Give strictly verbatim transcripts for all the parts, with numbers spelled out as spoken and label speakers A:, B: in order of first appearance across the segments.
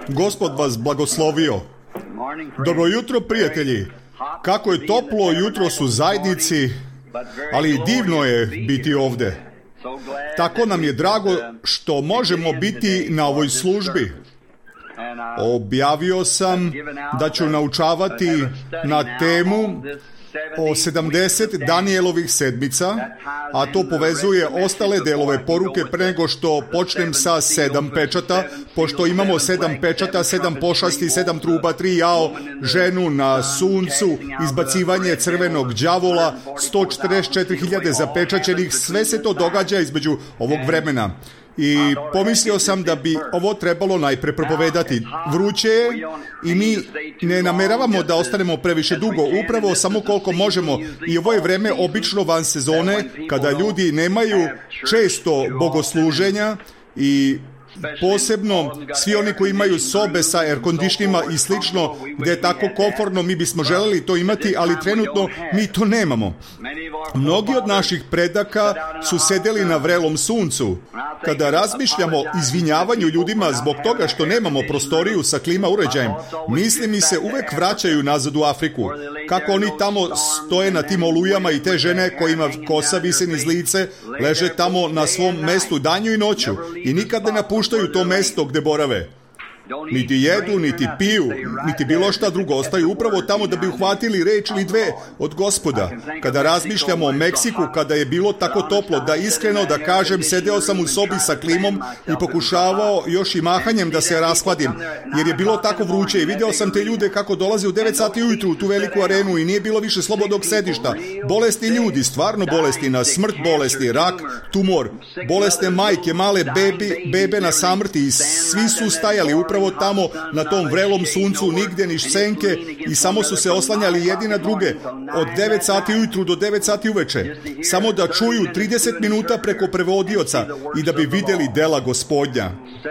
A: Gospod vas blagoslovio. Dobro jutro, prijatelji. Kako je toplo jutros u zajednici, ali divno je biti ovdje. Tako nam je drago što možemo biti na ovoj službi. Objavio sam da ću naučavati na temu o sedamdeset Danijelovih sedmica, a to povezuje ostale delove poruke pre nego što počnem sa sedam pečata, pošto imamo sedam pečata, sedam pošasti, sedam truba, tri jao, ženu na suncu, izbacivanje crvenog đavola, sto četrdeset četiri hiljade zapečaćenih, sve se to događa između ovog vremena. I pomislio sam da bi ovo trebalo najpre propovedati. Vruće je i mi ne nameravamo da ostanemo previše dugo, upravo samo koliko možemo. I ovo je vreme obično van sezone, kada ljudi nemaju često bogosluženja i posebno svi oni koji imaju sobe sa air-conditionima i slično, gdje je tako komfortno, mi bismo želeli to imati, ali trenutno mi to nemamo. Mnogi od naših predaka su sedeli na vrelom suncu. Kada razmišljamo o izvinjavanju ljudima zbog toga što nemamo prostoriju sa klima uređajem, misli mi se uvek vraćaju nazad u Afriku. Kako oni tamo stoje na tim olujama i te žene kojima kosa visi niz lice, leže tamo na svom mestu danju i noću i nikad ne napuštaju to mesto gde borave. Niti jedu, niti piju, niti bilo šta drugo, ostaju upravo tamo da bi uhvatili reč ili dve od Gospoda. Kada razmišljamo o Meksiku, kada je bilo tako toplo, da iskreno da kažem, sedeo sam u sobi sa klimom i pokušavao još i mahanjem da se raskladim, jer je bilo tako vruće i video sam te ljude kako dolaze u devet sati ujutru u tu veliku arenu i nije bilo više slobodnog sedišta. Bolesni ljudi, stvarno bolesni, na smrt bolesni, rak, tumor, bolesne majke, male bebi, bebe na samrti i svi su stajali upravo tamo na tom vrelom suncu, nigde ni senke i samo su se oslanjali jedni na druge od devet sati ujutru do devet sati uveče, samo da čuju trideset minuta preko prevodioca i da bi videli dela Gospodnja.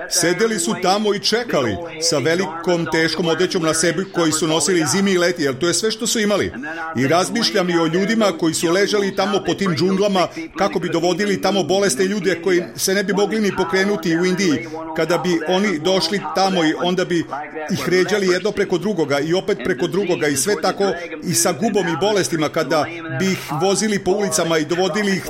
A: Sedeli su tamo i čekali sa velikom teškom odećom na sebi koji su nosili zimi i leti, jer to je sve što su imali. I razmišljam i o ljudima koji su ležali tamo po tim džunglama kako bi dovodili tamo bolesne ljude koji se ne bi mogli ni pokrenuti u Indiji. Kada bi oni došli tamo i onda bi ih ređali jedno preko drugoga i opet preko drugoga i sve tako i sa gubom i bolestima, kada bi ih vozili po ulicama i dovodili ih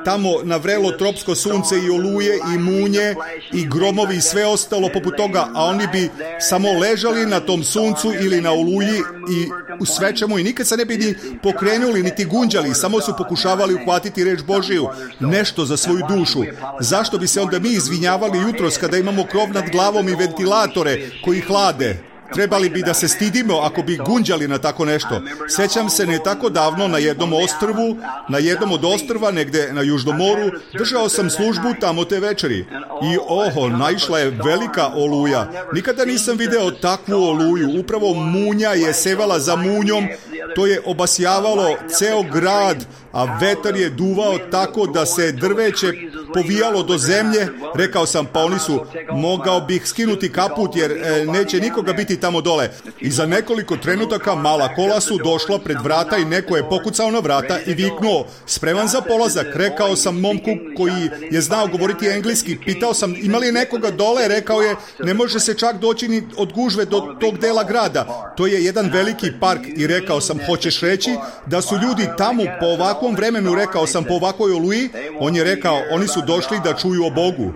A: tamo na vrelo tropsko sunce i oluje i munje i gromovi i sve ostalo poput toga, a oni bi samo ležali na tom suncu ili na oluji i u svečemu i nikad se ne bi ni pokrenuli niti gunđali, samo su pokušavali uhvatiti reč Božiju, nešto za svoju dušu. Zašto bi se onda mi izvinjavali jutros kada imamo krov nad glavom i ventilatore koji hlade? Trebali bi da se stidimo ako bi gunđali na tako nešto. Sjećam se ne tako davno na jednom ostrvu, na jednom od ostrva negde na Južnom moru, držao sam službu tamo te večeri. I oho, naišla je velika oluja. Nikada nisam video takvu oluju. Upravo munja je sevala za munjom, to je obasjavalo ceo grad, a vetar je duvao tako da se drveće povijalo do zemlje. Rekao sam, pa oni su, mogao bih skinuti kaput jer e, neće nikoga biti tamo dole. I za nekoliko trenutaka mala kola su došla pred vrata i neko je pokucao na vrata i viknuo, spreman za polazak. Rekao sam momku koji je znao govoriti engleski, pitao sam, ima li nekoga dole? Rekao je, ne može se čak doći ni od gužve do tog dela grada. To je jedan veliki park. I rekao sam, hoćeš reći da su ljudi tamo po ovakvom vremenu? Rekao sam, po ovakvoj oluji? On je rekao, oni su došli da čuju o Bogu.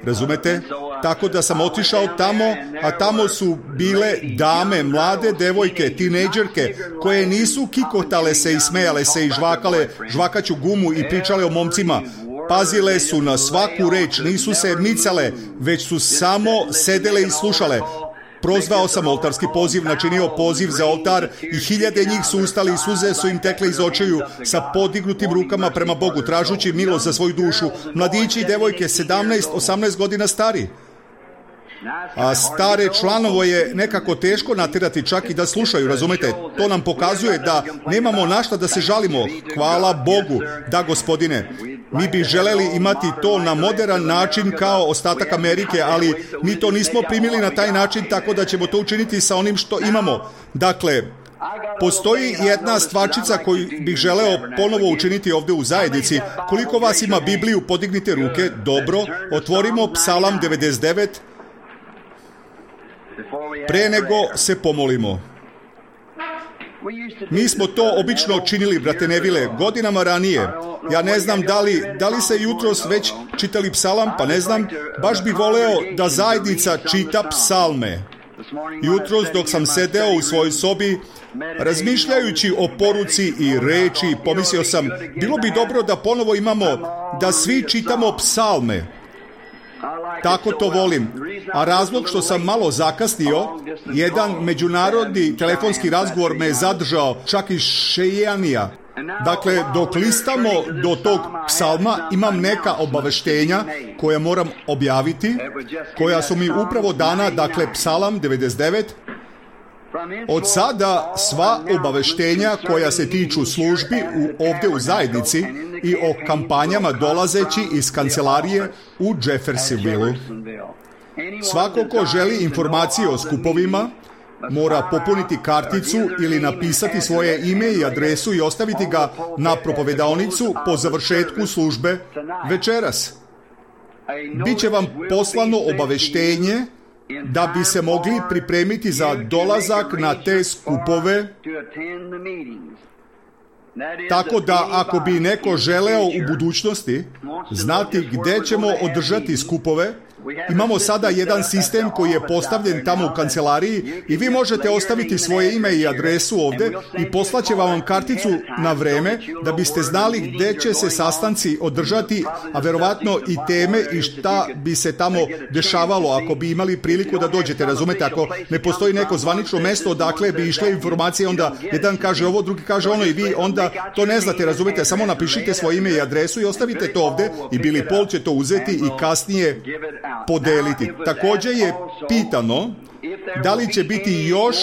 A: Razumete? Tako da sam otišao tamo, a tamo su bile dame, mlade devojke, tinejdžerke, koje nisu kikotale se i smejale se i žvakale žvakaću gumu i pričale o momcima. Pazile su na svaku reč, nisu se micale, već su samo sedele i slušale. Prozvao sam oltarski poziv, načinio poziv za oltar i hiljade njih su ustali i suze su im tekle iz očiju sa podignutim rukama prema Bogu, tražući milost za svoju dušu. Mladići i devojke, sedamnaest osamnaest godina stari. A stare članovo je nekako teško natjerati čak i da slušaju, razumete? To nam pokazuje da nemamo na šta da se žalimo. Hvala Bogu, da Gospodine. Mi bi želeli imati to na modern način kao ostatak Amerike, ali mi to nismo primili na taj način, tako da ćemo to učiniti sa onim što imamo. Dakle, postoji jedna stvarčica koju bih želeo ponovo učiniti ovdje u zajednici. Koliko vas ima Bibliju, podignite ruke. Dobro, otvorimo Psalam devedeset devet. pre nego se pomolimo. Mi smo to obično činili, brate Nevile, godinama ranije. Ja ne znam da li, da li se jutros već čitali psalam, pa ne znam, baš bi voleo da zajednica čita psalme. Jutros dok sam sedeo u svojoj sobi, razmišljajući o poruci i reči, pomislio sam, bilo bi dobro da ponovo imamo, da svi čitamo psalme. Tako to volim. A razlog što sam malo zakasnio, jedan međunarodni telefonski razgovor me je zadržao, čak iz Šejanija. Dakle, dok listamo do tog psalma, imam neka obaveštenja koja moram objaviti, koja su mi upravo dana, dakle, psalam devedeset devet. Od sada sva obaveštenja koja se tiču službi u, ovdje u zajednici i o kampanjama dolazeći iz kancelarije u Jeffersonville. Svako ko želi informacije o skupovima, mora popuniti karticu ili napisati svoje ime i adresu i ostaviti ga na propovedaonicu po završetku službe večeras. Biće vam poslano obaveštenje da bi se mogli pripremiti za dolazak na te skupove, tako da ako bi neko želeo u budućnosti znati gdje ćemo održati skupove, imamo sada jedan sistem koji je postavljen tamo u kancelariji i vi možete ostaviti svoje ime i adresu ovdje i poslaće vam karticu na vreme da biste znali gdje će se sastanci održati, a verovatno i teme i šta bi se tamo dešavalo ako bi imali priliku da dođete. Razumete, ako ne postoji neko zvanično mesto odakle bi išle informacije, onda jedan kaže ovo, drugi kaže ono i vi onda to ne znate, razumete, samo napišite svoje ime i adresu i ostavite to ovdje i Billy Paul će to uzeti i kasnije podeliti. Također je pitano da li će biti još,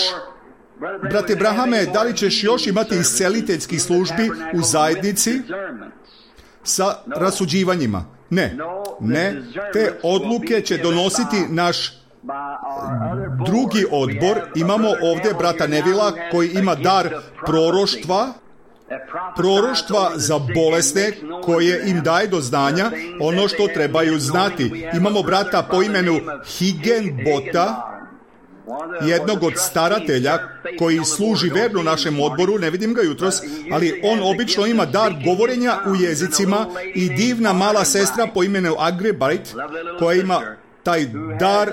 A: brate Brahame, da li ćeš još imati isceliteljskih službi u zajednici sa rasuđivanjima? Ne, ne, te odluke će donositi naš drugi odbor. Imamo ovdje brata Nevila koji ima dar proroštva, proroštva za bolesne koje im daje do znanja ono što trebaju znati. Imamo brata po imenu Higgenbota, jednog od staratelja koji služi verno našem odboru, ne vidim ga jutros, ali on obično ima dar govorenja u jezicima i divna mala sestra po imenu Agrebite koja ima taj dar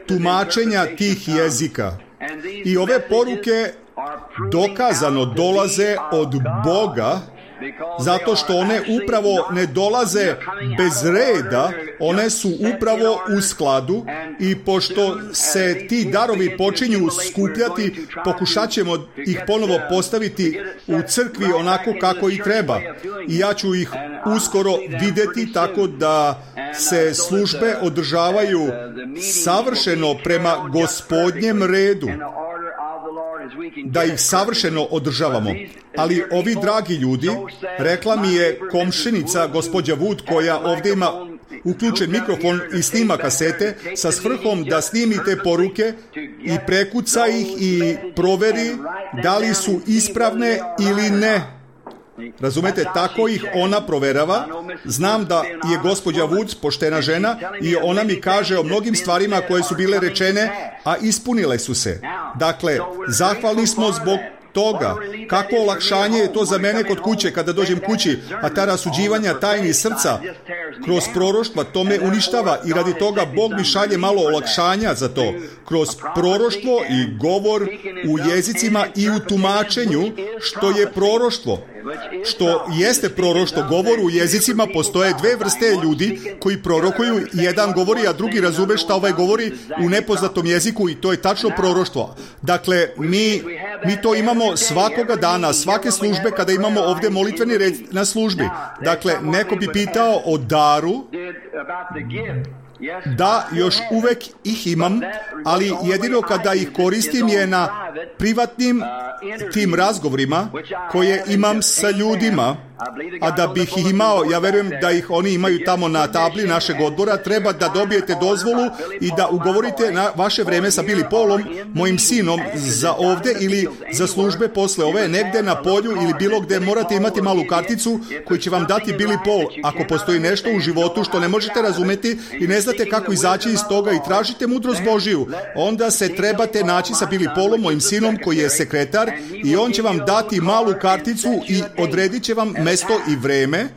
A: tumačenja tih jezika. I ove poruke dokazano dolaze od Boga, zato što one upravo ne dolaze bez reda, one su upravo u skladu i pošto se ti darovi počinju skupljati, pokušat ćemo ih ponovo postaviti u crkvi onako kako i treba. I ja ću ih uskoro vidjeti tako da se službe održavaju savršeno prema Gospodnjem redu, da ih savršeno održavamo. Ali ovi dragi ljudi, rekla mi je komšinica gospođa Wood koja ovdje ima uključen mikrofon i snima kasete sa svrhom da snimi te poruke i prekuca ih i proveri da li su ispravne ili ne. Razumete, tako ih ona proverava. Znam da je gospođa Woods poštena žena i ona mi kaže o mnogim stvarima koje su bile rečene, a ispunile su se. Dakle, zahvalni smo zbog toga. Kako olakšanje je to za mene kod kuće kada dođem kući, a ta rasuđivanja tajni srca kroz proroštva to me uništava i radi toga Bog mi šalje malo olakšanja za to. Kroz proroštvo i govor u jezicima i u tumačenju što je proroštvo. Što jeste proroštvo, govor u jezicima, postoje dve vrste ljudi koji prorokuju, jedan govori, a drugi razume šta ovaj govori u nepoznatom jeziku i to je tačno proroštvo. Dakle, mi, mi to imamo svakoga dana, svake službe kada imamo ovdje molitveni red na službi. Dakle, neko bi pitao o daru, da, još uvek ih imam, ali jedino kada ih koristim je na privatnim tim razgovorima koje imam sa ljudima A da bih ih imao, ja verujem da ih oni imaju tamo na tabli našeg odbora, treba da dobijete dozvolu i da ugovorite na vaše vreme sa Billy Paulom, mojim sinom, za ovde ili za službe posle ove, negde na polju ili bilo gde. Morate imati malu karticu koju će vam dati Billy Paul. Ako postoji nešto u životu što ne možete razumeti i ne znate kako izaći iz toga i tražite mudrost Božiju, onda se trebate naći sa Billy Paulom, mojim sinom, koji je sekretar, i on će vam dati malu karticu i odredit će vam mesto i vreme,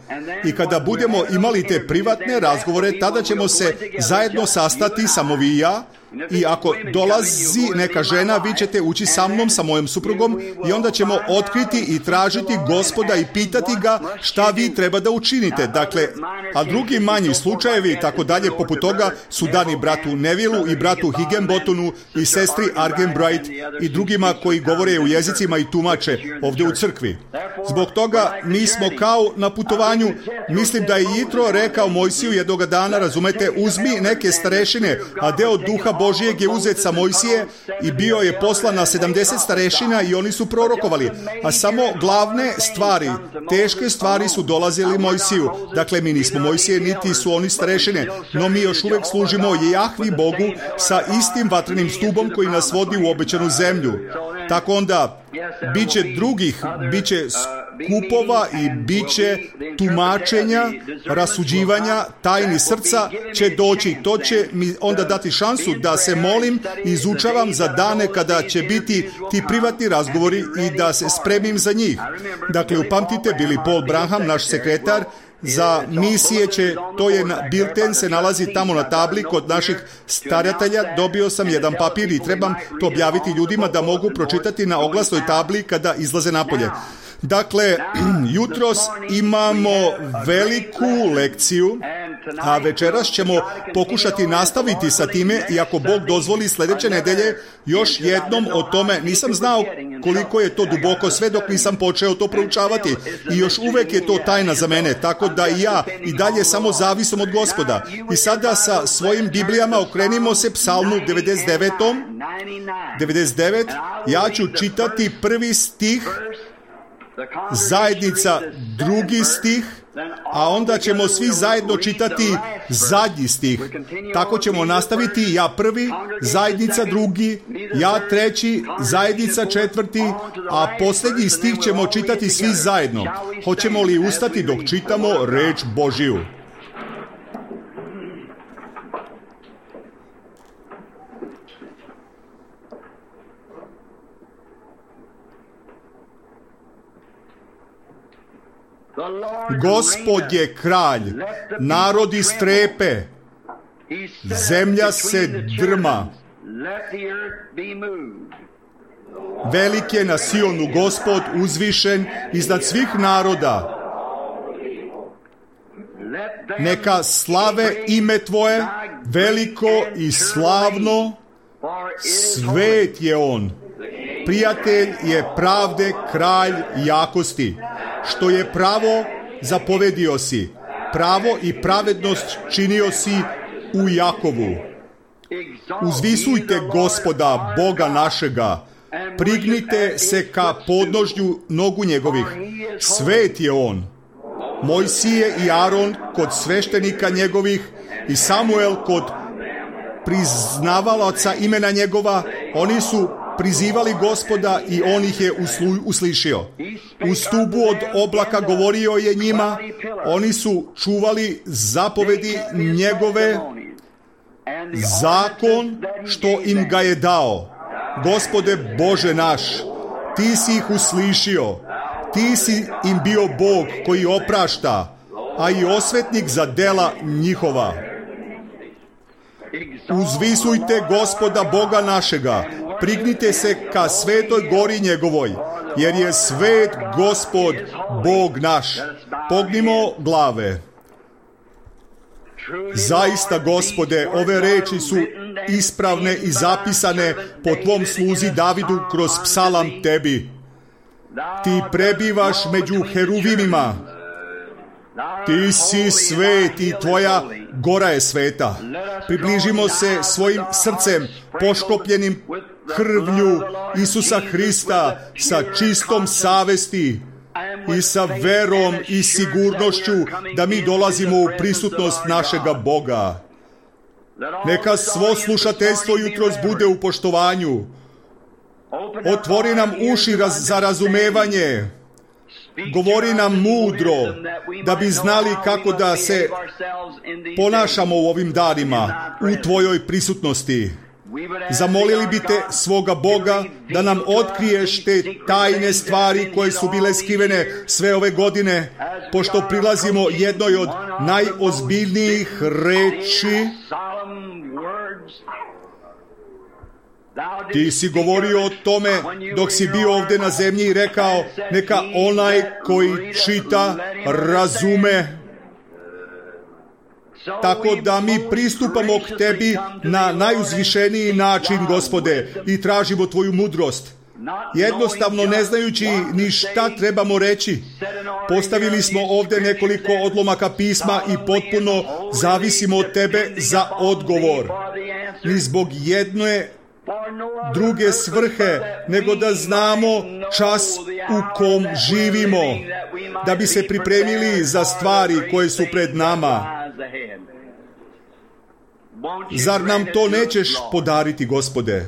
A: i kada budemo imali te privatne razgovore, tada ćemo se zajedno sastati, samo vi i ja, i ako dolazi neka žena, vi ćete ući sa mnom, sa mojom suprugom, i onda ćemo otkriti i tražiti Gospoda i pitati ga šta vi treba da učinite. Dakle, a drugi manji slučajevi i tako dalje poput toga su dani bratu Nevilu i bratu Higginbothonu i sestri Argenbright i drugima koji govore u jezicima i tumače ovdje u crkvi. Zbog toga mi smo kao na putovanju. Mislim da je Jitro rekao Mojsiju jednoga dana, razumete, uzmi neke starešine, a deo duha Božijeg je uzet sa Mojsije i bio je poslan na sedamdeset starešina i oni su prorokovali. A samo glavne stvari, teške stvari su dolazili Mojsiju. Dakle, mi nismo Mojsije, niti su oni starešine, no mi još uvek služimo Jahvi Bogu sa istim vatrenim stubom koji nas vodi u obećanu zemlju. Tako onda, bit će drugih, bit će skupova i bit će tumačenja, rasuđivanja, tajni srca će doći. To će mi onda dati šansu da se molim i izučavam za dane kada će biti ti privatni razgovori i da se spremim za njih. Dakle, upamtite, Billy Paul Branham, naš sekretar, za misije će, to je, bilten se nalazi tamo na tabli kod naših staratelja. Dobio sam jedan papir i trebam to objaviti ljudima da mogu pročitati na oglasnoj tabli kada izlaze napolje. Dakle, jutros imamo veliku lekciju, a večeras ćemo pokušati nastaviti sa time, i ako Bog dozvoli sljedeće nedelje, još jednom o tome. Nisam znao koliko je to duboko sve dok nisam počeo to proučavati, i još uvek je to tajna za mene, tako da i ja i dalje samo zavisim od Gospoda. I sada sa svojim Biblijama okrenimo se Psalmu devedeset devet. devedeset devet, ja ću čitati prvi stih, zajednica drugi stih, a onda ćemo svi zajedno čitati zadnji stih. Tako ćemo nastaviti, ja prvi, zajednica drugi, ja treći, zajednica četvrti, a posljednji stih ćemo čitati svi zajedno. Hoćemo li ustati dok čitamo reč Božiju? Gospod je kralj, narodi strepe, zemlja se drma. Velik je na Sionu Gospod, uzvišen iznad svih naroda. Neka slave ime Tvoje, veliko i slavno, svet je On. Prijatelj je pravde, kralj jakosti. Što je pravo, zapovedio si. Pravo i pravednost činio si u Jakovu. Uzvisujte Gospoda, Boga našega. Prignite se ka podnožju nogu njegovih. Svet je On. Mojsije i Aron kod sveštenika njegovih i Samuel kod priznavalaca imena njegova. Oni su prizivali Gospoda i on ih je uslu, uslišio. U stubu od oblaka govorio je njima, oni su čuvali zapovedi njegove, zakon što im ga je dao. Gospode Bože naš, ti si ih uslišio, ti si im bio Bog koji oprašta, a i osvetnik za dela njihova. Uzvisujte Gospoda Boga našega, prignite se ka svetoj gori njegovoj, jer je svet Gospod Bog naš. Pognimo glave. Zaista, Gospode, ove reči su ispravne i zapisane po Tvom sluzi Davidu kroz psalam Tebi. Ti prebivaš među heruvimima. Ti si svet i Tvoja gora je sveta. Približimo se svojim srcem poškopljenim krvlju Isusa Hrista sa čistom savesti i sa verom i sigurnošću da mi dolazimo u prisutnost našega Boga. Neka svo slušateljstvo jutros bude u poštovanju. Otvori nam uši raz, za razumevanje. Govori nam mudro, da bi znali kako da se ponašamo u ovim danima, u Tvojoj prisutnosti. Zamolili bi Te, svoga Boga, da nam otkriješ te tajne stvari koje su bile skrivene sve ove godine, pošto prilazimo jednoj od najozbiljnijih reči. Ti si govorio o tome dok si bio ovdje na zemlji i rekao, neka onaj koji čita razume. Tako da mi pristupamo k Tebi na najuzvišeniji način, Gospode, i tražimo Tvoju mudrost. Jednostavno ne znajući ni šta trebamo reći. Postavili smo ovdje nekoliko odlomaka pisma i potpuno zavisimo od Tebe za odgovor. Ni zbog jedne druge svrhe, nego da znamo čas u kom živimo, da bi se pripremili za stvari koje su pred nama. Zar nam to nećeš podariti, Gospode?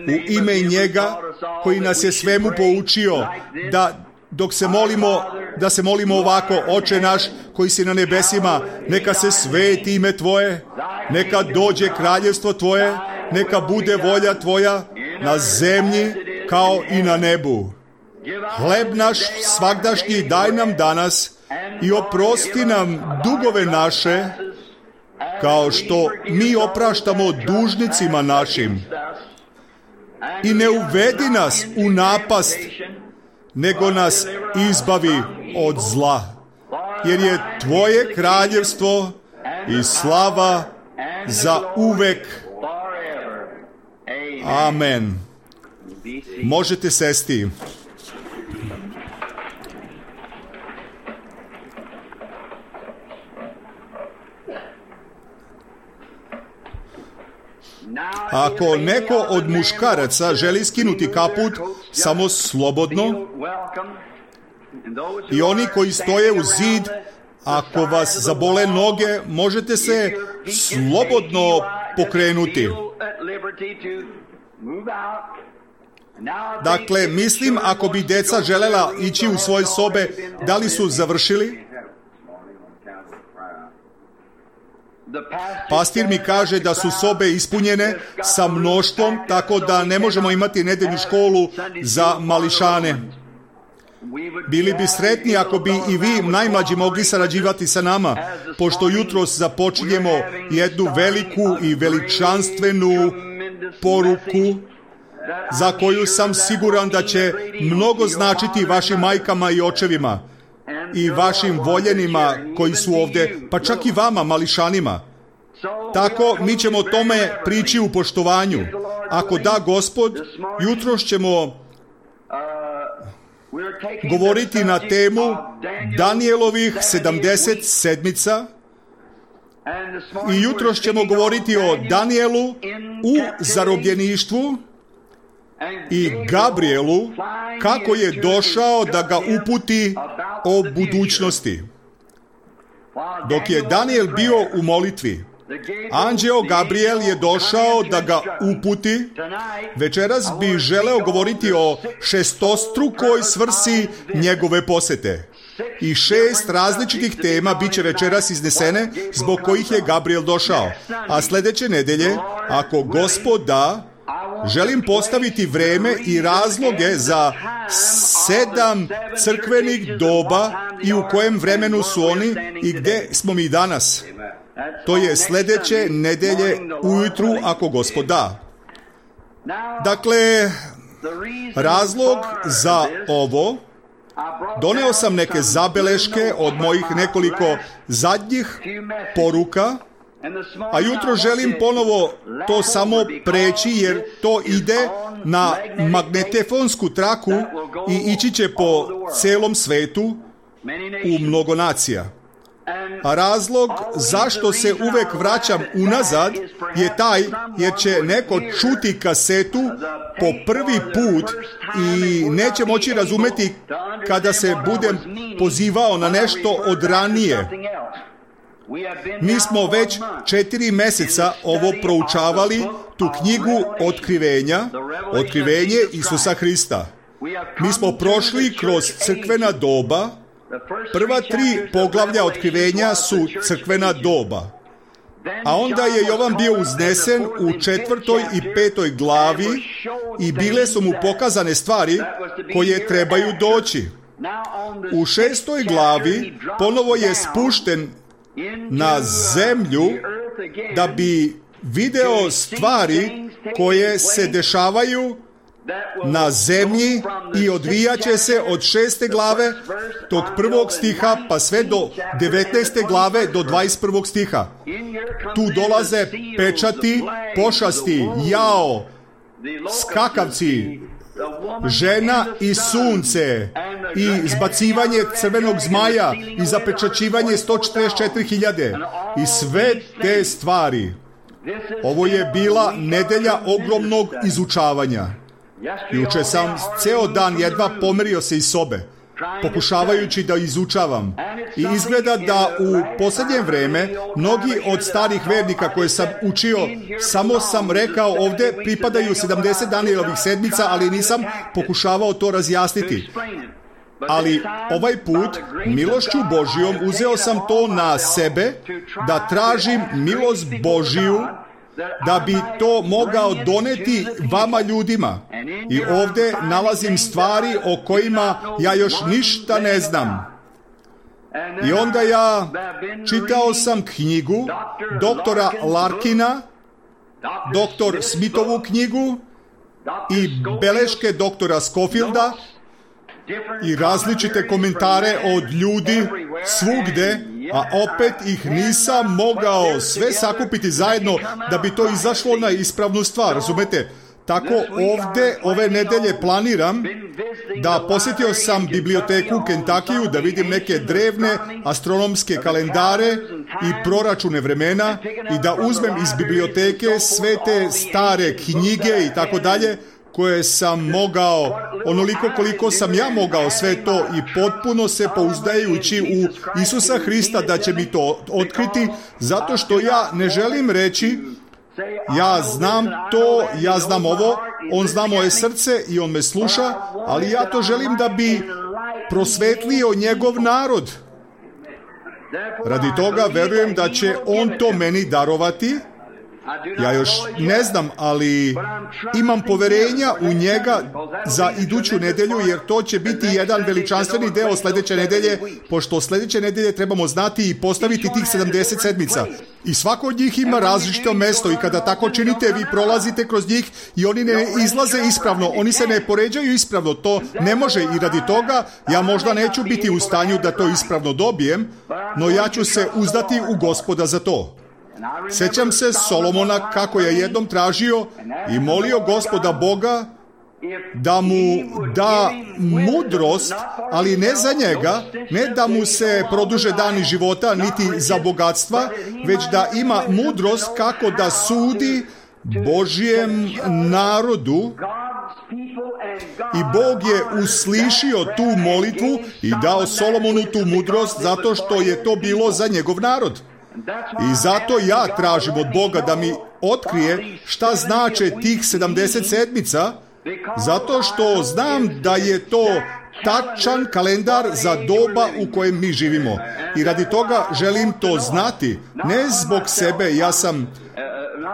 A: U ime njega koji nas je svemu poučio, da dok se molimo, da se molimo ovako: Oče naš koji si na nebesima, neka se sveti ime Tvoje, neka dođe kraljevstvo Tvoje, neka bude volja Tvoja na zemlji kao i na nebu. Hleb naš svagdašnji daj nam danas i oprosti nam dugove naše, kao što mi opraštamo dužnicima našim. I ne uvedi nas u napast, nego nas izbavi od zla. Jer je Tvoje kraljevstvo i slava za uvek. Amen. Možete sesti. Ako neko od muškaraca želi skinuti kaput, samo slobodno. I oni koji stoje u zid, ako vas zabole noge, možete se slobodno pokrenuti. Dakle, mislim, ako bi deca želela ići u svoje sobe, da li su završili? Pastir mi kaže da su sobe ispunjene sa mnoštvom, tako da ne možemo imati nedeljnu školu za mališane. Bili bi sretni ako bi i vi, najmlađi, mogli sarađivati sa nama, pošto jutros započinjemo jednu veliku i veličanstvenu poruku, za koju sam siguran da će mnogo značiti vašim majkama i očevima i vašim voljenima koji su ovdje, pa čak i vama, mališanima. Tako, mi ćemo tome prići u poštovanju. Ako da Gospod, jutros ćemo govoriti na temu Danijelovih sedamdeset sedmica i jutros ćemo govoriti o Danijelu u zarobljeništvu i Gabrielu, kako je došao da ga uputi o budućnosti. Dok je Danijel bio u molitvi, anđeo Gabriel je došao da ga uputi. Večeras bi želeo govoriti o šestostrukoj svrsi njegove posete. I šest različitih tema bit će večeras iznesene zbog kojih je Gabriel došao. A sljedeće nedelje, ako Gospod da, želim postaviti vreme i razloge za sedam crkvenih doba i u kojem vremenu su oni i gdje smo mi danas. To je sljedeće nedelje ujutru, ako Gospod da. Dakle, razlog za ovo, doneo sam neke zabeleške od mojih nekoliko zadnjih poruka, a jutro želim ponovo to samo preći, jer to ide na magnetofonsku traku i ići će po celom svetu u mnogo nacija. A razlog zašto se uvek vraćam unazad je taj jer će neko čuti kasetu po prvi put i neće moći razumeti kada se budem pozivao na nešto od ranije. Mi smo već četiri meseca ovo proučavali, tu knjigu Otkrivenja, Otkrivenje Isusa Hrista. Mi smo prošli kroz crkvena doba. Prva tri poglavlja Otkrivenja su crkvena doba. A onda je Jovan bio uznesen u četvrtoj i petoj glavi i bile su mu pokazane stvari koje trebaju doći. U šestoj glavi ponovo je spušten na zemlju da bi video stvari koje se dešavaju na zemlji i odvijaće se od šeste glave tog prvog stiha pa sve do devetnaeste glave do dvadeset prvog stiha. Tu dolaze pečati, pošasti, jao, skakavci, žena i sunce i zbacivanje crvenog zmaja i zapečaćivanje sto četrdeset četiri hiljade i sve te stvari. Ovo je bila nedelja ogromnog izučavanja. Juče sam ceo dan jedva pomerio se iz sobe, pokušavajući da izučavam. I izgleda da u posljednje vreme mnogi od starih vernika koje sam učio, samo sam rekao ovde pripadaju sedamdeset Danijelovih sedmica, ali nisam pokušavao to razjasniti. Ali ovaj put, milošću Božijom, uzeo sam to na sebe da tražim milost Božiju da bi to mogao doneti vama ljudima. I ovdje nalazim stvari o kojima ja još ništa ne znam. I onda ja čitao sam knjigu doktora Larkina, doktor Smithovu knjigu i beleške doktora Scofielda i različite komentare od ljudi svugde, a opet ih nisam mogao sve sakupiti zajedno da bi to izašlo na ispravnu stvar, razumete? Tako ovdje ove nedelje planiram da posjetio sam biblioteku u Kentakiju da vidim neke drevne astronomske kalendare i proračune vremena i da uzmem iz biblioteke sve te stare knjige i tako dalje koje sam mogao, onoliko koliko sam ja mogao sve to i potpuno se pouzdajući u Isusa Hrista da će mi to otkriti, zato što ja ne želim reći ja znam to, ja znam ovo, on zna moje srce i on me sluša, ali ja to želim da bi prosvetlio njegov narod. Radi toga verujem da će on to meni darovati. Ja još ne znam, ali imam poverenja u njega za iduću nedelju, jer to će biti jedan veličanstveni deo sljedeće nedelje, pošto sljedeće nedelje trebamo znati i postaviti tih sedamdeset sedmica. I svako od njih ima različito mesto i kada tako činite, vi prolazite kroz njih i oni ne izlaze ispravno, oni se ne poređaju ispravno, to ne može i radi toga ja možda neću biti u stanju da to ispravno dobijem, no ja ću se uzdati u Gospoda za to. Sjećam se Solomona kako je jednom tražio i molio Gospoda Boga da mu da mudrost, ali ne za njega, ne da mu se produže dani života, niti za bogatstva, već da ima mudrost kako da sudi Božjem narodu. I Bog je uslišio tu molitvu i dao Solomonu tu mudrost zato što je to bilo za njegov narod. I zato ja tražim od Boga da mi otkrije šta znače tih sedamdeset sedmica, zato što znam da je to tačan kalendar za doba u kojem mi živimo. I radi toga želim to znati, ne zbog sebe, ja sam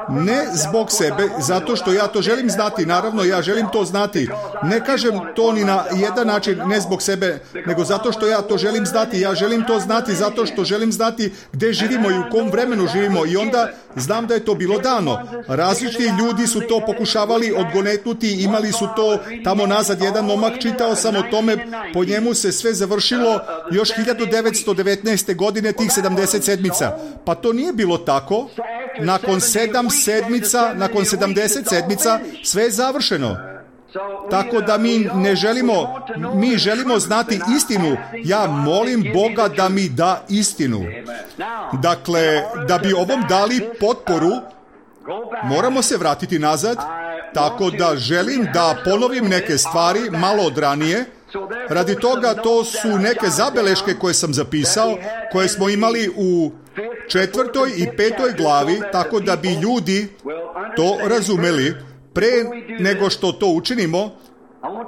A: ne zbog sebe, zato što ja to želim znati, naravno ja želim to znati. Ne kažem to ni na jedan način, ne zbog sebe, nego zato što ja to želim znati. Ja želim to znati zato što želim znati gdje živimo i u kom vremenu živimo i onda znam da je to bilo dano. Različiti ljudi su to pokušavali odgonetnuti, imali su to tamo nazad. Jedan momak, čitao sam o tome, po njemu se sve završilo još hiljadu devetsto devetnaeste. godine tih sedamdeset sedmica. Pa to nije bilo tako. Nakon sedam sedmica, nakon sedamdeset sedmica, sve je završeno. Tako da mi ne želimo, mi želimo znati istinu. Ja molim Boga da mi da istinu. Dakle, da bi ovom dali potporu, moramo se vratiti nazad, tako da želim da ponovim neke stvari malo od ranije. Radi toga to su neke zabeleške koje sam zapisao, koje smo imali u četvrtoj i petoj glavi, tako da bi ljudi to razumeli. Pre nego što to učinimo,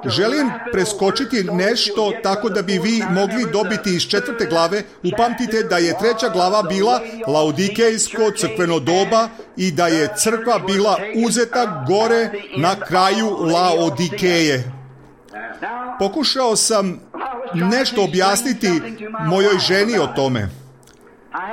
A: želim preskočiti nešto tako da bi vi mogli dobiti iz četvrte glave. Upamtite da je treća glava bila Laodikejsko crkveno doba i da je crkva bila uzeta gore na kraju Laodikeje. Pokušao sam nešto objasniti mojoj ženi o tome.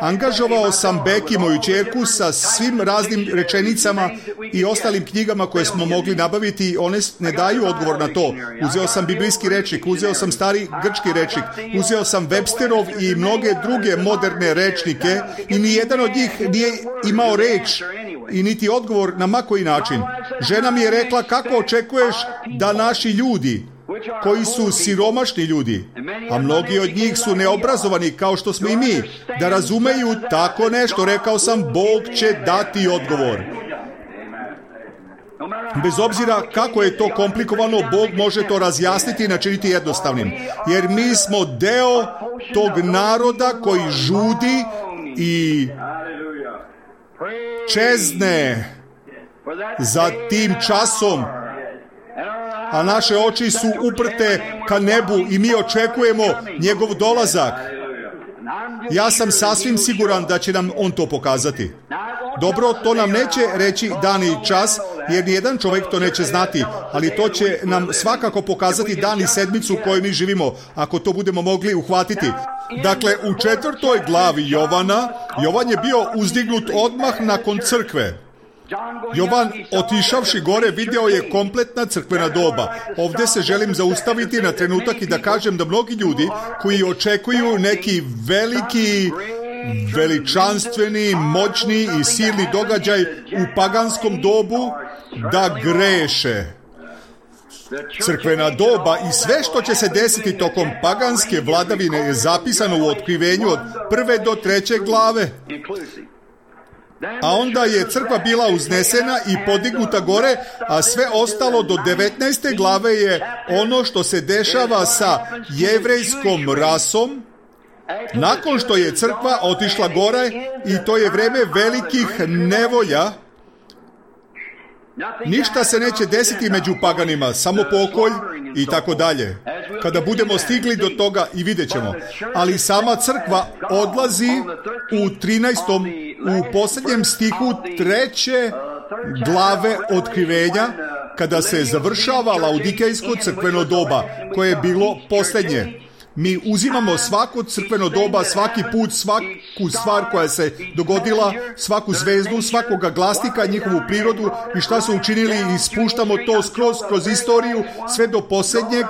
A: Angažovao sam Beki, moju ćerku, sa svim raznim rečenicama i ostalim knjigama koje smo mogli nabaviti. One ne daju odgovor na to. Uzeo sam biblijski rečnik, uzeo sam stari grčki rečnik, uzeo sam Websterov i mnoge druge moderne rečnike i nijedan od njih nije imao reč i niti odgovor na ma koji način. Žena mi je rekla, kako očekuješ da naši ljudi, koji su siromašni ljudi, a mnogi od njih su neobrazovani kao što smo i mi, da razumeju tako nešto. Rekao sam, Bog će dati odgovor. Bez obzira kako je to komplikovano, Bog može to razjasniti i načiniti jednostavnim. Jer mi smo deo tog naroda koji žudi i čezne za tim časom, a naše oči su uprte ka nebu i mi očekujemo njegov dolazak. Ja sam sasvim siguran da će nam on to pokazati. Dobro, to nam neće reći dan i čas, jer nijedan čovjek to neće znati, ali to će nam svakako pokazati dan i sedmicu u kojoj mi živimo, ako to budemo mogli uhvatiti. Dakle, u četvrtoj glavi Jovana, Jovan je bio uzdignut odmah nakon crkve. Jovan, otišavši gore, video je kompletna crkvena doba. Ovdje se želim zaustaviti na trenutak i da kažem da mnogi ljudi koji očekuju neki veliki, veličanstveni, moćni i silni događaj u paganskom dobu, da greše. Crkvena doba i sve što će se desiti tokom paganske vladavine je zapisano u Otkrivenju od prve do treće glave. A onda je crkva bila uznesena i podignuta gore, a sve ostalo do devetnaeste glave je ono što se dešava sa jevrejskom rasom nakon što je crkva otišla gore, i to je vreme velikih nevolja. Ništa se neće desiti među paganima, samo pokolj i tako dalje. Kada budemo stigli do toga i vidjet ćemo. Ali sama crkva odlazi u trinaestom, u posljednjem stihu treće glave Otkrivenja, kada se završava Laodikejsko crkveno doba, koje je bilo posljednje. Mi uzimamo svako crkveno doba, svaki put, svaku stvar koja se dogodila, svaku zvezdu, svakoga glasnika, njihovu prirodu i šta su učinili, i spuštamo to skroz kroz istoriju sve do posljednjeg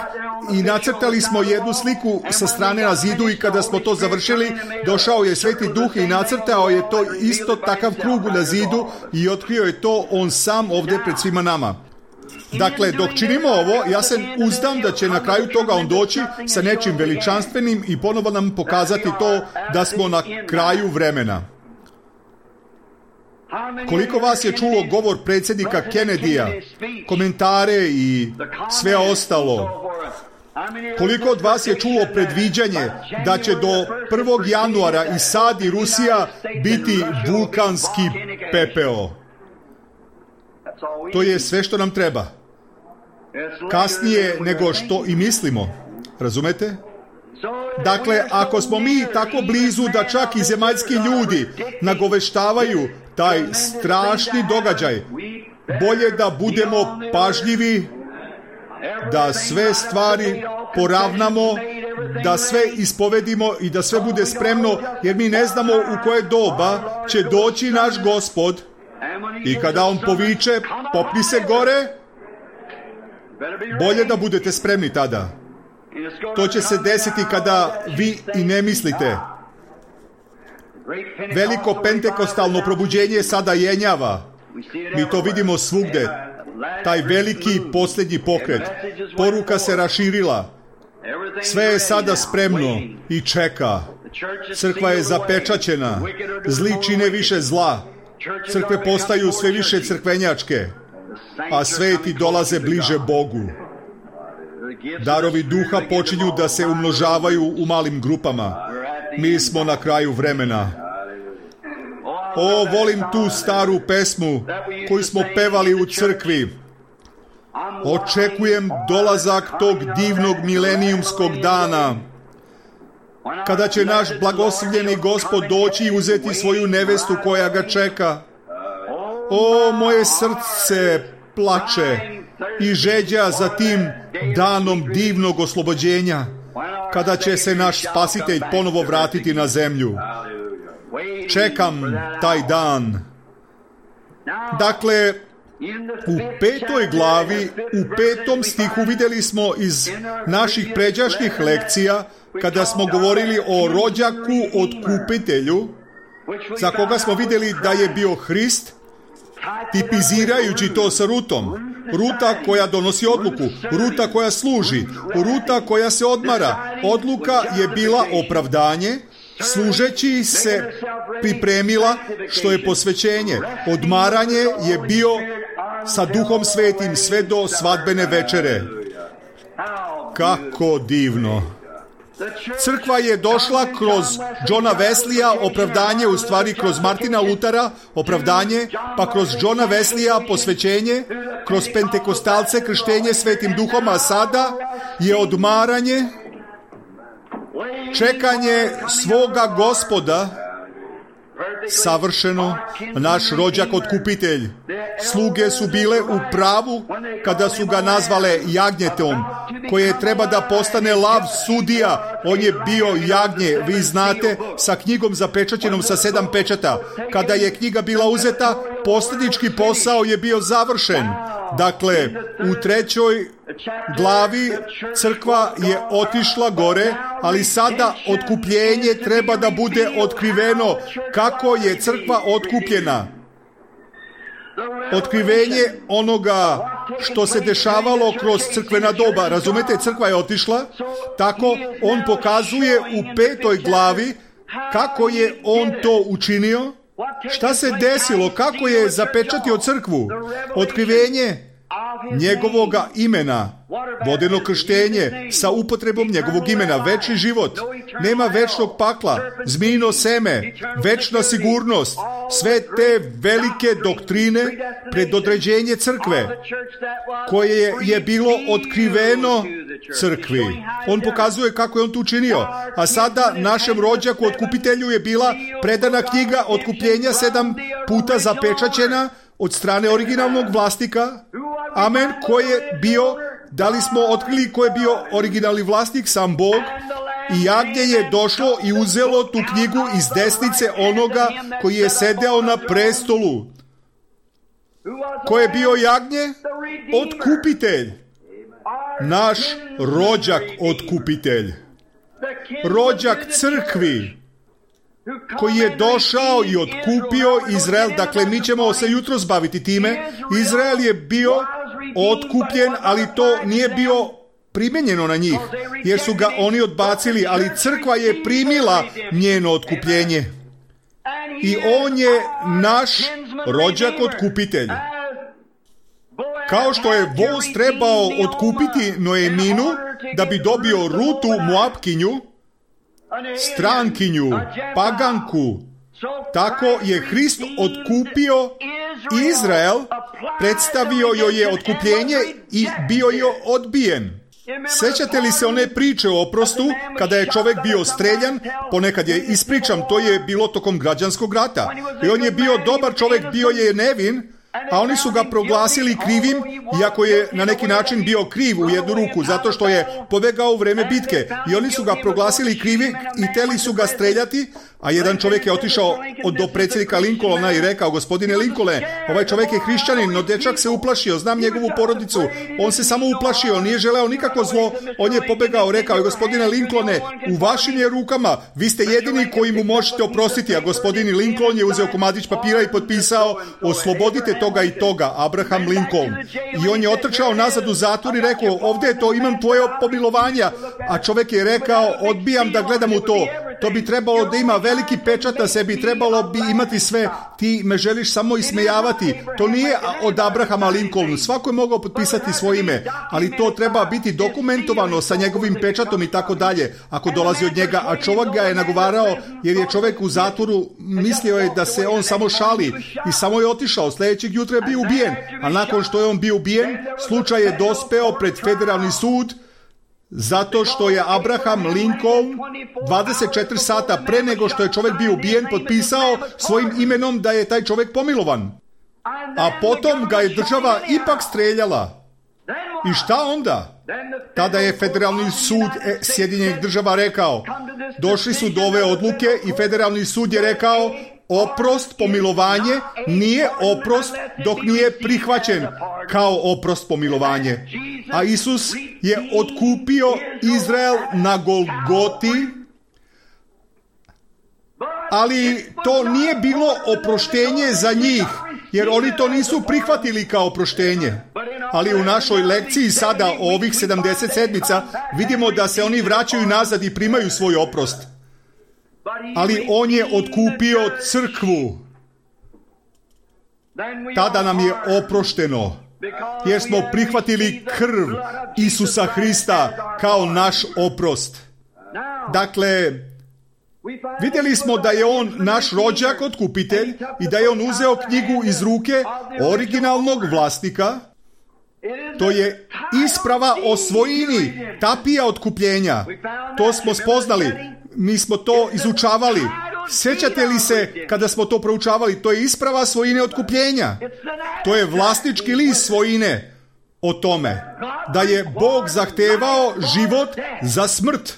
A: i nacrtali smo jednu sliku sa strane na zidu, i kada smo to završili, došao je Sveti Duh i nacrtao je to isto takav krug na zidu i otkrio je to on sam ovdje pred svima nama. Dakle, dok činimo ovo, ja se uzdam da će na kraju toga on doći sa nečim veličanstvenim i ponovo nam pokazati to da smo na kraju vremena. Koliko vas je čulo govor predsjednika Kennedyja, komentare i sve ostalo? Koliko od vas je čulo predviđanje da će do prvog januara i sad i Rusija biti vulkanski pepeo? To je sve što nam treba. Kasnije nego što i mislimo. Razumete? Dakle, ako smo mi tako blizu da čak i zemaljski ljudi nagoveštavaju taj strašni događaj, bolje da budemo pažljivi, da sve stvari poravnamo, da sve ispovedimo i da sve bude spremno, jer mi ne znamo u koje doba će doći naš Gospod. I kada on poviče, popni se gore, bolje da budete spremni tada. To će se desiti kada vi i ne mislite. Veliko pentekostalno probuđenje sada jenjava. Mi to vidimo svugde. taj veliki posljednji pokret. Poruka se raširila. Sve je sada spremno i čeka. Crkva je zapečaćena. Zli čine više zla. Crkve postaju sve više crkvenjačke, a sveti dolaze bliže Bogu. Darovi duha počinju da se umnožavaju u malim grupama. Mi smo na kraju vremena. O, volim tu staru pesmu koju smo pevali u crkvi. Očekujem dolazak tog divnog milenijumskog dana, kada će naš blagoslovljeni Gospod doći i uzeti svoju nevestu koja ga čeka. O, moje srce plače i žeđa za tim danom divnog oslobođenja, kada će se naš Spasitelj ponovo vratiti na zemlju. Čekam taj dan. Dakle, u petoj glavi, u petom stihu vidjeli smo iz naših pređašnjih lekcija, kada smo govorili o rođaku otkupitelju, za koga smo vidjeli da je bio Hrist, tipizirajući to sa Rutom. Ruta koja donosi odluku, Ruta koja služi, Ruta koja se odmara. Odluka je bila opravdanje, služeći se pripremila, što je posvećenje. Odmaranje je bio sa Duhom Svetim sve do svadbene večere. Kako divno! Crkva je došla kroz Johna Wesleya, opravdanje, u stvari kroz Martina Lutera, opravdanje, pa kroz Johna Wesleya posvećenje, kroz pentekostalce krštenje Svetim Duhom, a sada je odmaranje, čekanje svoga Gospoda, savršeno, naš rođak otkupitelj. Sluge su bile u pravu kada su ga nazvale jagnjetom, koje treba da postane lav sudija. On je bio jagnje, vi znate, sa knjigom zapečaćenom sa sedam pečata. Kada je knjiga bila uzeta, posljednički posao je bio završen. Dakle, u trećoj glavi crkva je otišla gore, ali sada otkupljenje treba da bude otkriveno. Kako je crkva otkupljena? Otkrivenje onoga što se dešavalo kroz crkvena doba. Razumete, crkva je otišla, tako on pokazuje u petoj glavi kako je on to učinio, šta se desilo, kako je zapečatio crkvu. Otkrivenje njegovoga imena, vodeno krštenje sa upotrebom njegovog imena, večni život, nema večnog pakla, zmijino seme, večna sigurnost, sve te velike doktrine, predodređenje crkve, koje je bilo otkriveno crkvi. On pokazuje kako je on to učinio. A sada našem rođaku otkupitelju je bila predana knjiga otkupljenja, sedam puta zapečaćena od strane originalnog vlasnika. Amen. Ko je bio, da li smo otkrili ko je bio originalni vlasnik? Sam Bog. I jagnje je došlo i uzelo tu knjigu iz desnice onoga koji je sedeo na prestolu. Ko je bio jagnje? Otkupitelj. Naš rođak otkupitelj. Rođak crkvi, koji je došao i otkupio Izrael. Dakle, mi ćemo se jutros baviti time. Izrael je bio otkupljen, ali to nije bio primjenjeno na njih, jer su ga oni odbacili, ali crkva je primila njeno otkupljenje. I on je naš rođak otkupitelj. Kao što je voz trebao otkupiti Noeminu da bi dobio Rutu Moapkinju, strankinju, paganku, tako je Hrist otkupio Izrael, predstavio joj je otkupljenje i bio je odbijen. Sjećate li se one priče o oprostu, kada je čovjek bio streljan? Ponekad je ispričam, to je bilo tokom građanskog rata. I on je bio dobar čovjek, bio je nevin, a oni su ga proglasili krivim, iako je na neki način bio kriv u jednu ruku, zato što je pobegao u vreme bitke. I oni su ga proglasili krivi i teli su ga streljati, a jedan čovjek je otišao do predsjednika Lincolna i rekao: gospodine Lincolne, ovaj čovjek je hrišćanin, no dečak se uplašio, znam njegovu porodicu, on se samo uplašio, nije želeo nikako zlo, on je pobegao, rekao: gospodine Lincolne, u vašim je rukama, vi ste jedini koji mu možete oprostiti. A gospodin Lincoln je uzeo komadić papira i potpisao: oslobodite toga i toga, Abraham Lincoln. I on je otrčao nazad u zatvor i rekao, ovdje je to, imam tvoje pomilovanja. A čovjek je rekao, odbijam da gledam u to. To bi trebalo da ima veliki pečat na sebi, trebalo bi imati sve. Ti me želiš samo ismejavati. To nije od Abrahama Lincoln. Svako je mogao potpisati svoje ime, ali to treba biti dokumentovano sa njegovim pečatom i tako dalje. Ako dolazi od njega, a čovjek ga je nagovarao jer je čovjek u zatvoru, mislio je da se on samo šali i samo je otišao. Sljedećeg jutra je bio ubijen, a nakon što je on bio ubijen, slučaj je dospeo pred federalni sud zato što je Abraham Lincoln dvadeset četiri sata pre nego što je čovjek bio ubijen potpisao svojim imenom da je taj čovjek pomilovan. A potom ga je država ipak streljala. I šta onda? Tada je federalni sud Sjedinjenih država rekao, došli su do ove odluke i federalni sud je rekao, oprost, pomilovanje nije oprost dok nije prihvaćen kao oprost, pomilovanje. A Isus je otkupio Izrael na Golgoti, ali to nije bilo oproštenje za njih, jer oni to nisu prihvatili kao oproštenje. Ali u našoj lekciji sada ovih sedamdeset sedmica vidimo da se oni vraćaju nazad i primaju svoj oprost. Ali on je otkupio crkvu. Tada nam je oprošteno, jer smo prihvatili krv Isusa Hrista kao naš oprost. Dakle, vidjeli smo da je on naš rođak, otkupitelj, i da je on uzeo knjigu iz ruke originalnog vlasnika. To je isprava o svojini, tapija otkupljenja. To smo spoznali. Mi smo to izučavali. Sjećate li se kada smo to proučavali? To je isprava svojine otkupljenja. To je vlasnički list svojine o tome da je Bog zahtevao život za smrt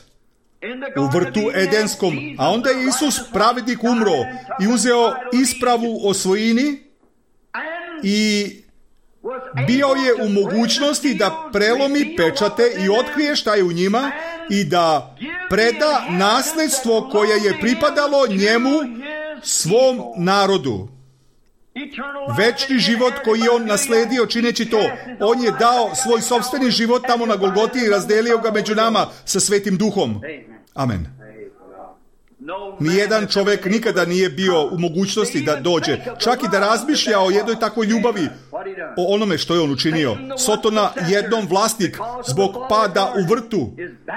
A: u vrtu Edenskom, a onda je Isus pravednik umro i uzeo ispravu o svojini i bio je u mogućnosti da prelomi pečate i otkrije šta je u njima i da preda nasljedstvo koje je pripadalo njemu, svom narodu. Večni život koji je on nasledio čineći to. On je dao svoj sopstveni život tamo na Golgoti i razdelio ga među nama sa Svetim Duhom. Amen. Nijedan čovjek nikada nije bio u mogućnosti da dođe, čak i da razmišlja o jednoj takvoj ljubavi, o onome što je on učinio. Sotona, jednom vlasnik, zbog pada u vrtu,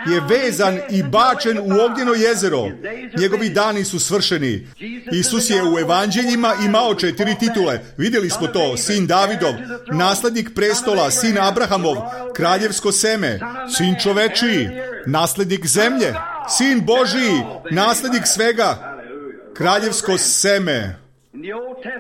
A: je vezan i bačen u ognjeno jezero. Njegovi dani su svršeni. Isus je u evanđeljima imao četiri titule. Vidjeli smo to. Sin Davidov, naslednik prestola, sin Abrahamov, kraljevsko seme, sin čovečiji, naslednik zemlje, sin Božiji, naslednik svega, kraljevsko seme.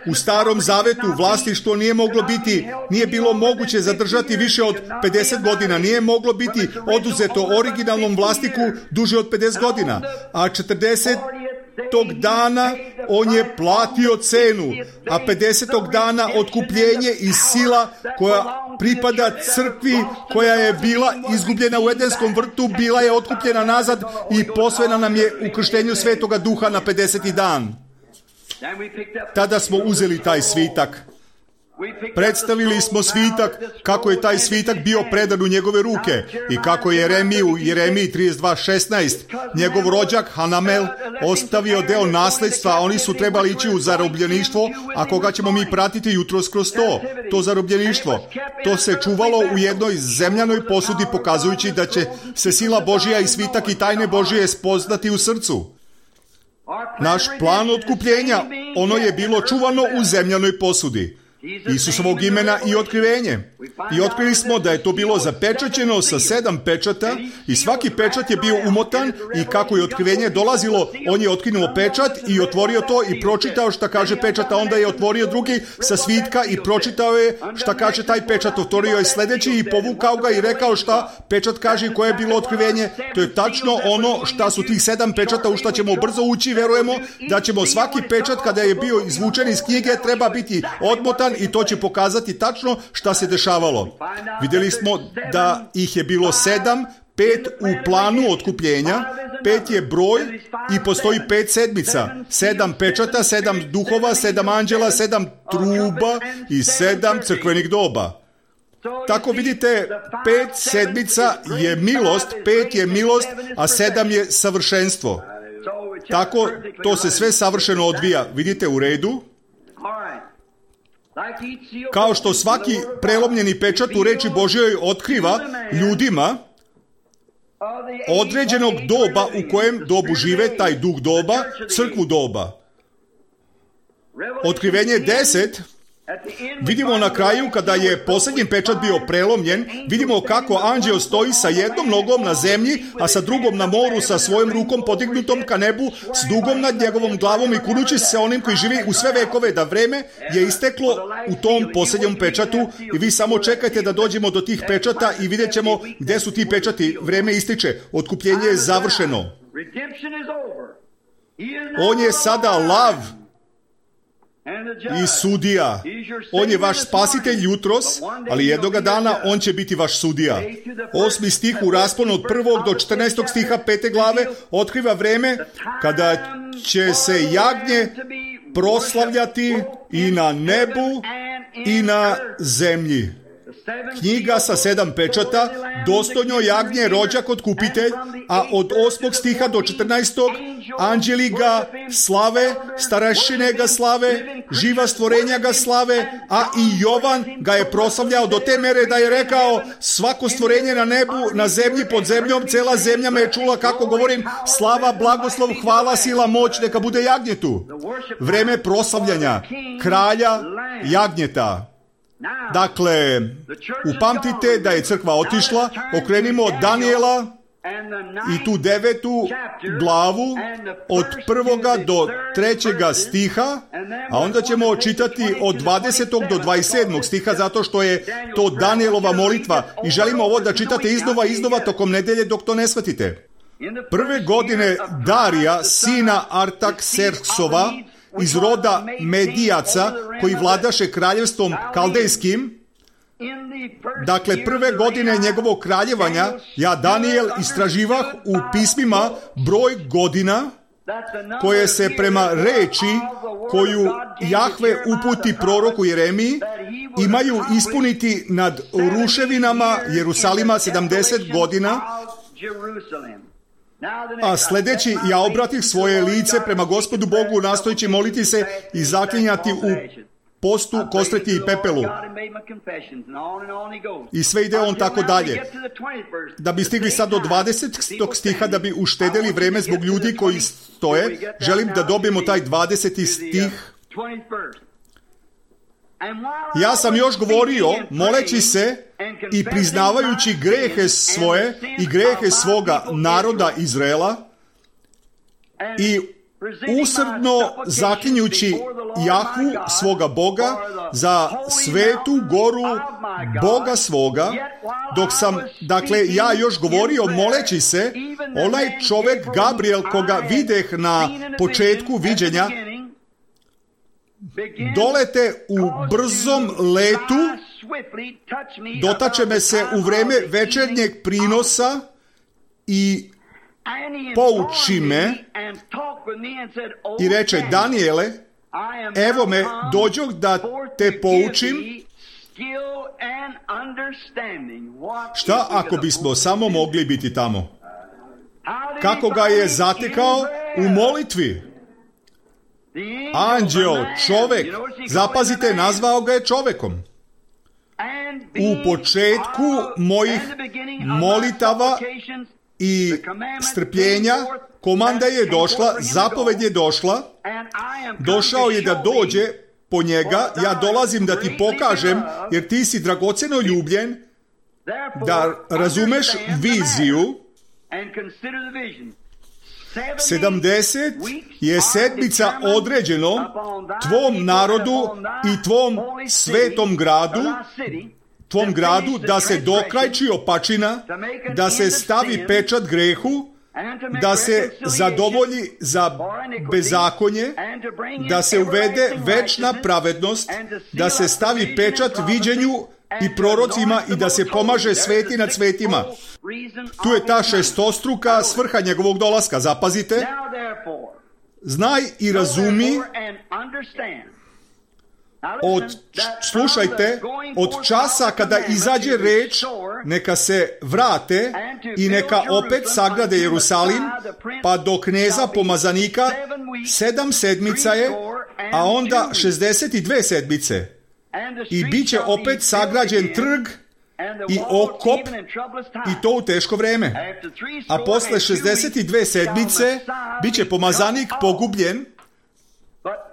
A: U Starom Zavetu vlasništvo nije moglo biti, nije bilo moguće zadržati više od pedeset godina, nije moglo biti oduzeto originalnom vlasniku duže od pedeset godina, a četrdesetog dana on je platio cenu, a pedesetog dana otkupljenje i sila koja pripada crkvi koja je bila izgubljena u Edenskom vrtu, bila je otkupljena nazad i posvena nam je u krštenju Svetoga Duha na pedeseti dan. Tada smo uzeli taj svitak. Predstavili smo svitak, kako je taj svitak bio predan u njegove ruke i kako je Jeremiju u Jeremiji trideset dva šesnaest njegov rođak Hanamel ostavio deo nasljedstva, a oni su trebali ići u zarobljeništvo, a koga ćemo mi pratiti jutros kroz to, to zarobljeništvo. To se čuvalo u jednoj zemljanoj posudi, pokazujući da će se sila Božija i svitak i tajne Božije spoznati u srcu. Naš plan otkupljenja, ono je bilo čuvano u zemljanoj posudi Isusovog imena i otkrivenje. I otkrili smo da je to bilo zapečaćeno sa sedam pečata i svaki pečat je bio umotan i kako je otkrivenje dolazilo, on je otkinuo pečat i otvorio to i pročitao šta kaže pečat, a onda je otvorio drugi sa svitka i pročitao je šta kaže taj pečat, otvorio je sljedeći i povukao ga i rekao šta pečat kaže i koje je bilo otkrivenje. To je tačno ono šta su tih sedam pečata, u šta ćemo brzo ući, verujemo da ćemo svaki pečat kada je bio izvučen iz knjige treba biti odmotan i to će pokazati tačno šta se dešavalo. Vidjeli smo da ih je bilo sedam pet u planu otkupljenja, pet je broj i postoji pet sedmica, sedam pečata, sedam duhova, sedam anđela, sedam truba i sedam crkvenih doba. Tako vidite, pet sedmica je milost, pet je milost, a sedam je savršenstvo. Tako to se sve savršeno odvija. Vidite u redu? Kao što svaki prelomljeni pečat u reči Božjoj otkriva ljudima određenog doba u kojem dobu žive, taj duh doba, crkvu doba. Otkrivenje deset, vidimo na kraju kada je posljednji pečat bio prelomljen, vidimo kako anđeo stoji sa jednom nogom na zemlji, a sa drugom na moru, sa svojom rukom podignutom ka nebu, s dugom nad njegovom glavom i kunući se onim koji živi u sve vekove, da vreme je isteklo u tom posljednjem pečatu i vi samo čekajte da dođemo do tih pečata i vidjet ćemo gdje su ti pečati. Vreme ističe, otkupljenje je završeno. On je sada lav i sudija. On je vaš spasitelj jutros, ali jednoga dana on će biti vaš sudija. Osmi stih u rasponu od prvog do četrnaestog stiha pete glave otkriva vreme kada će se jagnje proslavljati i na nebu i na zemlji. Knjiga sa sedam pečata, dostojno jagnje rođak otkupitelj, a od osmog stiha do četrnaestog anđeli ga slave, starešine ga slave, živa stvorenja ga slave, a i Jovan ga je proslavljao do te mere da je rekao svako stvorenje na nebu, na zemlji, pod zemljom, cela zemlja me je čula kako govorim slava, blagoslov, hvala, sila, moć, neka bude jagnjetu. Vreme proslavljanja kralja jagnjeta. Dakle, upamtite da je crkva otišla, okrenimo od Danijela i tu devetu glavu od prvoga do trećega stiha, a onda ćemo čitati od dvadesetog do dvadeset sedmog stiha, zato što je to Danijelova molitva i želimo ovo da čitate iznova i iznova tokom nedelje dok to ne shvatite. Prve godine Darija, sina Artakserksova, iz roda Medijaca, koji vladaše kraljevstvom kaldejskim, dakle prve godine njegovog kraljevanja, ja Danijel istraživah u pismima broj godina koje se prema reči koju Jahve uputi proroku Jeremiji imaju ispuniti nad ruševinama Jerusalima sedamdeset godina. A sljedeći, ja obratih svoje lice prema Gospodu Bogu, nastojeći moliti se i zaklinjati u postu, kostreti i pepelu. I sve ide on tako dalje. Da bi stigli sad do dvadesetog stiha, da bi uštedeli vreme zbog ljudi koji stoje, želim da dobijemo taj dvadeseti stih. Ja sam još govorio, moleći se i priznavajući grehe svoje i grehe svoga naroda Izraela i usrdno zaklinjući Jahvu svoga Boga za svetu goru Boga svoga, dok sam, dakle, ja još govorio moleći se, onaj čovjek Gabriel koga videh na početku viđenja, dolete u brzom letu, dotače me se u vreme večernjeg prinosa i pouči me i reče, Danijele, evo me, dođoh da te poučim. Šta ako bismo samo mogli biti tamo? Kako ga je zatekao? U molitvi. Anđeo, čovek, zapazite, nazvao ga je čovekom. U početku mojih molitava i strpljenja komanda je došla, zapoved je došla, došao je da dođe po njega, ja dolazim da ti pokažem, jer ti si dragoceno ljubljen, da razumeš viziju. sedamdeset je sedmica određeno tvom narodu i tvom svetom gradu, tvom gradu, da se dokrajči opačina, da se stavi pečat grehu, da se zadovolji za bezakonje, da se uvede večna pravednost, da se stavi pečat viđenju i prorocima i da se pomaže sveti nad svetima. Tu je ta šestostruka svrha njegovog dolaska. Zapazite. Znaj i razumi od, slušajte, od časa kada izađe reč, neka se vrate i neka opet sagrade Jerusalim, pa do kneza pomazanika sedam sedmica je, a onda šezdeset dve sedmice. I bit će opet sagrađen trg i okop, i to u teško vreme. A posle šezdeset dve sedmice bit će pomazanik pogubljen,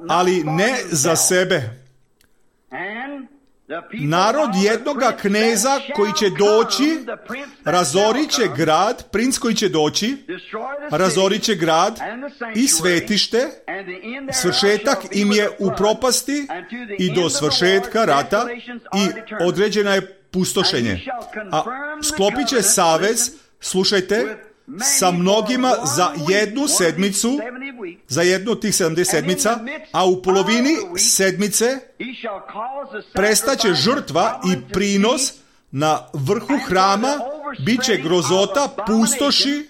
A: ali ne za sebe. Narod jednoga kneza koji će doći, razorit će grad, princ koji će doći, razorit će grad i svetište, svršetak im je u propasti i do svršetka rata i određena je pustošenje. A sklopit će savez, slušajte, sa mnogima za jednu sedmicu, za jednu od tih sedamdeset sedmica, a u polovini sedmice prestaće žrtva i prinos na vrhu hrama, bit će grozota, pustoši,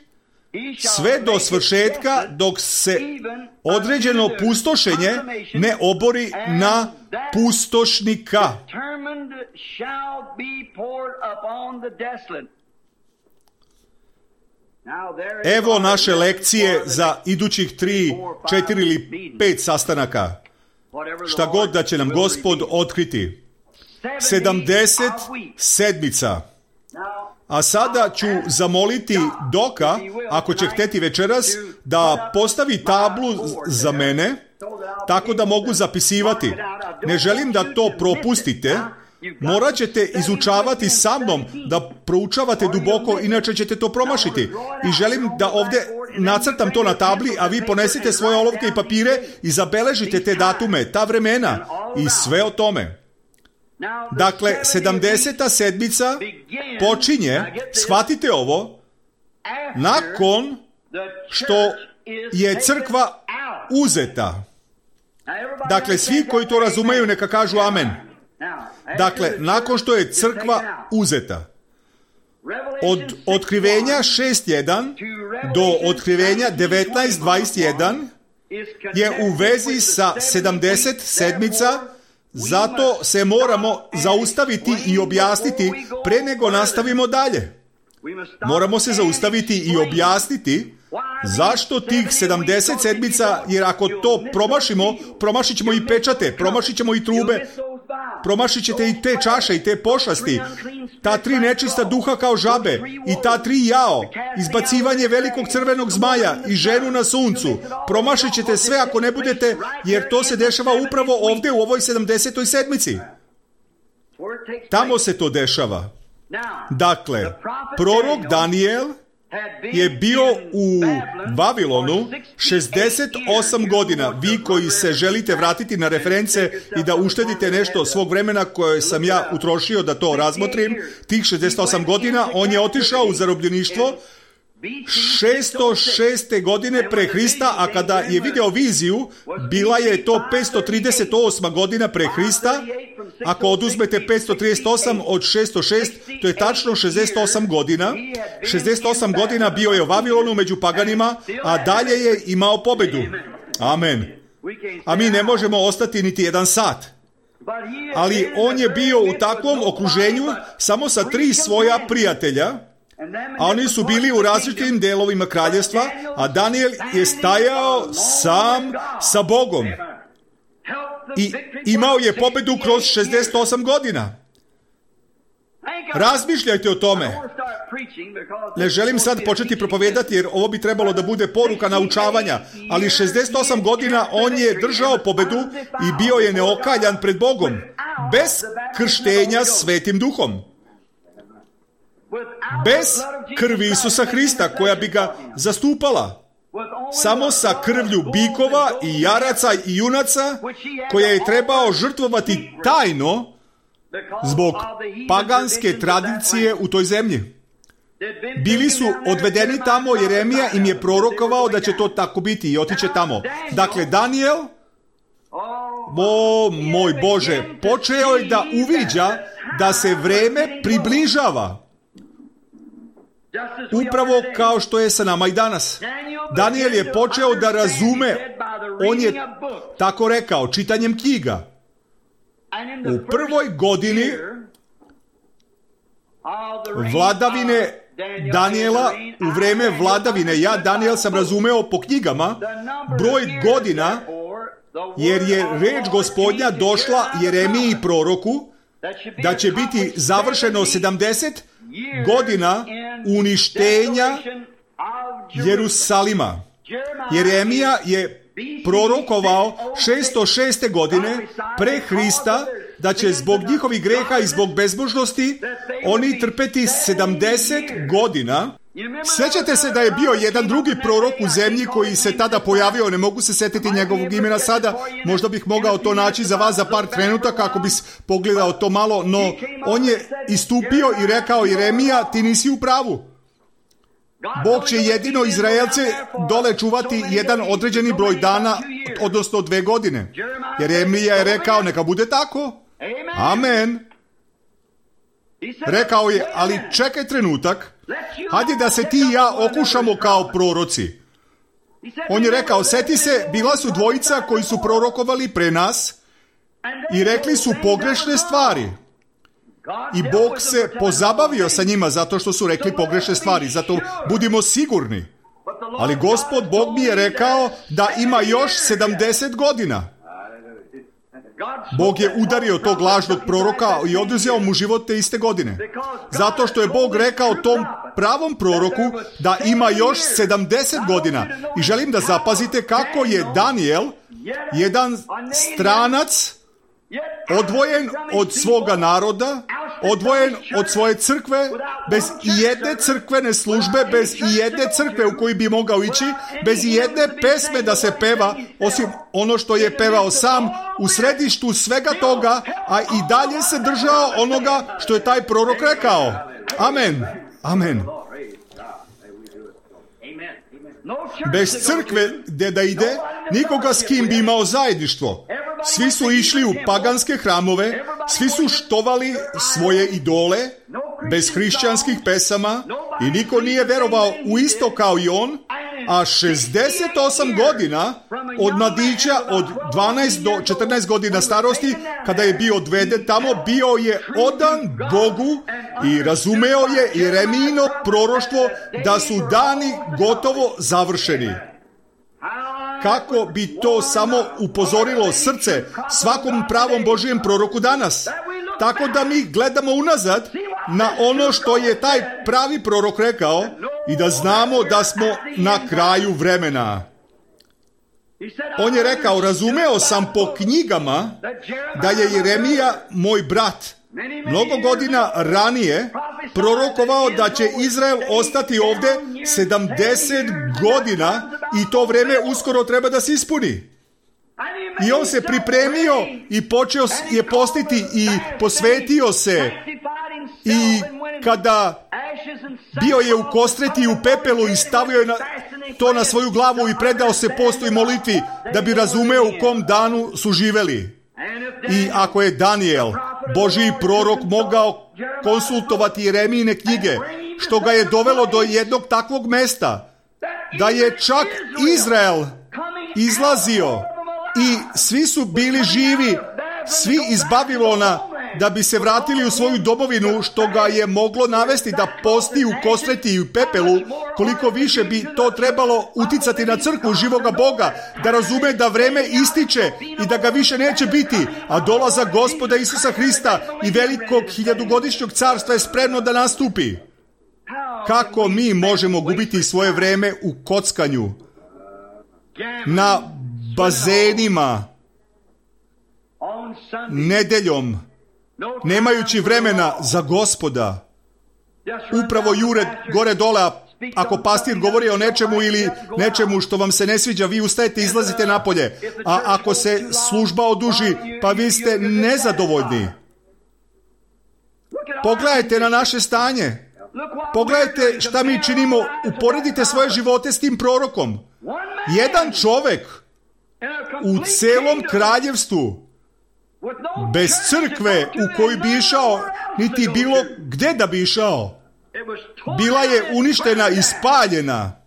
A: sve do svršetka dok se određeno pustošenje ne obori na pustošnika. Evo naše lekcije za idućih tri, četiri ili pet sastanaka. Šta god da će nam Gospod otkriti. sedamdeset sedmica. A sada ću zamoliti Doka, ako će hteti večeras, da postavi tablu za mene, tako da mogu zapisivati. Ne želim da to propustite. Morat ćete izučavati sa mnom, da proučavate duboko, inače ćete to promašiti. I želim da ovdje nacrtam to na tabli, a vi ponesite svoje olovke i papire i zabeležite te datume, ta vremena i sve o tome. Dakle, sedamdeseta sedmica počinje, shvatite ovo, nakon što je crkva uzeta. Dakle, svi koji to razumeju neka kažu amen. Dakle, nakon što je crkva uzeta. Od otkrivenja šest jedan do otkrivenja devetnaest dvadeset jedan je u vezi sa sedamdeset sedmica, zato se moramo zaustaviti i objasniti pre nego nastavimo dalje. Moramo se zaustaviti i objasniti zašto tih sedamdeset sedmica, jer ako to promašimo, promašit ćemo i pečate, promašit ćemo i trube, promašit ćete i te čaše i te pošasti, ta tri nečista duha kao žabe i ta tri jao, izbacivanje velikog crvenog zmaja i ženu na suncu. Promašit ćete sve ako ne budete, jer to se dešava upravo ovdje u ovoj sedamdesetoj sedmici. Tamo se to dešava. Dakle, prorok Danijel je bio u Vavilonu šezdeset osam godina. Vi koji se želite vratiti na reference i da uštedite nešto svog vremena koje sam ja utrošio da to razmotrim, tih šezdeset osam godina, on je otišao u zarobljeništvo šesto šeste godine pre Hrista, a kada je video viziju, bila je to petsto trideset osma godina pre Hrista. Ako oduzmete petsto trideset osam od šesto šest, to je tačno šezdeset osam godina. šezdeset osam godina bio je u Vavilonu među paganima, a dalje je imao pobedu. Amen. A mi ne možemo ostati niti jedan sat. Ali on je bio u takvom okruženju samo sa tri svoja prijatelja, a oni su bili u različitim delovima kraljevstva, a Danijel je stajao sam sa Bogom i imao je pobedu kroz šezdeset osam godina. Razmišljajte o tome. Ne želim sad početi propovedati, jer ovo bi trebalo da bude poruka naučavanja, ali šezdeset osam godina on je držao pobedu i bio je neokaljan pred Bogom, bez krštenja Svetim Duhom. Bez krvi Isusa Hrista koja bi ga zastupala. Samo sa krvlju bikova i jaraca i junaca koje je trebao žrtvovati tajno zbog paganske tradicije u toj zemlji. Bili su odvedeni tamo, Jeremija im je prorokovao da će to tako biti i otiće tamo. Dakle, Danijel, o moj Bože, počeo je da uviđa da se vreme približava. Upravo kao što je sa nama i danas. Daniel je počeo da razume, on je tako rekao, čitanjem knjiga. U prvoj godini vladavine Daniela, u vreme vladavine, ja Daniel sam razumeo po knjigama, broj godina, jer je reč Gospodnja došla Jeremiji proroku, da će biti završeno sedamdeset godina uništenja Jerusalima. Jeremija je prorokovao šesto šeste godine pre Hrista da će zbog njihovih greha i zbog bezbožnosti oni trpeti sedamdeset godina. Sjećate se da je bio jedan drugi prorok u zemlji koji se tada pojavio, ne mogu se sjetiti njegovog imena sada, možda bih mogao to naći za vas za par trenutaka ako bih pogledao to malo, no on je istupio i rekao: Jeremija, ti nisi u pravu. Bog će jedino Izraelce dole čuvati jedan određeni broj dana, odnosno dve godine. Jeremija je rekao: neka bude tako. Amen. Rekao je: ali čekaj trenutak, hajde da se ti i ja okušamo kao proroci. On je rekao: sjeti se, bila su dvojica koji su prorokovali pre nas i rekli su pogrešne stvari. I Bog se pozabavio sa njima zato što su rekli pogrešne stvari. Zato budimo sigurni. Ali Gospod Bog mi je rekao da ima još sedamdeset godina. Bog je udario tog lažnog proroka i oduzeo mu život te iste godine. Zato što je Bog rekao tom pravom proroku da ima još sedamdeset godina. I želim da zapazite kako je Daniel, jedan stranac, odvojen od svoga naroda, odvojen od svoje crkve, bez jedne crkvene službe, bez jedne crkve u koju bi mogao ići, bez jedne pesme da se peva, osim ono što je pevao sam, u središtu svega toga, a i dalje se držao onoga što je taj prorok rekao. Amen. Amen. Bez crkve gdje da ide, nikoga s kim bi imao zajedništvo. Svi su išli u paganske hramove, svi su štovali svoje idole, bez hrišćanskih pesama, i niko nije verovao u isto kao i on, a šezdeset osam godina od mladića od dvanaest do četrnaest godina starosti, kada je bio odveden tamo, bio je odan Bogu i razumeo je Jeremijino proroštvo da su dani gotovo završeni. Kako bi to samo upozorilo srce svakom pravom Božijem proroku danas. Tako da mi gledamo unazad na ono što je taj pravi prorok rekao i da znamo da smo na kraju vremena. On je rekao: razumeo sam po knjigama da je Jeremija, moj brat, mnogo godina ranije prorokovao da će Izrael ostati ovdje sedamdeset godina i to vreme uskoro treba da se ispuni. I on se pripremio i počeo je postiti i posvetio se, i kada bio je u kostreti i u pepelu i stavio je na, to na svoju glavu i predao se postu i molitvi da bi razumeo u kom danu su živeli. I ako je Daniel, Božji prorok, mogao konsultovati Jeremijine knjige, što ga je dovelo do jednog takvog mesta, da je čak Izrael izlazio i svi su bili živi, svi iz Babilona, da bi se vratili u svoju domovinu, što ga je moglo navesti da posti u kostreti i u pepelu, koliko više bi to trebalo uticati na crkvu živoga Boga, da razume da vreme ističe i da ga više neće biti, a dolazak Gospoda Isusa Hrista i velikog hiljadugodišnjeg carstva je spremno da nastupi. Kako mi možemo gubiti svoje vreme u kockanju, na bazenima, nedeljom, nemajući vremena za Gospoda? Upravo jure gore dole, ako pastir govori o nečemu ili nečemu što vam se ne sviđa, vi ustajete i izlazite napolje. A ako se služba oduži, pa vi ste nezadovoljni. Pogledajte na naše stanje. Pogledajte šta mi činimo. Uporedite svoje živote s tim prorokom. Jedan čovjek u celom kraljevstvu bez crkve u koju bi išao, niti bilo gdje da bi išao. Bila je uništena i spaljena.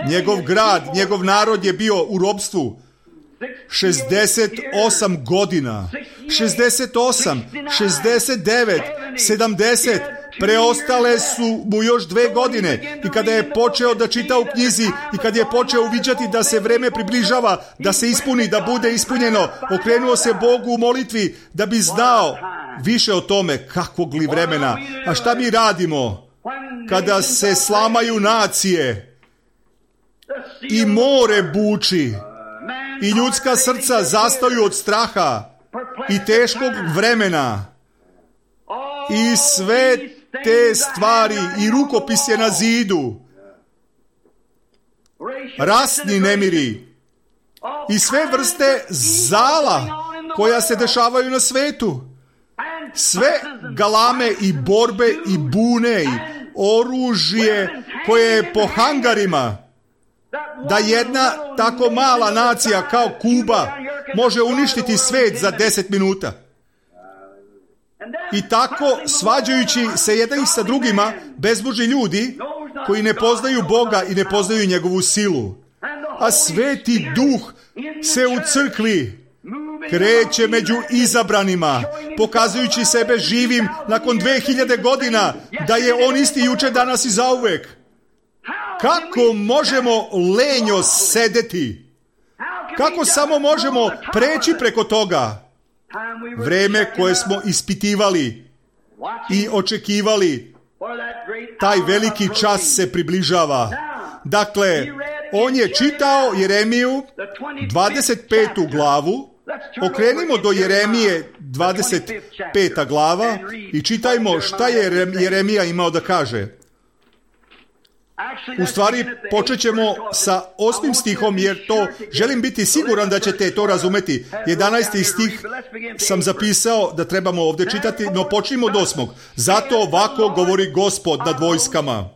A: Njegov grad, njegov narod je bio u ropstvu šezdeset osam godina. šezdeset osam, šezdeset devet, sedamdeset. Preostale su mu još dve godine i kada je počeo da čita u knjizi i kad je počeo uviđati da se vreme približava, da se ispuni, da bude ispunjeno, okrenuo se Bogu u molitvi da bi znao više o tome kakvog li vremena. A šta mi radimo kada se slamaju nacije i more buči i ljudska srca zastaju od straha i teškog vremena i sve te stvari i rukopis je na zidu, rasni nemiri i sve vrste zala koja se dešavaju na svetu, sve galame i borbe i bune i oružje koje je po hangarima, da jedna tako mala nacija kao Kuba može uništiti svet za deset minuta. I tako, svađajući se jedan sa drugima, bezbožni ljudi koji ne poznaju Boga i ne poznaju njegovu silu. A Sveti Duh se u crkvi kreće među izabranima, pokazujući sebe živim nakon dve hiljade godina, da je on isti juče, danas i zauvek. Kako možemo lenjo sedeti? Kako samo možemo preći preko toga? Vreme koje smo ispitivali i očekivali, taj veliki čas se približava. Dakle, on je čitao Jeremiju dvadeset petu glavu. Okrenimo do Jeremije dvadeset peta glava i čitajmo šta je Jeremija imao da kaže. U stvari, počet ćemo sa osmim stihom, jer to želim biti siguran da ćete to razumeti. jedanaesti stih sam zapisao da trebamo ovdje čitati, no počnimo od osmog. Zato ovako govori Gospod nad vojskama.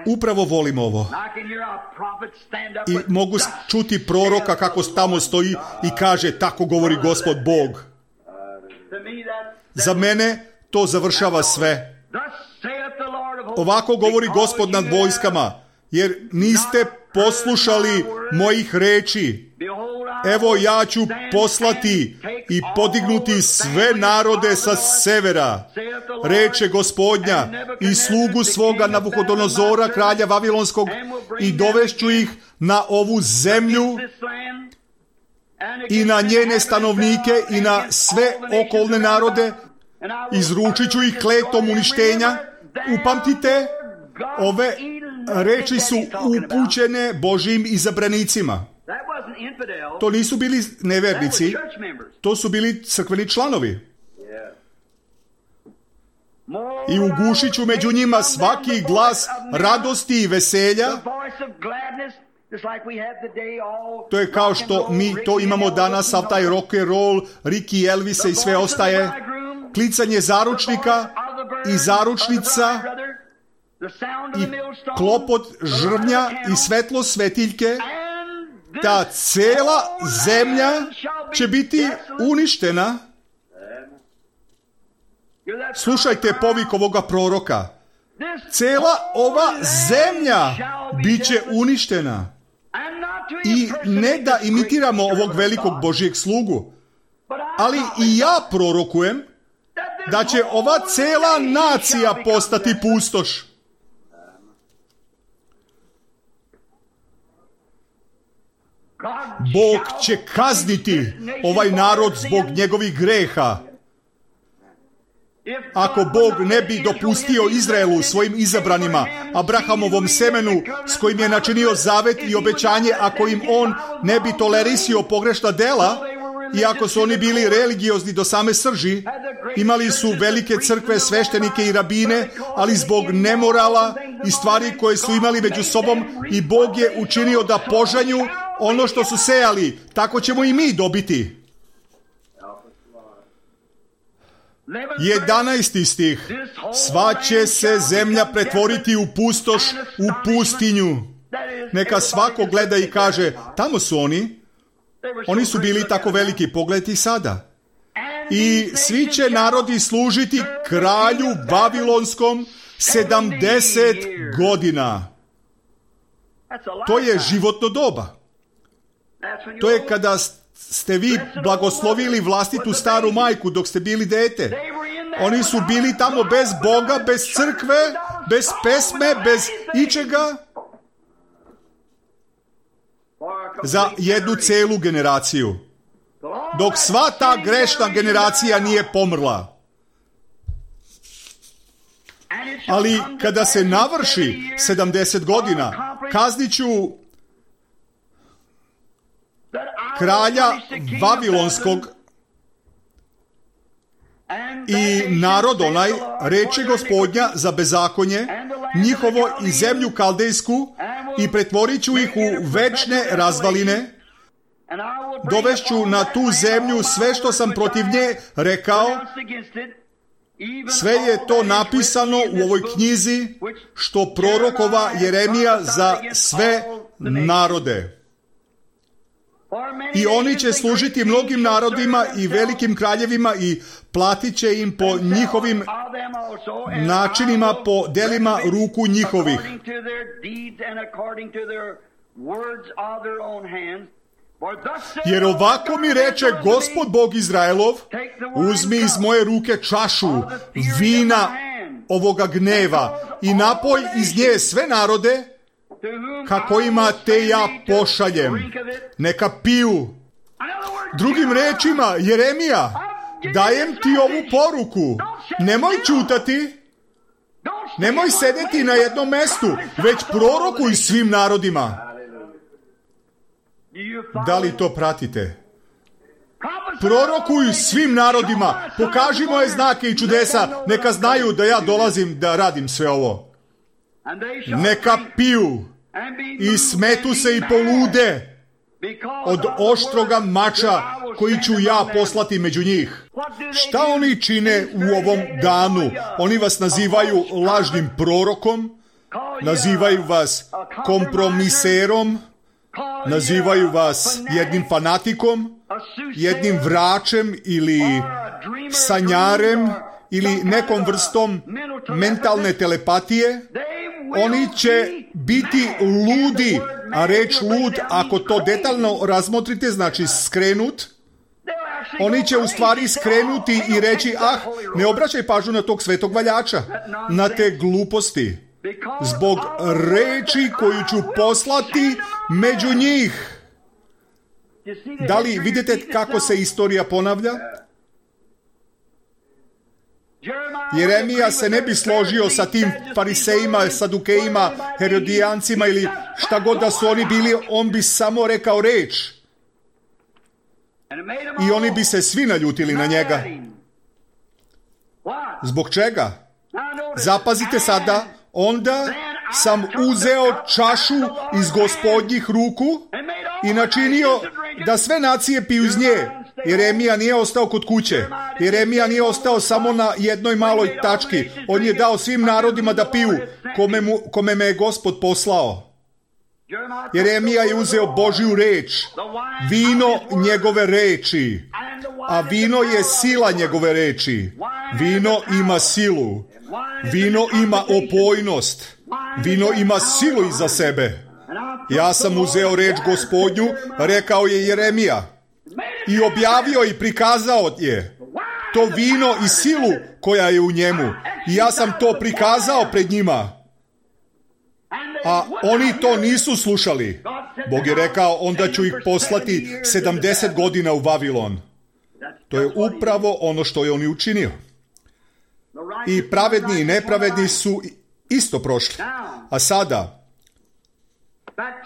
A: Upravo volim ovo. I mogu čuti proroka kako tamo stoji i kaže, tako govori Gospod Bog. Za mene to završava sve. Ovako govori Gospod nad vojskama, jer niste poslušali mojih reči. Evo ja ću poslati i podignuti sve narode sa severa, reče Gospodnja, i slugu svoga Nabuhodonozora, kralja Vavilonskog, i dovešću ih na ovu zemlju i na njene stanovnike i na sve okolne narode. Izručit ću ih kletom uništenja. Upamtite, ove reči su upućene Božjim izabranicima. To nisu bili nevernici, to su bili crkveni članovi. I ugušit ću među njima svaki glas radosti i veselja. To je kao što mi to imamo danas, sav taj rock and roll, Ricky Elvisa i sve ostaje. Klicanje zaručnika i zaručnica i klopot žrvnja i svetlo svetiljke. Ta cela zemlja će biti uništena. Slušajte povik ovoga proroka. Cela ova zemlja bit će uništena. I ne da imitiramo ovog velikog Božjeg slugu, ali i ja prorokujem da će ova cela nacija postati pustoš. Bog će kazniti ovaj narod zbog njegovih greha. Ako Bog ne bi dopustio Izraelu, svojim izabranima, Abrahamovom semenu s kojim je načinio zavet i obećanje, ako im on ne bi tolerisio pogrešna dela, iako su oni bili religiozni do same srži, imali su velike crkve, sveštenike i rabine, ali zbog nemorala i stvari koje su imali među sobom, i Bog je učinio da požanju ono što su sejali. Tako ćemo i mi dobiti. jedanaesti stih. Sva će se zemlja pretvoriti u pustoš, u pustinju. Neka svako gleda i kaže, tamo su oni. Oni su bili tako veliki, pogledajte i sada. I svi će narodi služiti kralju Vavilonskom sedamdeset godina. To je životno doba. To je kada ste vi blagoslovili vlastitu staru majku dok ste bili dete. Oni su bili tamo bez Boga, bez crkve, bez pesme, bez ičega. Za jednu celu generaciju. Dok sva ta grešna generacija nije pomrla. Ali kada se navrši sedamdeset godina, kaznit ću kralja Vavilonskog i narod onaj, reče Gospodnja za bezakonje, njihovo i zemlju kaldejsku, i pretvorit ću ih u večne razvaline. Dovešću na tu zemlju sve što sam protiv nje rekao. Sve je to napisano u ovoj knjizi što prorokova Jeremija za sve narode. I oni će služiti mnogim narodima i velikim kraljevima i platit će im po njihovim načinima, po delima ruku njihovih. Jer ovako mi reče Gospod Bog Izraelov, uzmi iz moje ruke čašu vina ovoga gneva i napoj iz nje sve narode kako ima te ja pošaljem. Neka piju. Drugim rečima, Jeremija, dajem ti ovu poruku. Nemoj čutati. Nemoj sedeti na jednom mestu, već prorokuj svim narodima. Da li to pratite? Prorokuj svim narodima. Pokaži moje znake i čudesa. Neka znaju da ja dolazim da radim sve ovo. Neka piju i smetu se i polude od oštroga mača koji ću ja poslati među njih. Šta oni čine u ovom danu? Oni vas nazivaju lažnim prorokom, nazivaju vas kompromiserom, nazivaju vas jednim fanatikom, jednim vračem ili sanjarem ili nekom vrstom mentalne telepatije. Oni će biti ludi, a reč lud, ako to detaljno razmotrite, znači skrenut. Oni će u stvari skrenuti i reći, ah, ne obraćaj pažnju na tog svetog valjača, na te gluposti, zbog reči koju ću poslati među njih. Da li vidite kako se istorija ponavlja? Jeremija se ne bi složio sa tim farisejima, sadukejima, herodijancima ili šta god da su oni bili, on bi samo rekao reč. I oni bi se svi naljutili na njega. Zbog čega? Zapazite sada, onda sam uzeo čašu iz Gospodnjih ruku i načinio da sve nacije piju iz nje. Jeremija nije ostao kod kuće. Jeremija nije ostao samo na jednoj maloj tački. On je dao svim narodima da piju, kome, mu, kome me je Gospod poslao. Jeremija je uzeo Božju reč, vino njegove reči, a vino je sila njegove reči. Vino ima silu, vino ima opojnost, vino ima silu iza sebe. Ja sam uzeo reč Gospodnju, rekao je Jeremija, i objavio i prikazao je to vino i silu koja je u njemu. I ja sam to prikazao pred njima. A oni to nisu slušali. Bog je rekao, onda ću ih poslati sedamdeset godina u Vavilon. To je upravo ono što je on i učinio. I pravedni i nepravedni su isto prošli. A sada,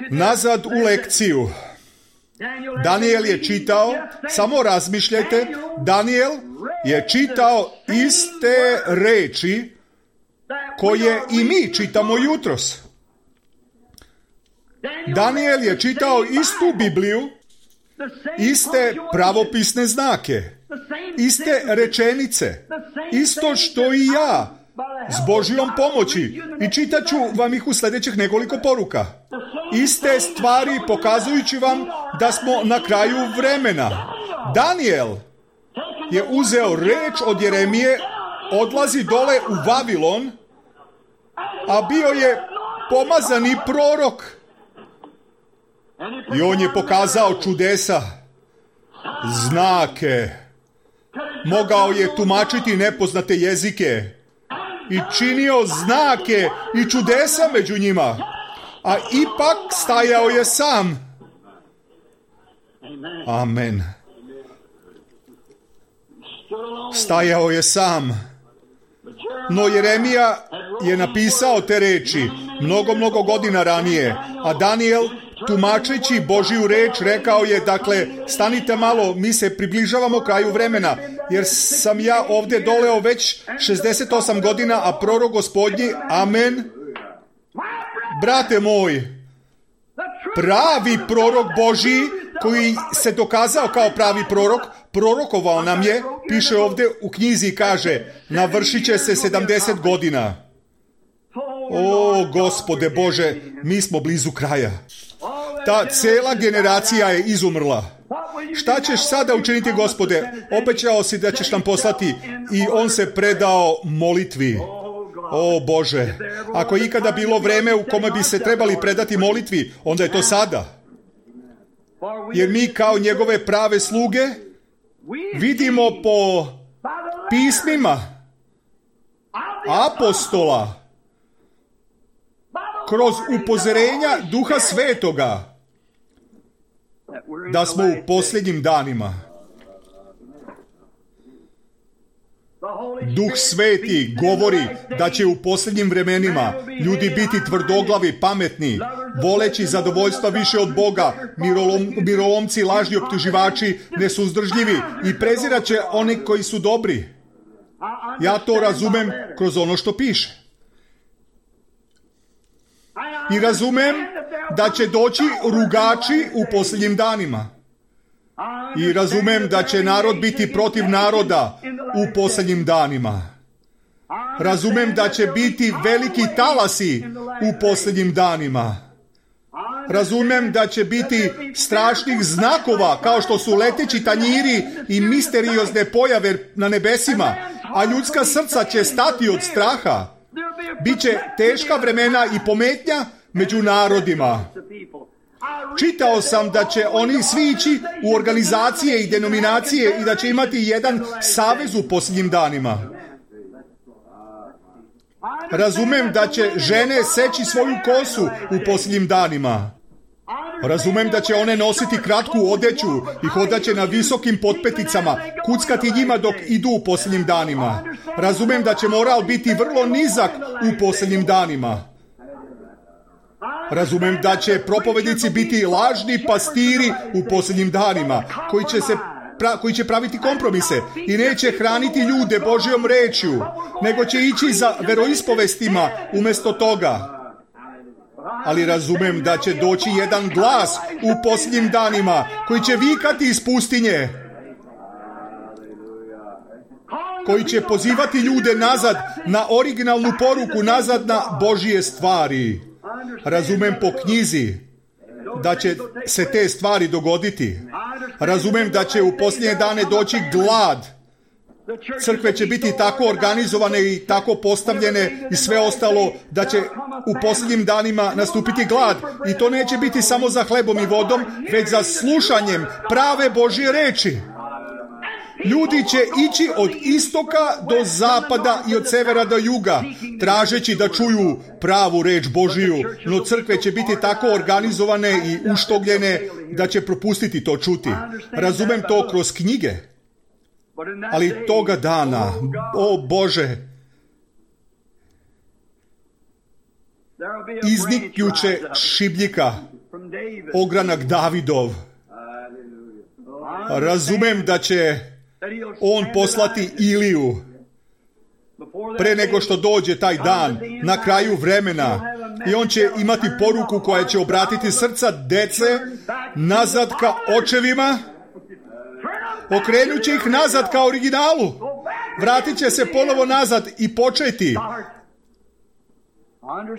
A: nazad u lekciju. Daniel je čitao, samo razmišljajte, Daniel je čitao iste reči koje i mi čitamo jutros. Daniel je čitao istu Bibliju, iste pravopisne znake, iste rečenice, isto što i ja, s Božjom pomoći. I čitat ću vam ih u sljedećih nekoliko poruka. Iste stvari pokazujući vam da smo na kraju vremena. Daniel je uzeo reč od Jeremije, odlazi dole u Vavilon, a bio je pomazani prorok. I on je pokazao čudesa, znake. Mogao je tumačiti nepoznate jezike i činio znake i čudesa među njima, a ipak stajao je sam. Amen. Stajao je sam. No Jeremija je napisao te reči mnogo, mnogo godina ranije, a Danijel, tumačeći Božiju reč, rekao je, dakle, stanite malo, mi se približavamo kraju vremena, jer sam ja ovdje doleo već šezdeset osam godina, a prorok Gospodnji, amen, brate moj, pravi prorok Božiji, koji se dokazao kao pravi prorok, prorokovao nam je, piše ovdje u knjizi i kaže, navršit će se sedamdeset godina. O, Gospode Bože, mi smo blizu kraja. Ta cijela generacija je izumrla. Šta ćeš sada učiniti, Gospode? Obećao si da ćeš nam poslati, i on se predao molitvi. O Bože, ako je ikada bilo vreme u kome bi se trebali predati molitvi, onda je to sada. Jer mi kao njegove prave sluge vidimo po pismima apostola, kroz upozorenja Duha Svetoga, da smo u posljednjim danima. Duh Sveti govori da će u posljednjim vremenima ljudi biti tvrdoglavi, pametni, voleći zadovoljstva više od Boga, mirolom, mirolomci, lažni optuživači, nesuzdržljivi i prezirat će one koji su dobri. Ja to razumem kroz ono što piše. I razumem da će doći rugači u posljednjim danima. I razumem da će narod biti protiv naroda u posljednjim danima. Razumem da će biti veliki talasi u posljednjim danima. Razumem da će biti strašnih znakova, kao što su leteći tanjiri i misteriozne pojave na nebesima, a ljudska srca će stati od straha. Biće teška vremena i pometnja među narodima. Čitao sam da će oni svi ići u organizacije i denominacije i da će imati jedan savez u posljednjim danima. Razumem da će žene seći svoju kosu u posljednjim danima. Razumem da će one nositi kratku odeću i hodat će na visokim potpeticama, kuckati njima dok idu u posljednjim danima. Razumem da će moral biti vrlo nizak u posljednjim danima. Razumem da će propovednici biti lažni pastiri u posljednjim danima, koji će se pra, koji će praviti kompromise i neće hraniti ljude Božjom rečju, nego će ići za veroispovestima umjesto toga. Ali razumem da će doći jedan glas u posljednjim danima koji će vikati iz pustinje, koji će pozivati ljude nazad na originalnu poruku, nazad na Božje stvari. Razumem po knjizi da će se te stvari dogoditi. Razumem da će u posljednje dane doći glad. Crkve će biti tako organizovane i tako postavljene i sve ostalo da će u posljednjim danima nastupiti glad. I to neće biti samo za hlebom i vodom, već za slušanjem prave Božje reči. Ljudi će ići od istoka do zapada i od severa do juga, tražeći da čuju pravu reč Božiju, no crkve će biti tako organizovane i uštogljene da će propustiti to čuti. Razumem to kroz knjige, ali toga dana, o Bože, izniknjuće šibljika, ogranak Davidov. Razumem da će on poslati Iliju pre nego što dođe taj dan, na kraju vremena, i on će imati poruku koja će obratiti srca dece nazad ka očevima, okrenut će ih nazad ka originalu, vratit će se ponovo nazad i početi.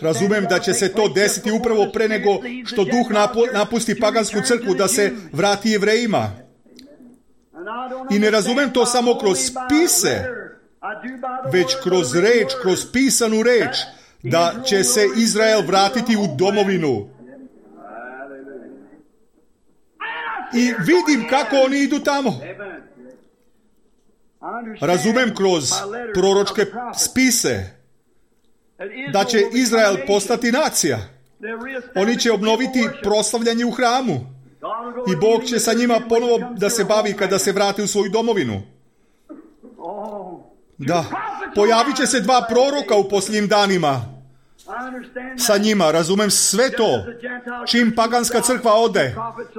A: Razumem da će se to desiti upravo pre nego što duh napusti pagansku crkvu, da se vrati Jevrejima. I ne razumem to samo kroz spise, već kroz reč, kroz pisanu reč, da će se Izrael vratiti u domovinu. I vidim kako oni idu tamo. Razumem kroz proročke spise da će Izrael postati nacija. Oni će obnoviti proslavljanje u hramu. I Bog će sa njima ponovo da se bavi kada se vrate u svoju domovinu. Da, pojavit će se dva proroka u posljednjim danima. Sa njima, razumem sve to. Čim paganska crkva ode,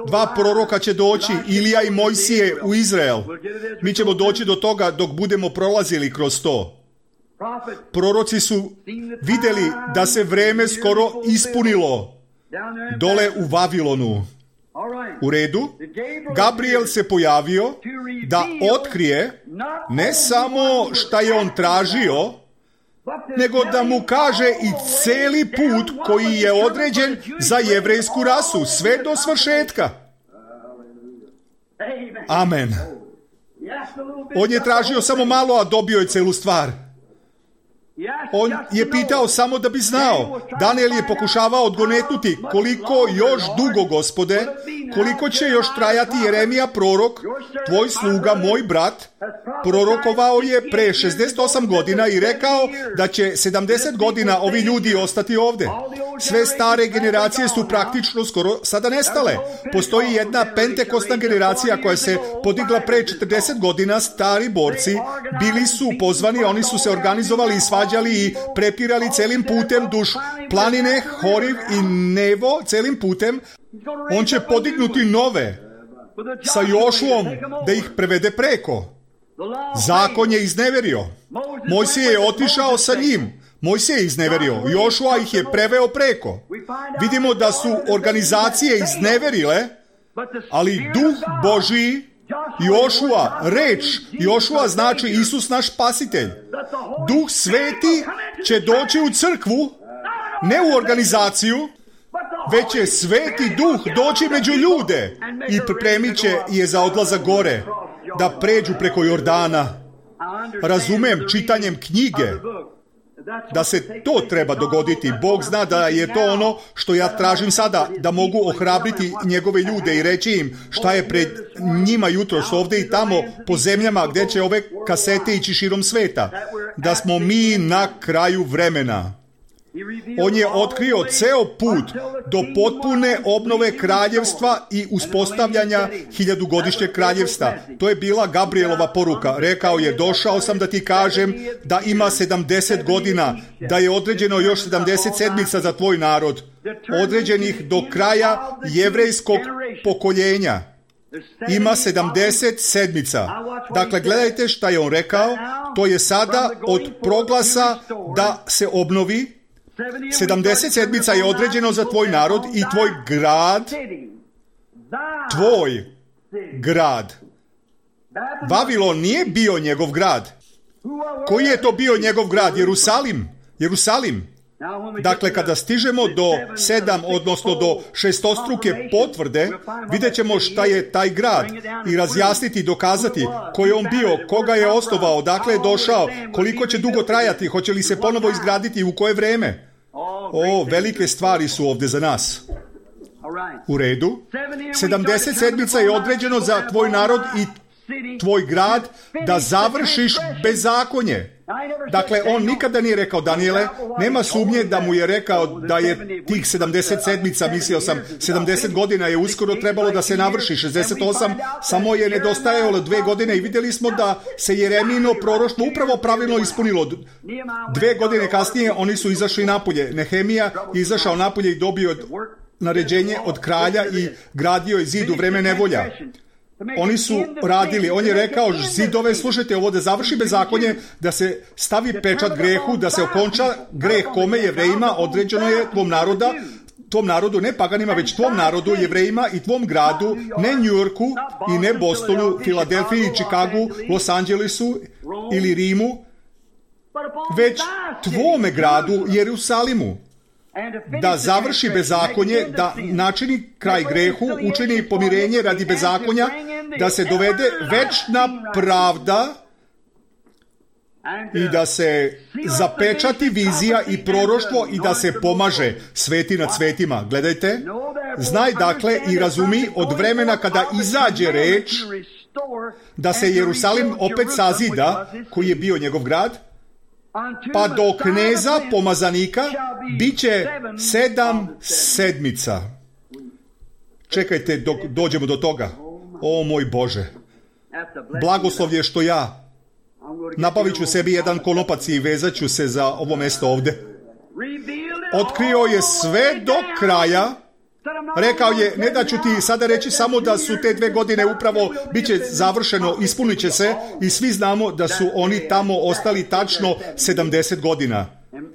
A: dva proroka će doći, Ilija i Mojsije u Izrael. Mi ćemo doći do toga dok budemo prolazili kroz to. Proroci su vidjeli da se vreme skoro ispunilo dole u Vavilonu. U redu, Gabriel se pojavio da otkrije ne samo šta je on tražio, nego da mu kaže i cijeli put koji je određen za jevrejsku rasu, sve do svršetka. Amen. On je tražio samo malo, a dobio je celu stvar. On je pitao samo da bi znao. Daniel je pokušavao odgonetnuti koliko još dugo, Gospode, koliko će još trajati Jeremija prorok, tvoj sluga, moj brat, prorokovao je pre šezdeset osam godina i rekao da će sedamdeset godina ovi ljudi ostati ovdje. Sve stare generacije su praktično skoro sada nestale. Postoji jedna pentekostna generacija koja se podigla pre četrdeset godina, stari borci, bili su pozvani, oni su se organizovali i svađali i prepirali celim putem duž planine, Horiv i Nevo, celim putem. On će podignuti nove sa Jošuom da ih prevede preko. Zakon je izneverio. Mojsije je otišao sa njim. Mojsije je izneverio. Jošua ih je preveo preko. Vidimo da su organizacije izneverile, ali Duh Božiji, Jošua, reč, Jošua znači Isus naš spasitelj. Duh Sveti će doći u crkvu, ne u organizaciju, već će Sveti Duh doći među ljude i pripremit će je za odlazak gore, da pređu preko Jordana. Razumem čitanjem knjige da se to treba dogoditi. Bog zna da je to ono što ja tražim sada, da mogu ohrabriti njegove ljude i reći im šta je pred njima jutros ovdje i tamo po zemljama gdje će ove kasete ići širom sveta. Da smo mi na kraju vremena. On je otkrio ceo put do potpune obnove kraljevstva i uspostavljanja hiljadugodišnjeg kraljevstva. To je bila Gabrielova poruka. Rekao je, došao sam da ti kažem da ima sedamdeset godina, da je određeno još sedamdeset sedmica za tvoj narod, određenih do kraja jevrejskog pokoljenja. Ima sedamdeset sedmica. Dakle, gledajte šta je on rekao. To je sada od proglasa da se obnovi. sedamdeset sedmica je određeno za tvoj narod i tvoj grad, tvoj grad. Vavilon nije bio njegov grad. Koji je to bio njegov grad? Jerusalim. Jerusalim. Dakle, kada stižemo do sedam, odnosno do šestostruke potvrde, vidjet ćemo šta je taj grad i razjasniti i dokazati ko je on bio, koga je osnovao, dakle je došao, koliko će dugo trajati, hoće li se ponovo izgraditi i u koje vreme. O, velike stvari su ovdje za nas. U redu. sedamdeset sedmica je određeno za tvoj narod i tvoj grad da završiš bezakonje. Dakle, on nikada nije rekao, Daniele, nema sumnje da mu je rekao da je tih sedamdeset sedmica, mislio sam, sedamdeset godina je uskoro trebalo da se navrši, šezdeset osam, samo je nedostajalo dve godine i vidjeli smo da se Jeremino proroštvo upravo pravilno ispunilo. Dve godine kasnije oni su izašli napolje. Nehemija je izašao napolje i dobio naređenje od kralja i gradio je zid u vreme nevolja. Oni su radili, on je rekao zidove, slušajte ovo, da završi bezakonje, da se stavi pečat grehu, da se okonča greh kome Jevrejima određeno je tvom naroda, tvom narodu, ne paganima, već tvom narodu, Jevrejima i tvom gradu, ne Njujorku i ne Bostonu, Filadelfiji, Čikagu, Los Angelesu ili Rimu, već tvome gradu, Jerusalimu. da završi bezakonje, da načini kraj grehu, učini pomirenje radi bezakonja, da se dovede večna pravda i da se zapečati vizija i proroštvo i da se pomaže sveti nad svetima. Gledajte, znaj dakle i razumi od vremena kada izađe reč da se Jerusalim opet sazida, koji je bio njegov grad, pa do kneza pomazanika bit će sedam sedmica. Čekajte dok dođemo do toga. O moj Bože, blagoslov je što ja nabavit ću sebi jedan konopac i vezat ću se za ovo mesto ovde. Otkrio je sve do kraja. Rekao je, ne da ću ti sada reći samo da su te dve godine upravo bit će završeno, ispunit će se, i svi znamo da su oni tamo ostali tačno sedamdeset godina.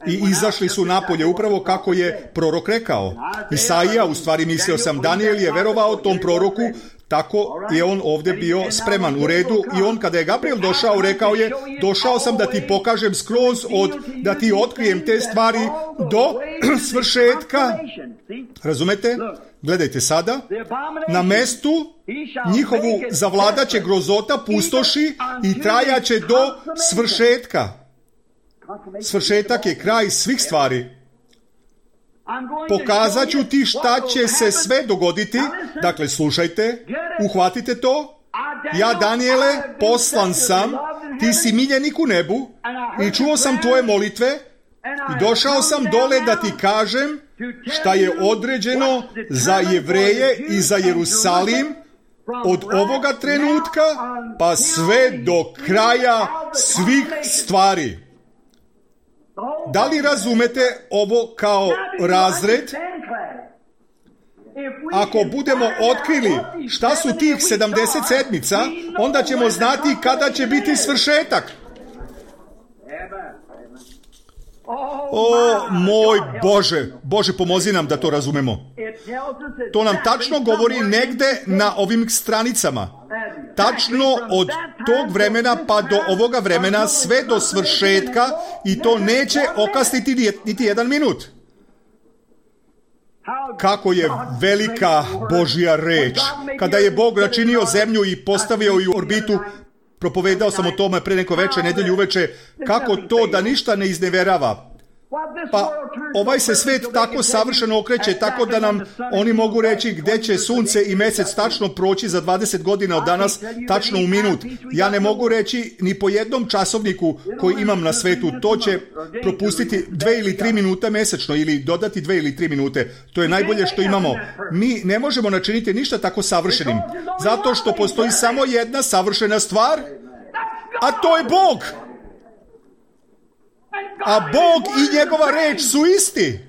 A: I izašli su napolje upravo kako je prorok rekao. Isaija, u stvari mislio sam, Daniel je verovao tom proroku, tako je on ovdje bio spreman u redu, i on kada je Gabriel došao, rekao je, došao sam da ti pokažem skroz od, da ti otkrijem te stvari do svršetka. Razumete? Gledajte sada, na mestu njihovu zavladaće grozota pustoši i trajaće do svršetka. Svršetak je kraj svih stvari. Pokazat ću ti šta će se sve dogoditi. Dakle, slušajte, uhvatite to. Ja, Daniele, poslan sam, ti si miljenik u nebu i čuo sam tvoje molitve i došao sam dole da ti kažem šta je određeno za Jevreje i za Jerusalim od ovoga trenutka pa sve do kraja svih stvari. Da li razumete ovo kao razred? Ako budemo otkrili šta su tih sedamdeset sedmica, onda ćemo znati kada će biti svršetak. O moj Bože, Bože pomozi nam da to razumemo. To nam tačno govori negde na ovim stranicama. Tačno od tog vremena pa do ovoga vremena, sve do svršetka, i to neće okasniti niti jedan minut. Kako je velika Božja reč. Kada je Bog načinio zemlju i postavio ju u orbitu, propovedao sam o tome pre neko veče, nedelju uveče, kako to da ništa ne izneverava. Pa ovaj se svet tako savršeno okreće, tako da nam oni mogu reći gde će sunce i mesec tačno proći za dvadeset godina od danas, tačno u minut. Ja ne mogu reći ni po jednom časovniku koji imam na svetu, to će propustiti dve ili tri minuta mesečno ili dodati dve ili tri minute. To je najbolje što imamo. Mi ne možemo načiniti ništa tako savršenim, zato što postoji samo jedna savršena stvar, a to je Bog. A Bog i njegova reč su isti.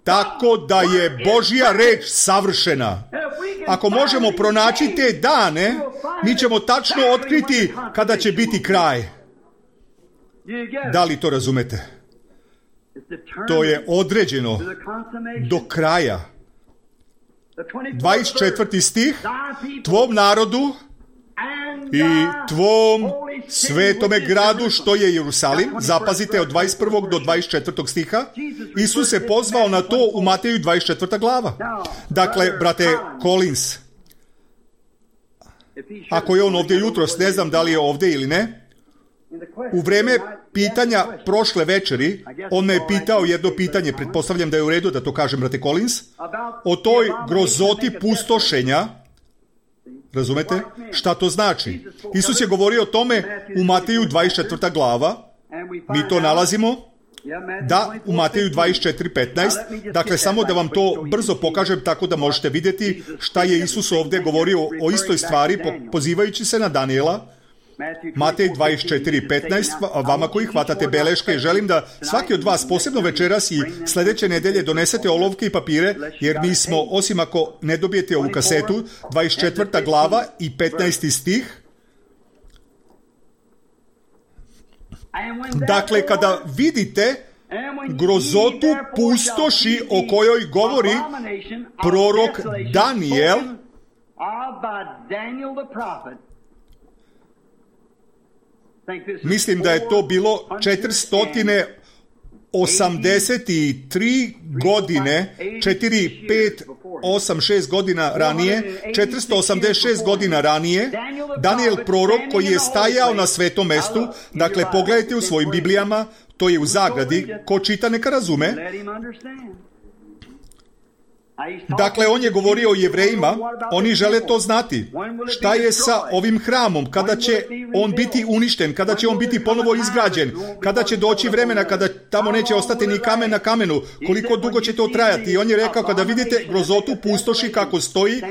A: Tako da je Božja reč savršena. Ako možemo pronaći te dane, mi ćemo tačno otkriti kada će biti kraj. Da li to razumete? To je određeno do kraja. dvadeset četvrti stih, tvom narodu i tvom svetome gradu što je Jerusalim. Zapazite od dvadeset prvog do dvadeset četvrtog stiha. Isus se pozvao na to u Mateju dvadeset četvrta glava. Dakle, brate Collins, ako je on ovdje jutros, ne znam da li je ovdje ili ne, u vreme pitanja prošle večeri, on me je pitao jedno pitanje, pretpostavljam da je u redu da to kažem, brate Collins, o toj grozoti pustošenja. Razumete? Šta to znači? Isus je govorio o tome u Mateju dvadeset četvrta glava. Mi to nalazimo, da, u Mateju dvadeset četiri petnaest. Dakle, samo da vam to brzo pokažem tako da možete vidjeti šta je Isus ovdje govorio o istoj stvari, pozivajući se na Daniela. Matej dvadeset četiri petnaest, vama koji hvatate beleške, želim da svaki od vas, posebno večeras i sljedeće nedelje, donesete olovke i papire, jer mi smo, osim ako ne dobijete ovu kasetu, dvadeset četvrta glava i petnaesti stih. Dakle, kada vidite grozotu pustoši o kojoj govori prorok Daniel, mislim da je to bilo četiristo osamdeset tri godine, četiri, pet, osam, šest godina ranije, četiristo osamdeset šest godina ranije, Danijel prorok koji je stajao na svetom mestu, dakle pogledajte u svojim Biblijama, to je u zagradi, ko čita neka razume. Dakle, on je govorio o Jevrejima, oni žele to znati. Šta je sa ovim hramom? Kada će on biti uništen? Kada će on biti ponovo izgrađen? Kada će doći vremena kada tamo neće ostati ni kamen na kamenu? Koliko dugo će to trajati? I on je rekao, kada vidite grozotu pustoši kako stoji,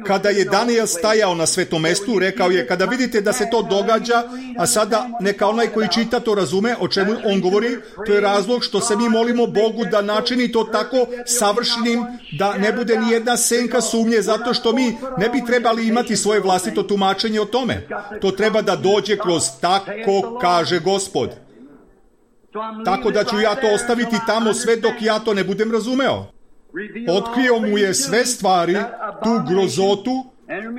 A: kada je Danijel stajao na svetom mestu, rekao je, kada vidite da se to događa, a sada neka onaj koji čita to razume o čemu on govori, to je razlog što se mi molimo Bogu da načini to tako savršenim, da ne bude ni jedna senka sumnje, zato što mi ne bi trebali imati svoje vlastito tumačenje o tome. To treba da dođe kroz tako kaže Gospod. Tako da ću ja to ostaviti tamo sve dok ja to ne budem razumeo. Otkrio mu je sve stvari, tu grozotu,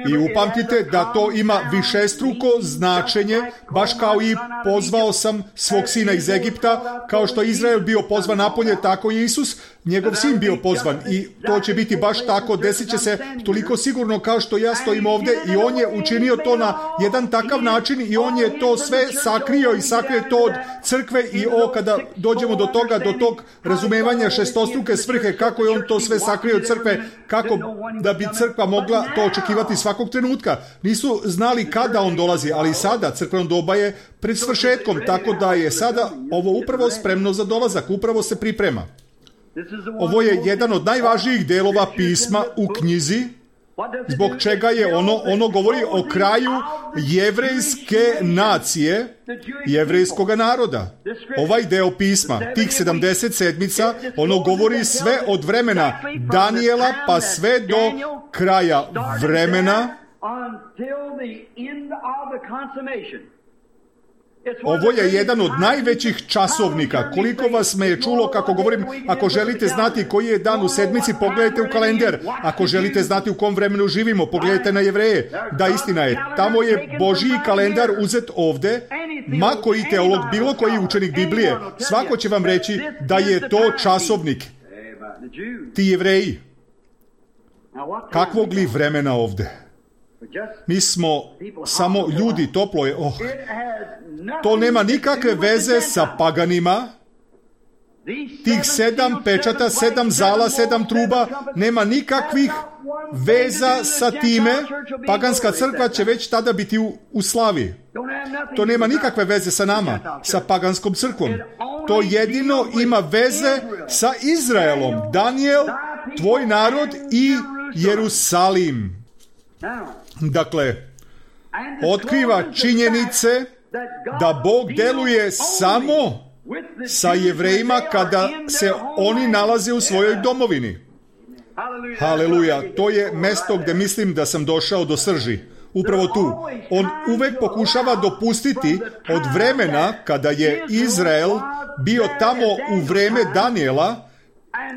A: i upamtite da to ima višestruko značenje, baš kao i pozvao sam svog sina iz Egipta, kao što je Izrael bio pozvan napolje, tako je Isus, njegov sin bio pozvan, i to će biti baš tako, desit će se toliko sigurno kao što ja stojim ovdje, i on je učinio to na jedan takav način i on je to sve sakrio i sakrije to od crkve. I o, kada dođemo do toga, do tog razumevanja šestostruke svrhe, kako je on to sve sakrio od crkve, kako da bi crkva mogla to očekivati svakog trenutka. Nisu znali kada on dolazi, ali sada crkveno doba je pred svršetkom, tako da je sada ovo upravo spremno za dolazak, upravo se priprema. Ovo je jedan od najvažnijih delova pisma u knjizi, zbog čega je ono, ono govori o kraju jevrejske nacije, jevrejskog naroda. Ovaj deo pisma, tih sedamdeset sedmica, ono govori sve od vremena Danijela pa sve do kraja vremena. Ovo je jedan od najvećih časovnika. Koliko vas me je čulo kako govorim, ako želite znati koji je dan u sedmici, pogledajte u kalender. Ako želite znati u kom vremenu živimo, pogledajte na Jevreje. Da, istina je, tamo je Božji kalendar uzet ovde. Ma koji teolog, bilo koji učenik Biblije, svako će vam reći da je to časovnik. Ti Jevreji, kakvog li vremena ovde? Mi smo samo ljudi, toplo je, oh. To nema nikakve veze sa paganima. Tih sedam pečata, sedam zala, sedam truba, nema nikakvih veza sa time. Paganska crkva će već tada biti u, u slavi. To nema nikakve veze sa nama, sa paganskom crkvom. To jedino ima veze sa Izraelom. Danijel, tvoj narod i Jerusalim. Dakle, otkriva činjenice da Bog deluje samo sa Jevrejima kada se oni nalaze u svojoj domovini. Haleluja, to je mesto gdje mislim da sam došao do srži. Upravo tu. On uvek pokušava dopustiti od vremena kada je Izrael bio tamo u vreme Danijela,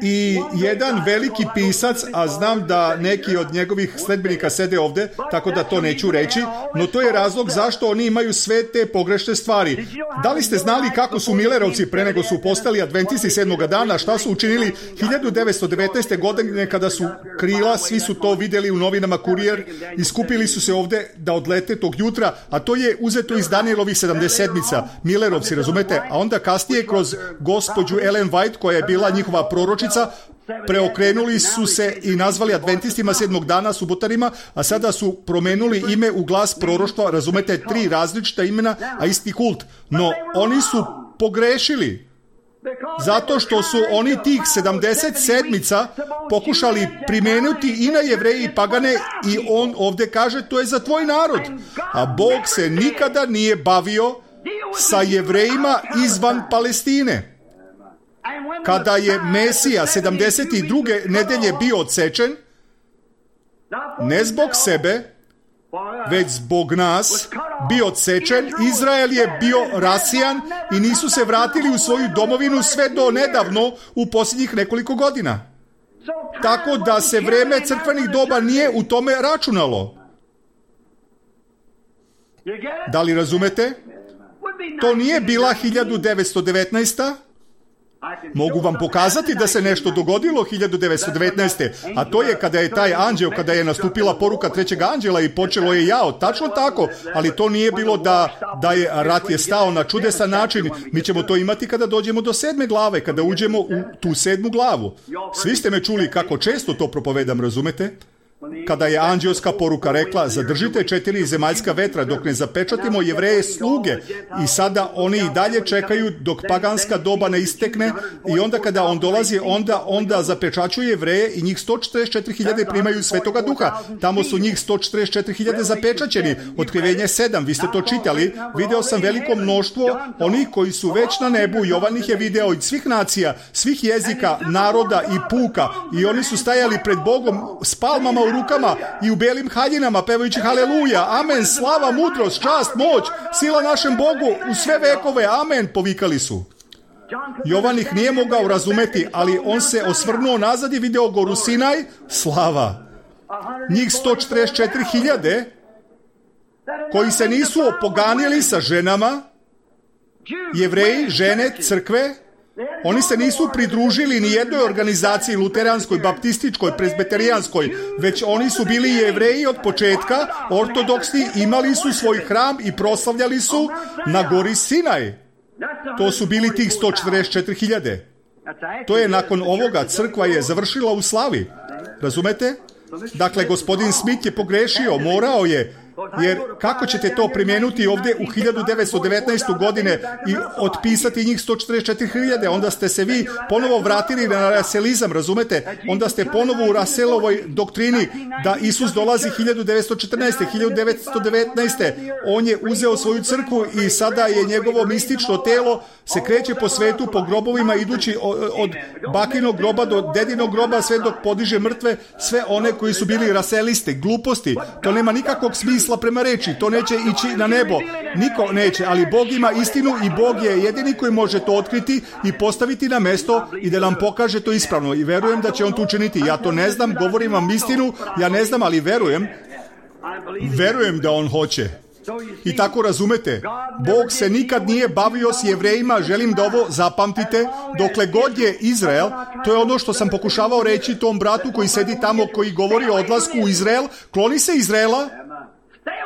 A: i jedan veliki pisac, a znam da neki od njegovih sledbenika sede ovde, tako da to neću reći, no to je razlog zašto oni imaju sve te pogrešne stvari. Da li ste znali kako su Millerovci pre nego su postali adventisti sedmoga dana, šta su učinili hiljadu devetsto devetnaeste. godine kada su krila, svi su to vidjeli u novinama Kurijer, i skupili su se ovde da odlete tog jutra, a to je uzeto iz Danielovih sedamdeset sedmica. Millerovci, razumete? A onda kasnije kroz gospođu Ellen White, koja je bila njihova proročica, preokrenuli su se i nazvali adventistima sedmog dana, subotarima, a sada su promenuli ime u glas proroštva, razumete, tri različita imena, a isti kult. No, oni su pogrešili, zato što su oni tih sedamdeset sedmica pokušali primenuti i na Jevreje i pagane, i on ovdje kaže, to je za tvoj narod. A Bog se nikada nije bavio sa Jevrejima izvan Palestine. Kada je Mesija sedamdeset druge nedelje bio odsečen, ne zbog sebe, već zbog nas, bio odsečen, Izrael je bio rasijan i nisu se vratili u svoju domovinu sve do nedavno, u posljednjih nekoliko godina. Tako da se vreme crkvenih doba nije u tome računalo. Da li razumete? To nije bila hiljadu devetsto devetnaesta. Mogu vam pokazati da se nešto dogodilo hiljadu devetsto devetnaeste. a to je kada je taj anđeo, kada je nastupila poruka trećeg anđela i počelo je jao, tačno tako, ali to nije bilo da, da je rat je stao na čudesan način. Mi ćemo to imati kada dođemo do sedme glave, kada uđemo u tu sedmu glavu. Svi ste me čuli kako često to propovedam, razumete? Kada je anđelska poruka rekla, zadržite četiri zemaljska vetra dok ne zapečatimo Jevreje sluge, i sada oni i dalje čekaju dok paganska doba ne istekne, i onda kada on dolazi, onda onda zapečaćuje Jevreje i njih sto četrdeset četiri hiljade primaju Svetoga Duha. Tamo su njih sto četrdeset četiri hiljade zapečaćeni. Otkrivenje sedam, vi ste to čitali. Video sam veliko mnoštvo onih koji su već na nebu. Jovan ih je video iz svih nacija, svih jezika, naroda i puka, i oni su stajali pred Bogom s palmama u rukama i u belim haljinama pevajući haleluja, amen, slava, mudrost, čast, moć, sila našem Bogu u sve vekove, amen, povikali su. Jovan ih nije mogao razumeti, ali on se osvrnuo nazad i video goru Sinaj, slava. Njih sto četrdeset četiri hiljade koji se nisu opoganili sa ženama, Jevreji, žene, crkve. Oni se nisu pridružili ni jednoj organizaciji luteranskoj, baptističkoj, prezbeterijanskoj, već oni su bili Jevreji od početka, ortodoksni, imali su svoj hram i proslavljali su na gori Sinaj. To su bili tih sto četrdeset četiri hiljade. To je nakon ovoga, crkva je završila u slavi. Razumete? Dakle, gospodin Smith je pogrešio, morao je, jer kako ćete to primijeniti ovdje u hiljadu devetsto devetnaeste. godine i otpisati njih sto četrdeset četiri hiljade, onda ste se vi ponovo vratili na raselizam, razumete? Onda ste ponovo u Raselovoj doktrini da Isus dolazi hiljadu devetsto četrnaeste. hiljadu devetsto devetnaeste. On je uzeo svoju crkvu i sada je njegovo mistično telo se kreće po svetu, po grobovima, idući od bakinog groba do dedinog groba, sve dok podiže mrtve, sve one koji su bili raselisti, gluposti. To nema nikakvog smisla prema reči, to neće ići na nebo. Niko neće, ali Bog ima istinu i Bog je jedini koji može to otkriti i postaviti na mesto i da nam pokaže to ispravno. I verujem da će on to učiniti. Ja to ne znam, govorim vam istinu, ja ne znam, ali verujem. Verujem da on hoće. I tako razumete, Bog se nikad nije bavio s Jevrejima, želim da ovo zapamtite, dokle god je Izrael, to je ono što sam pokušavao reći tom bratu koji sedi tamo, koji govori o odlasku u Izrael, kloni se Izraela,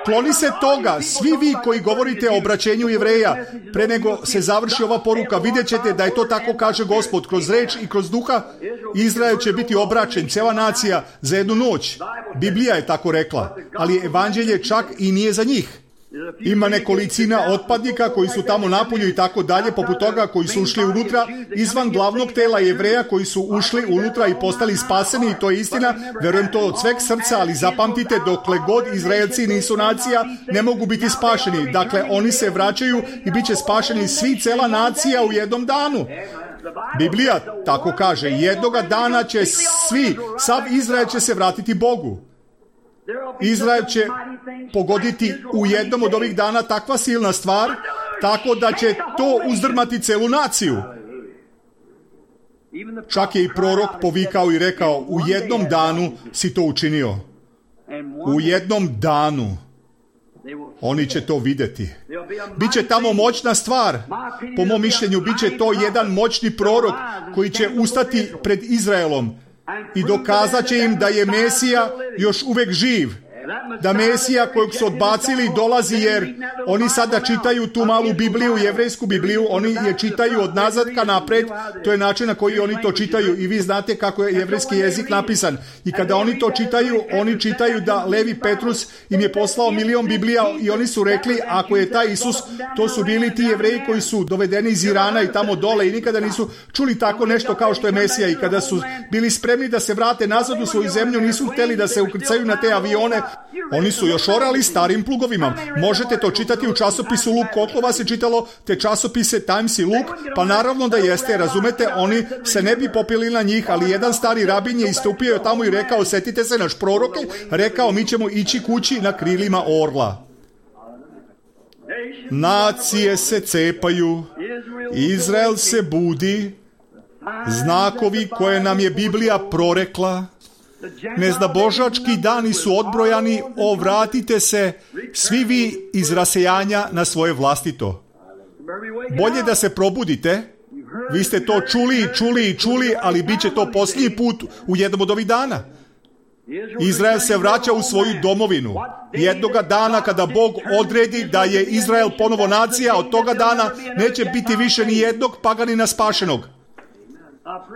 A: kloni se toga, svi vi koji govorite o obraćenju Jevreja, pre nego se završi ova poruka, vidjet ćete da je to tako kaže Gospod, kroz reč i kroz duha, Izrael će biti obraćen, cijela nacija, za jednu noć. Biblija je tako rekla, ali evanđelje čak i nije za njih. Ima nekolicina otpadnika koji su tamo napolju i tako dalje, poput toga koji su ušli unutra, izvan glavnog tela Jevreja koji su ušli unutra i postali spaseni, i to je istina, verujem to od sveg srca, ali zapamtite, dokle god Izraelci nisu nacija, ne mogu biti spašeni. Dakle, oni se vraćaju i bit će spašeni svi, cela nacija u jednom danu. Biblija tako kaže, jednoga dana će svi, sav Izrael će se vratiti Bogu. Izrael će pogoditi u jednom od ovih dana takva silna stvar, tako da će to uzdrmati celu naciju. Čak je i prorok povikao i rekao, u jednom danu si to učinio. U jednom danu. Oni će to vidjeti. Biće tamo moćna stvar. Po mom mišljenju, bit će to jedan moćni prorok koji će ustati pred Izraelom i dokazat će im da je Mesija još uvek živ. Da Mesija kojeg su odbacili dolazi, jer oni sada čitaju tu malu Bibliju, jevrejsku Bibliju, oni je čitaju od nazad ka napred, to je način na koji oni to čitaju, i vi znate kako je jevrejski jezik napisan. I kada oni to čitaju, oni čitaju da Levi Petrus im je poslao milion Biblija i oni su rekli, ako je taj Isus, to su bili ti Jevreji koji su dovedeni iz Irana i tamo dole i nikada nisu čuli tako nešto kao što je Mesija, i kada su bili spremni da se vrate nazad u svoju zemlju, nisu hteli da se ukrcaju na te avione. Oni su još orali starim plugovima. Možete to čitati u časopisu Luk. Koliko vas je čitalo te časopise Times i Luk? Pa naravno da jeste, razumete, oni se ne bi popili na njih, ali jedan stari rabin je istupio tamo i rekao, setite se, naš prorok je rekao, mi ćemo ići kući na krilima orla. Nacije se cepaju, Izrael se budi, znakovi koje nam je Biblija prorekla, neznabožački dani su odbrojani, ovratite se svi vi iz rasejanja na svoje vlastito. Bolje da se probudite, Vi ste to čuli i čuli i čuli, ali bit će to posljednji put u jednom od ovih dana. Izrael se vraća u svoju domovinu. Jednoga dana kada Bog odredi da je Izrael ponovo nacija, od toga dana neće biti više ni jednog paganina spašenog.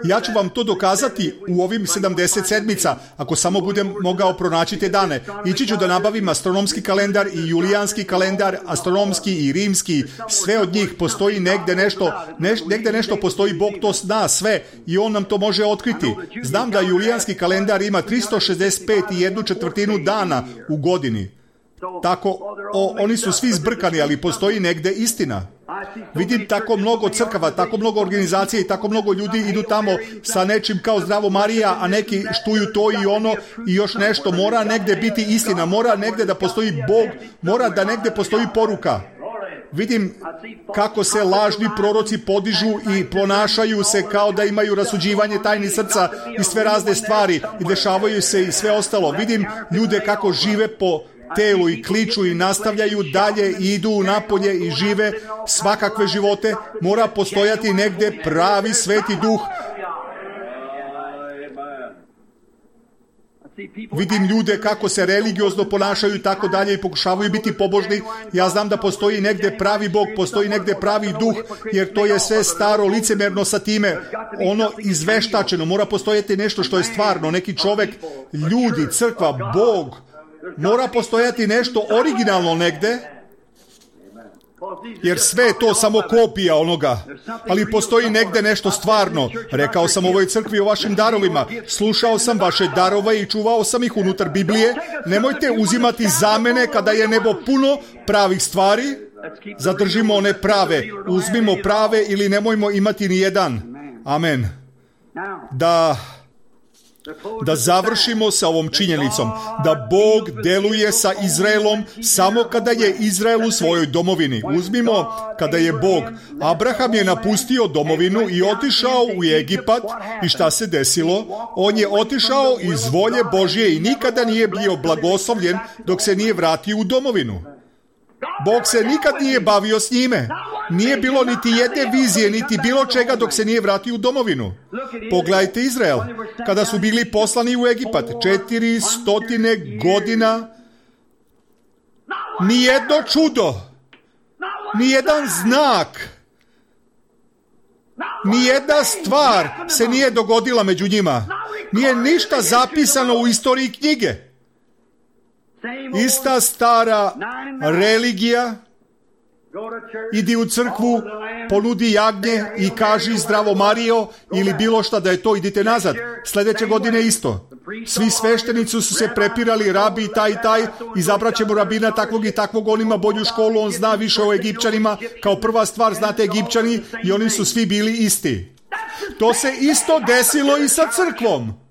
A: Ja ću vam to dokazati u ovim sedamdeset sedmica, ako samo budem mogao pronaći te dane. Ići ću da nabavim astronomski kalendar i julijanski kalendar, astronomski i rimski, sve od njih postoji negde nešto, neš, negde nešto postoji, Bog to zna sve i On nam to može otkriti. Znam da julijanski kalendar ima tristo šezdeset pet i jednu četvrtinu dana u godini. Tako, o, oni su svi zbrkani, ali postoji negde istina. Vidim tako mnogo crkava, tako mnogo organizacija i tako mnogo ljudi idu tamo sa nečim kao Zdravo Marija, a neki štuju to i ono i još nešto. Mora negde biti istina, mora negde da postoji Bog, mora da negde postoji poruka. Vidim kako se lažni proroci podižu i ponašaju se kao da imaju rasuđivanje tajni srca i sve razne stvari i dešavaju se i sve ostalo. Vidim ljude kako žive po telu i kliču i nastavljaju dalje i idu napolje i žive svakakve živote. Mora postojati negde pravi Sveti Duh. Vidim ljude kako se religiozno ponašaju i tako dalje i pokušavaju biti pobožni. Ja znam da postoji negde pravi Bog, postoji negde pravi Duh, jer to je sve staro, licemerno sa time, ono izveštačeno. Mora postojati nešto što je stvarno, neki čovek, ljudi, crkva, Bog. Mora postojati nešto originalno negde, jer sve je to samo kopija onoga, ali postoji negde nešto stvarno. Rekao sam ovoj crkvi o vašim darovima, slušao sam vaše darove i čuvao sam ih unutar Biblije. Nemojte uzimati zamene kada je nebo puno pravih stvari. Zadržimo one prave, uzmimo prave ili nemojmo imati ni jedan. Amen. Da... Da završimo sa ovom činjenicom, da Bog deluje sa Izraelom samo kada je Izrael u svojoj domovini. Uzmimo, kada je Bog, Abraham je napustio domovinu i otišao u Egipat i šta se desilo? On je otišao iz volje Božje i nikada nije bio blagoslovljen dok se nije vratio u domovinu. Bog se nikad nije bavio s njime. Nije bilo niti jedne vizije, niti bilo čega dok se nije vratio u domovinu. Pogledajte Izrael. Kada su bili poslani u Egipat, četiri stotine godina, nijedno čudo, nijedan znak, nijedna stvar se nije dogodila među njima. Nije ništa zapisano u istoriji knjige. Ista stara religija, idi u crkvu, ponudi jagnje i kaži Zdravo Marijo ili bilo šta da je to, idite nazad. Sljedeće godine isto. Svi sveštenici su se prepirali, rabi taj i taj, izabrat ćemo rabina takvog i takvog, on ima bolju školu, on zna više o Egipćanima. Kao prva stvar, znate Egipćani, i oni su svi bili isti. To se isto desilo i sa crkvom.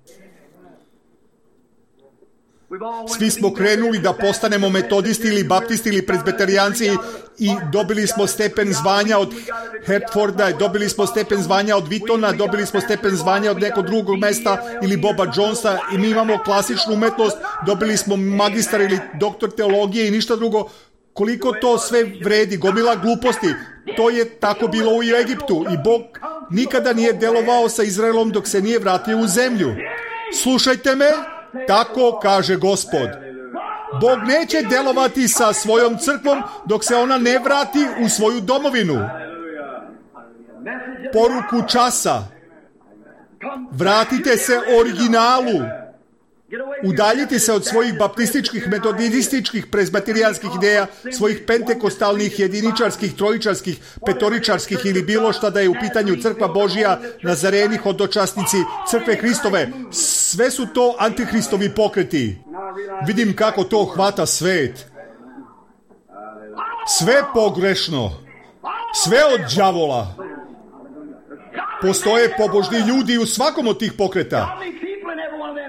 A: Svi smo krenuli da postanemo metodisti ili baptisti ili presbiterijanci i dobili smo stepen zvanja od Hertforda, dobili smo stepen zvanja od Vitona, dobili smo stepen zvanja od nekog drugog mesta ili Boba Jonesa i mi imamo klasičnu umetnost, dobili smo magistar ili doktor teologije i ništa drugo. Koliko to sve vredi, gomila gluposti. To je tako bilo u Egiptu i Bog nikada nije delovao sa Izraelom dok se nije vratio u zemlju. Slušajte me. Tako kaže Gospod. Bog neće delovati sa svojom crkvom dok se ona ne vrati u svoju domovinu. Poruku časa. Vratite se originalu. Udaljite se od svojih baptističkih, metodističkih, presbiterijanskih ideja, svojih pentekostalnih, jediničarskih, trojičarskih, petoričarskih ili bilo šta da je u pitanju crkva Božja, Nazareni, hodočasnici, crkve Hristove. Sve su to antihristovi pokreti. Vidim kako to hvata svet. Sve pogrešno. Sve od đavola. Postoje pobožni ljudi u svakom od tih pokreta.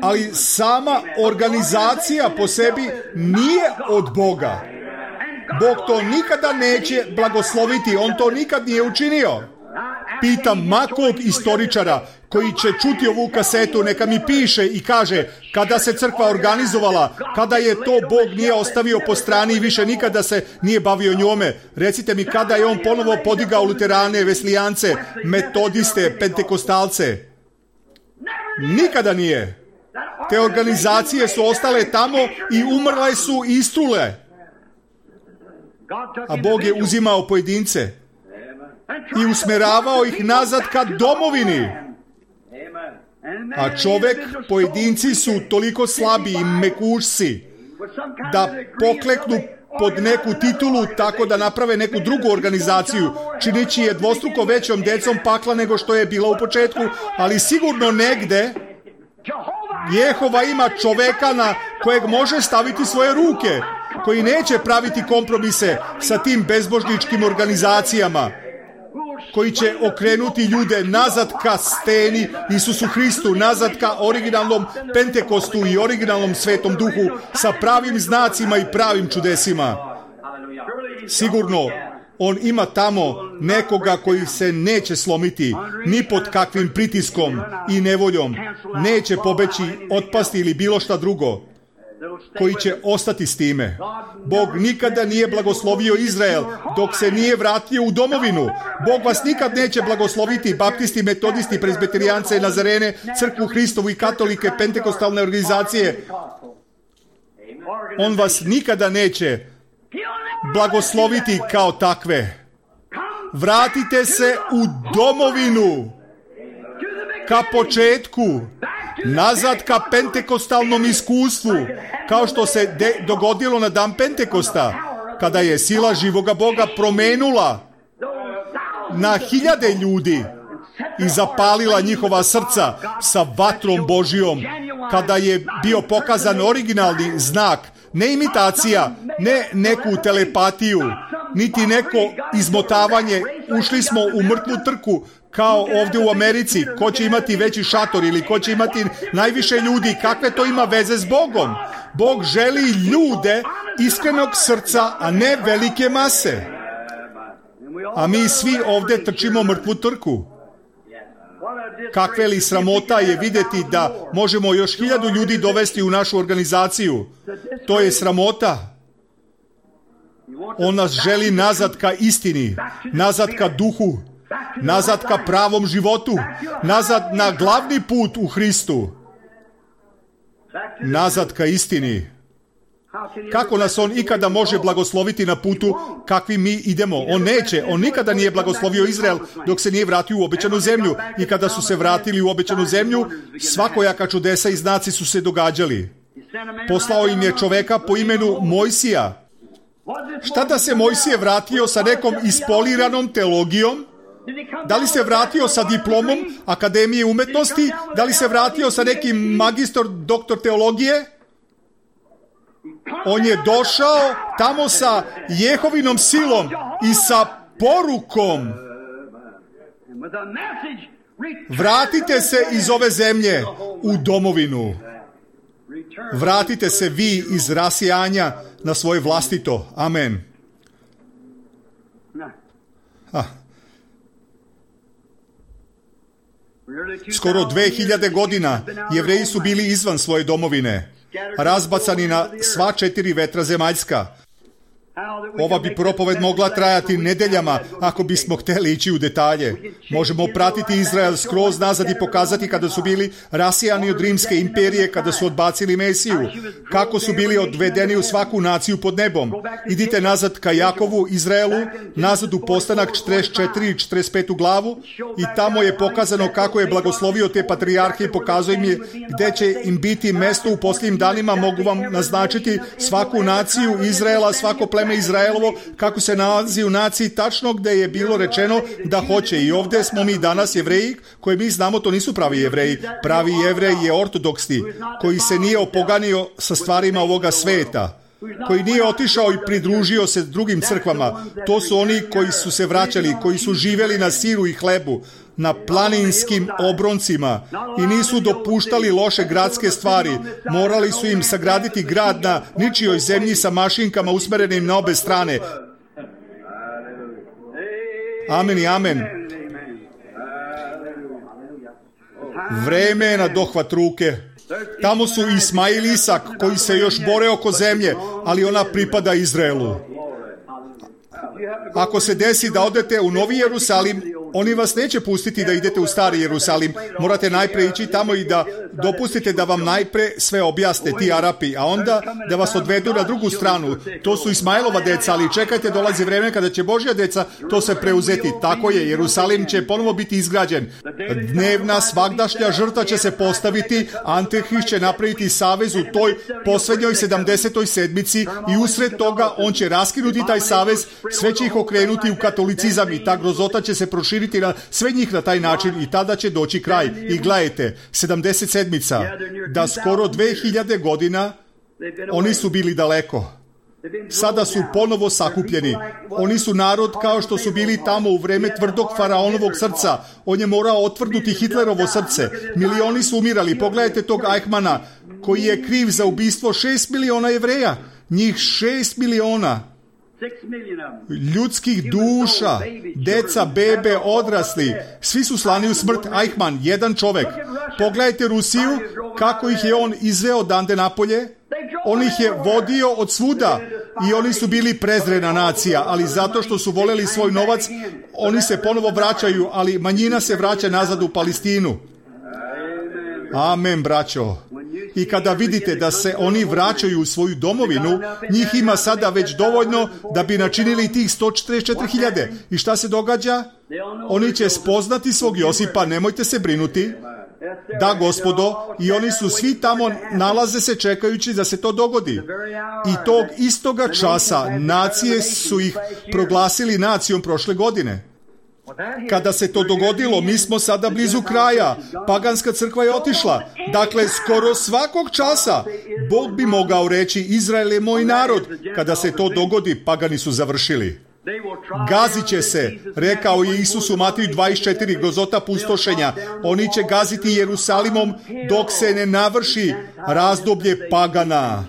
A: Ali sama organizacija po sebi nije od Boga. Bog to nikada neće blagosloviti, on to nikad nije učinio. Pitam makog istoričara koji će čuti ovu kasetu, neka mi piše i kaže kada se crkva organizovala, kada je to Bog nije ostavio po strani i više nikada se nije bavio njome. Recite mi kada je on ponovo podigao luterane, veslijance, metodiste, pentekostalce. Nikada nije. Te organizacije su ostale tamo i umrle su i istrule. A Bog je uzimao pojedince i usmeravao ih nazad ka domovini. A čovek, pojedinci su toliko slabi i mekušci da pokleknu pod neku titulu tako da naprave neku drugu organizaciju, činići je dvostruko većom decom pakla nego što je bila u početku, ali sigurno negde Jehova ima čoveka na kojeg može staviti svoje ruke, koji neće praviti kompromise sa tim bezbožničkim organizacijama, koji će okrenuti ljude nazad ka steni Isusu Hristu, nazad ka originalnom Pentekostu i originalnom Svetom Duhu sa pravim znacima i pravim čudesima. Sigurno, on ima tamo nekoga koji se neće slomiti ni pod kakvim pritiskom i nevoljom, neće pobeći, otpasti ili bilo šta drugo, koji će ostati s time. Bog nikada nije blagoslovio Izrael dok se nije vratio u domovinu. Bog vas nikad neće blagosloviti, baptisti, metodisti, prezbiterijance, nazarene, crkvu Hristovu i katolike, pentekostalne organizacije. On vas nikada neće blagosloviti kao takve. Vratite se u domovinu, ka početku, nazad ka pentekostalnom iskustvu, kao što se de- dogodilo na dan Pentekosta, kada je sila živoga Boga promenula na hiljade ljudi i zapalila njihova srca sa vatrom Božijom, kada je bio pokazan originalni znak, ne imitacija, ne neku telepatiju, niti neko izmotavanje. Ušli smo u mrtvu trku, kao ovdje u Americi, ko će imati veći šator ili ko će imati najviše ljudi, kakve to ima veze s Bogom? Bog želi ljude iskrenog srca, a ne velike mase. A mi svi ovdje trčimo mrtvu trku. Kakve li sramota je vidjeti da možemo još hiljadu ljudi dovesti u našu organizaciju. To je sramota. On nas želi nazad ka istini, nazad ka duhu, nazad ka pravom životu, nazad na glavni put u Hristu, nazad ka istini. Kako nas on ikada može blagosloviti na putu kakvi mi idemo? On neće. On nikada nije blagoslovio Izrael dok se nije vratio u obećanu zemlju. I kada su se vratili u obećanu zemlju, svakojaka čudesa i znaci su se događali. Poslao im je čoveka po imenu Mojsija. Šta da se Mojsije vratio sa nekom ispoliranom teologijom? Da li se vratio sa diplomom Akademije umetnosti? Da li se vratio sa nekim magistor, doktor teologije? On je došao tamo sa Jehovinom silom i sa porukom. Vratite se iz ove zemlje u domovinu. Vratite se vi iz rasijanja na svoje vlastito. Amen. Ah. Skoro dve hiljade godina Jevreji su bili izvan svoje domovine, razbacani na sva četiri vetra zemaljska. Ova bi propoved mogla trajati nedeljama ako bismo htjeli ići u detalje. Možemo pratiti Izrael skroz nazad i pokazati kada su bili rasijani od rimske imperije, kada su odbacili Mesiju, kako su bili odvedeni u svaku naciju pod nebom. Idite nazad ka Jakovu, Izraelu, nazad u postanak četrdeset četiri i četrdeset pet glavu i tamo je pokazano kako je blagoslovio te patrijarhe i pokazuje im je gde će im biti mesto u posljednjim danima. Mogu vam naznačiti svaku naciju Izraela, svako pleme Izraelovo, kako se nalazi u naciji tačno gde je bilo rečeno da hoće. I ovdje smo mi danas Jevreji, koji mi znamo to nisu pravi Jevreji. Pravi Jevrej je ortodoksni, koji se nije opoganio sa stvarima ovoga sveta, koji nije otišao i pridružio se drugim crkvama. To su oni koji su se vraćali, koji su živjeli na siru i hlebu, na planinskim obroncima i nisu dopuštali loše gradske stvari. Morali su im sagraditi grad na ničijoj zemlji sa mašinkama usmerenim na obe strane. Amen i amen. Vreme je na dohvat ruke. Tamo su Ismail i Isak koji se još bore oko zemlje, ali ona pripada Izraelu. Ako se desi da odete u Novi Jerusalim, oni vas neće pustiti da idete u Stari Jerusalim. Morate najpre ići tamo i da dopustite da vam najpre sve objasne ti Arapi, a onda da vas odvedu na drugu stranu. To su Ismailova deca, ali čekajte, dolazi vreme kada će Božja deca to se preuzeti. Tako je, Jerusalim će ponovo biti izgrađen. Dnevna, svagdašnja žrtva će se postaviti, Antihrist će napraviti savez u toj posljednjoj sedamdesetoj sedmici i usred toga on će raskinuti taj savez, sve će ih okrenuti u katolicizam i ta grozota će se proširiti na sve njih na taj način i tada će doći kraj. I gledajte, sedamdeset sedmica, da skoro dve hiljade godina oni su bili daleko. Sada su ponovo sakupljeni. Oni su narod kao što su bili tamo u vreme tvrdog faraonovog srca. On je morao otvrdnuti Hitlerovo srce. Milioni su umirali. Pogledajte tog Eichmana koji je kriv za ubistvo šest miliona Jevreja. Njih šest miliona. Ljudskih duša, deca, bebe, odrasli, svi su slani u smrt. Eichmann, jedan čovek. Pogledajte Rusiju, kako ih je on izveo dande napolje. On ih je vodio od svuda i oni su bili prezrena nacija, ali zato što su voleli svoj novac, oni se ponovo vraćaju, ali manjina se vraća nazad u Palestinu. Amen, braćo. I kada vidite da se oni vraćaju u svoju domovinu, njih ima sada već dovoljno da bi načinili tih sto četrdeset četiri hiljade. I šta se događa? Oni će spoznati svog Josipa, nemojte se brinuti. Da, gospodo, i oni su svi tamo, nalaze se čekajući da se to dogodi. I tog istoga časa nacije su ih proglasili nacijom prošle godine. Kada se to dogodilo, mi smo sada blizu kraja. Paganska crkva je otišla. Dakle, skoro svakog časa Bog bi mogao reći: Izrael je moj narod. Kada se to dogodi, pagani su završili. Gazit će se, rekao je Isus u Mateju dvadeset četiri, grozota pustošenja. Oni će gaziti Jerusalimom dok se ne navrši razdoblje pagana.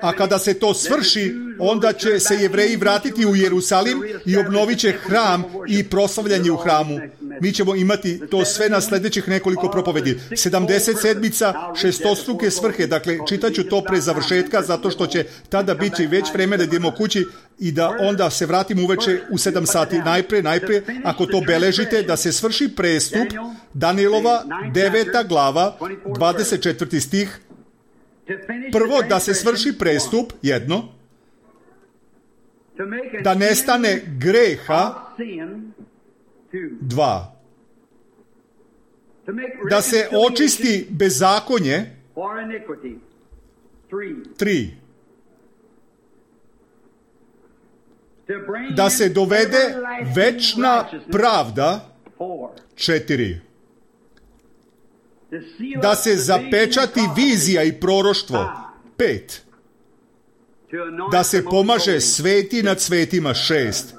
A: A kada se to svrši, onda će se Jevreji vratiti u Jerusalim i obnovit će hram i proslavljanje u hramu. Mi ćemo imati to sve na sljedećih nekoliko propovedi. sedamdeset sedmica, šestostruke svrhe. Dakle, čitaću to pre završetka, zato što će tada biti već vremena da idemo kući i da onda se vratimo uveče u sedam sati. Najpre, najpre, ako to beležite, da se svrši prestup Danijelova deveta glava, dvadeset četvrti stih. Prvo, da se svrši prestup, jedno, da nestane greha, dva, da se očisti bezakonje, tri, da se dovede večna pravda, četiri, da se zapečati vizija i proroštvo, pet, da se pomaže sveti nad svetima, šest.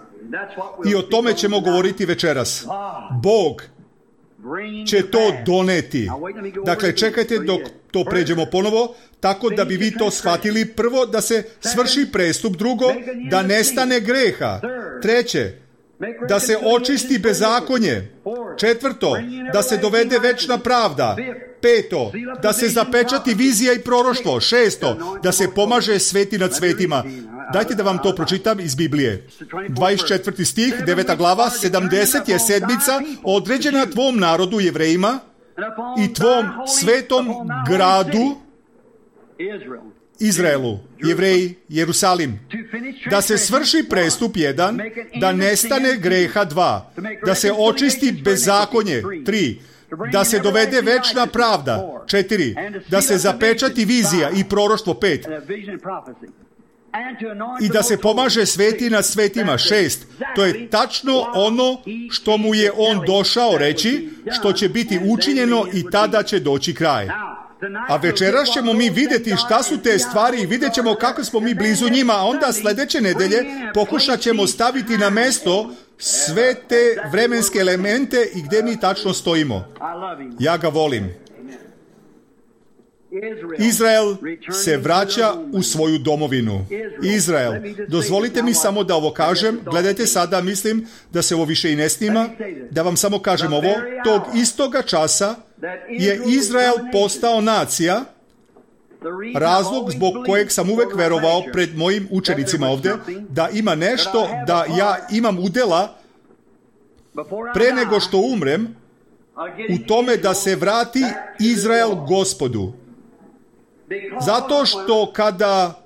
A: I o tome ćemo govoriti večeras. Bog će to doneti. Dakle, čekajte dok to pređemo ponovo, tako da bi vi to shvatili. Prvo, da se svrši prestup. Drugo, da nestane greha. Treće, da se očisti bezakonje. Četvrto, da se dovede večna pravda. Peto, da se zapečati vizija i proroštvo. Šesto, da se pomaže sveti nad svetima. Dajte da vam to pročitam iz Biblije. dvadeset četvrti stih, deveta glava, sedamdeset je sedmica određena tvom narodu Jevrejima i tvom svetom gradu Izraelu, Jevreji, Jerusalim. Da se svrši prestup jedan, da nestane greha dva, da se očisti bezakonje tri, da se dovede večna pravda četiri, da se zapečati vizija i proroštvo pet, i da se pomaže sveti nad svetima šest. To je tačno ono što mu je on došao reći, što će biti učinjeno i tada će doći kraj. A večeras ćemo mi vidjeti šta su te stvari i vidjet ćemo kako smo mi blizu njima, a onda sljedeće nedelje pokušat ćemo staviti na mesto sve te vremenske elemente i gdje mi tačno stojimo. Ja ga volim. Izrael se vraća u svoju domovinu. Izrael. Dozvolite mi samo da ovo kažem. Gledajte sada, mislim da se ovo više i ne snima. Da vam samo kažem ovo. Tog istoga časa je Izrael postao nacija. Razlog zbog kojeg sam uvek verovao pred mojim učenicima ovde, da ima nešto, da ja imam udela pre nego što umrem, u tome da se vrati Izrael Gospodu. Zato što kada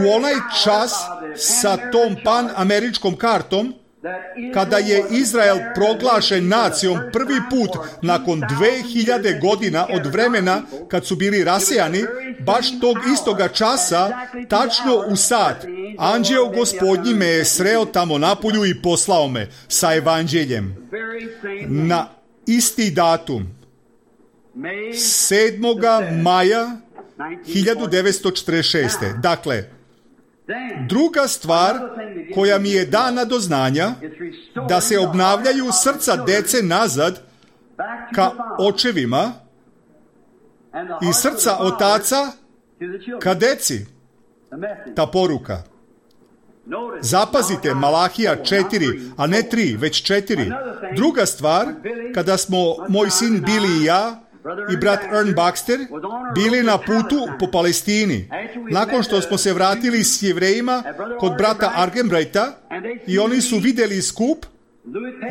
A: u onaj čas sa tom pan-američkom kartom, kada je Izrael proglašen nacijom prvi put nakon dve hiljade godina od vremena kad su bili rasijani, baš tog istoga časa, tačno u sat, anđeo Gospodnji me je sreo tamo napolju i poslao me sa evanđeljem. Na isti datum, sedmoga maja hiljadu devetsto četrdeset šeste. Dakle, druga stvar koja mi je dana do znanja, da se obnavljaju srca dece nazad ka očevima i srca otaca ka deci. Ta poruka. Zapazite, Malahija četiri, a ne tri, već četiri. Druga stvar, kada smo moj sin Billy i ja i brat Ern Baxter bili na putu po Palestini, nakon što smo se vratili s Jevrejima kod brata Argenbrighta i oni su vidjeli skup,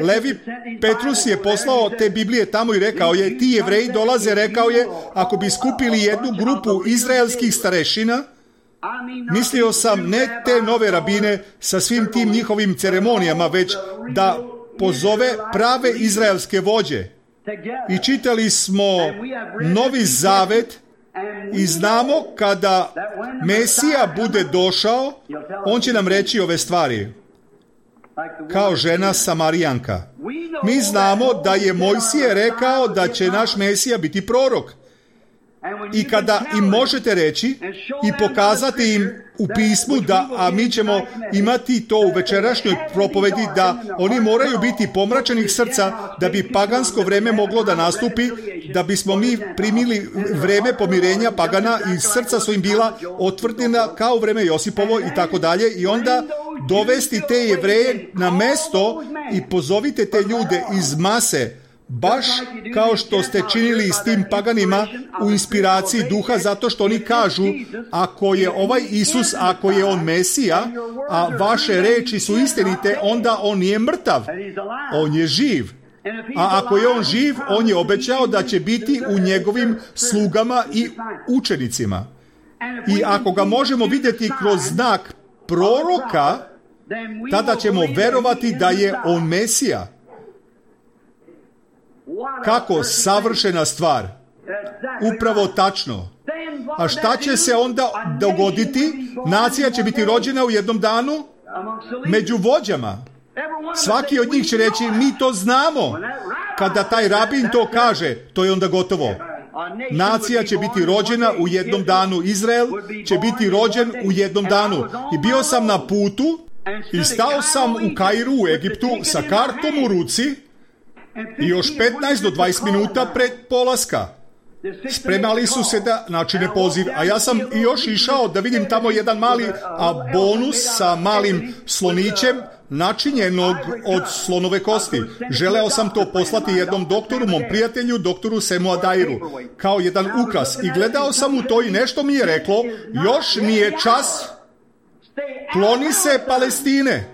A: Levi Petrus je poslao te Biblije tamo i rekao je, ti Jevreji dolaze, rekao je, ako bi skupili jednu grupu izraelskih starešina, mislio sam ne te nove rabine sa svim tim njihovim ceremonijama, već da pozove prave izraelske vođe. I čitali smo Novi Zavet i znamo kada Mesija bude došao, on će nam reći ove stvari. Kao žena Samarijanka. Mi znamo da je Mojsije rekao da će naš Mesija biti prorok. I kada im možete reći i pokazati im u pismu da, a mi ćemo imati to u večerašnjoj propovedi, da oni moraju biti pomračenih srca da bi pagansko vreme moglo da nastupi, da bismo mi primili vreme pomirenja pagana i srca su im bila otvrđena kao vreme Josipovo i tako dalje, i onda dovesti te Jevreje na mesto i pozovite te ljude iz mase, baš kao što ste činili s tim paganima u inspiraciji duha, zato što oni kažu, ako je ovaj Isus, ako je on Mesija, a vaše reči su istinite, onda on nije mrtav, on je živ. A ako je on živ, on je obećao da će biti u njegovim slugama i učenicima. I ako ga možemo vidjeti kroz znak proroka, tada ćemo verovati da je on Mesija. Kako savršena stvar. Upravo tačno. A šta će se onda dogoditi? Nacija će biti rođena u jednom danu među vođama. Svaki od njih će reći, mi to znamo. Kada taj rabin to kaže, to je onda gotovo. Nacija će biti rođena u jednom danu. Izrael će biti rođen u jednom danu. I bio sam na putu i stao sam u Kairu u Egiptu sa kartom u ruci i još petnaest do dvadeset minuta pred polaska. Spremali su se da načine poziv, a ja sam i još išao da vidim tamo jedan mali a bonus sa malim slonićem načinjenog od slonove kosti. Želeo sam to poslati jednom doktoru, mom prijatelju, doktoru Semu Adairu, kao jedan ukras. I gledao sam u to i nešto mi je reklo, još nije čas, kloni se Palestine.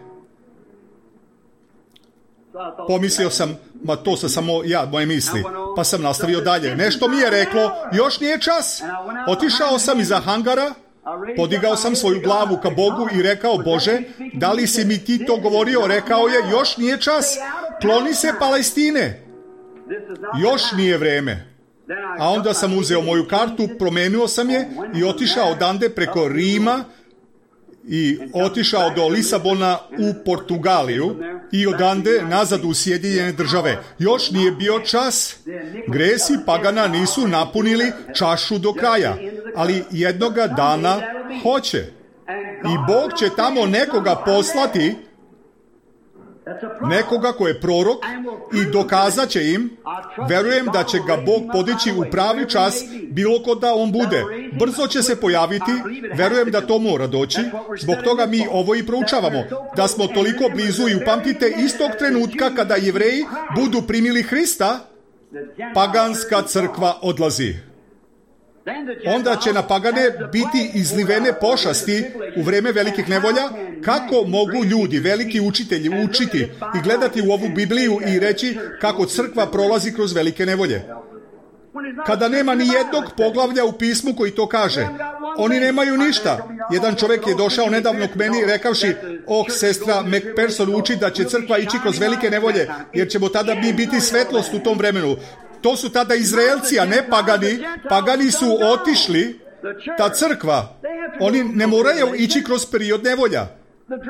A: Pomislio sam, ma to sam samo ja, moje misli, pa sam nastavio dalje. Nešto mi je reklo, još nije čas. Otišao sam iza hangara, podigao sam svoju glavu ka Bogu i rekao, Bože, da li si mi ti to govorio? Rekao je, još nije čas, kloni se Palestine. Još nije vreme. A onda sam uzeo moju kartu, promenio sam je i otišao odande preko Rima i otišao do Lisabona u Portugaliju i odande nazad u Sjedinjene Države. Još nije bio čas. Gresi pagana nisu napunili čašu do kraja, ali jednoga dana hoće. I Bog će tamo nekoga poslati nekoga ko je prorok i dokazat će im, verujem da će ga Bog podići u pravi čas bilo ko da on bude. Brzo će se pojaviti, verujem da to mora doći, zbog toga mi ovo i proučavamo, da smo toliko blizu i upamtite istog trenutka kada Jevreji budu primili Hrista, paganska crkva odlazi. Onda će na pagane biti izlivene pošasti u vreme velikih nevolja. Kako mogu ljudi, veliki učitelji, učiti i gledati u ovu Bibliju i reći kako crkva prolazi kroz velike nevolje? Kada nema ni jednog poglavlja u pismu koji to kaže. Oni nemaju ništa. Jedan čovjek je došao nedavno k meni rekavši, oh, sestra McPherson uči da će crkva ići kroz velike nevolje, jer ćemo tada mi biti svetlost u tom vremenu. To su tada Izraelci, a ne pagani. Pagani su otišli, ta crkva. Oni ne moraju ići kroz period nevolja.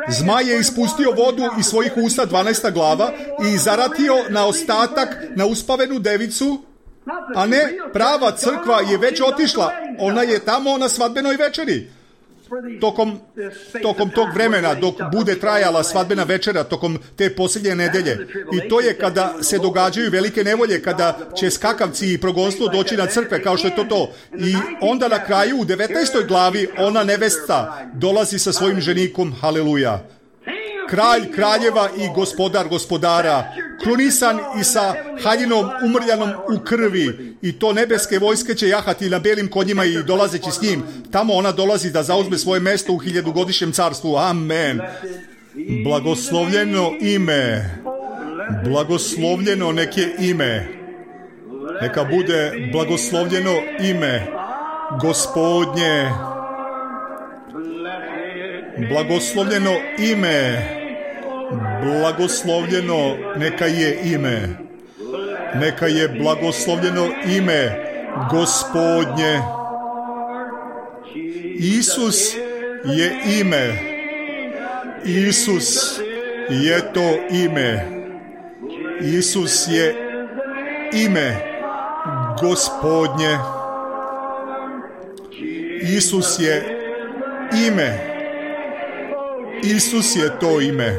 A: Zmaj je ispustio vodu iz svojih usta, dvanaesta glava, i zaratio na ostatak, na uspavenu devicu, a ne, prava crkva je već otišla. Ona je tamo na svadbenoj večeri. Tokom, tokom tog vremena, dok bude trajala svadbena večera, tokom te posljednje nedelje. I to je kada se događaju velike nevolje, kada će skakavci i progonstvo doći na crkve, kao što je to to. I onda na kraju, u devetnaestoj glavi, ona nevesta dolazi sa svojim ženikom, haleluja. Kralj kraljeva i gospodar gospodara, krunisan i sa haljinom umrljanom u krvi, i to nebeske vojske će jahati na belim konjima i dolazeći s njim. Tamo ona dolazi da zauzme svoje mesto u hiljadugodišnjem carstvu. Amen. Blagoslovljeno ime. Blagoslovljeno neke ime. Neka bude blagoslovljeno ime Gospodnje. Blagoslovljeno ime. Blagoslovljeno neka je ime. Neka je blagoslovljeno ime Gospodnje. Isus je ime. Isus je to ime. Isus je ime Gospodnje. Isus je ime. Isus je to ime.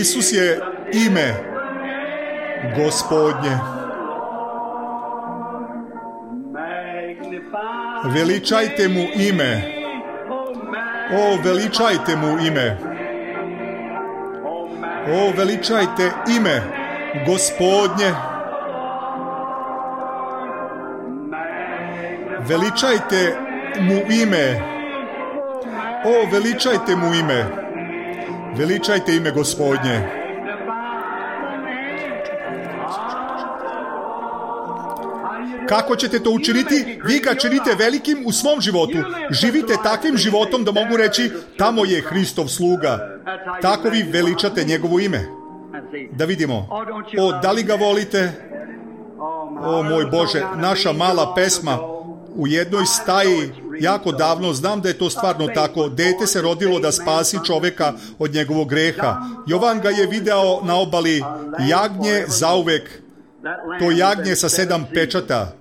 A: Isus je ime Gospodnje. Veličajte mu ime. O, veličajte mu ime. O, veličajte ime Gospodnje. Veličajte mu ime. O, veličajte mu ime. Veličajte ime Gospodnje. Kako ćete to učiniti? Vi ga činite velikim u svom životu. Živite takvim životom da mogu reći, tamo je Hristov sluga. Tako vi veličate njegovo ime. Da vidimo. O, da li ga volite? O, moj Bože, naša mala pesma u jednoj staji, jako davno, znam da je to stvarno tako. Dete se rodilo da spasi čoveka od njegovog greha. Jovan ga je video na obali, jagnje zauvek. To jagnje sa sedam pečata.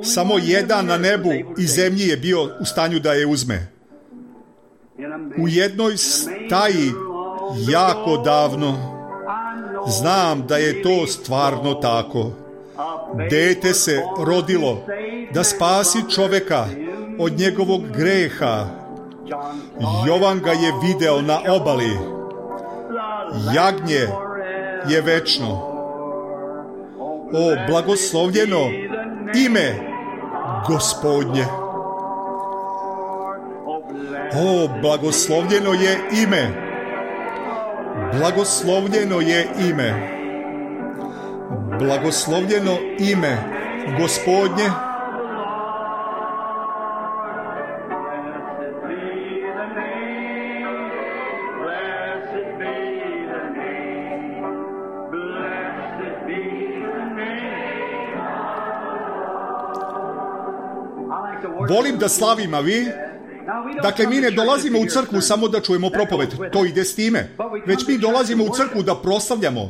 A: Samo jedan na nebu i zemlji je bio u stanju da je uzme. U jednoj staji, jako davno, znam da je to stvarno tako. Dete se rodilo da spasi čoveka od njegovog greha. Jovan ga je video na obali. Jagnje je večno. O, blagoslovljeno ime Gospodnje. O, blagoslovljeno je ime. Blagoslovljeno je ime. Blagoslovljeno ime Gospodnje. Volim da slavim, a vi? Dakle, mi ne dolazimo u crkvu samo da čujemo propoved, to ide s time. Već mi dolazimo u crkvu da proslavljamo,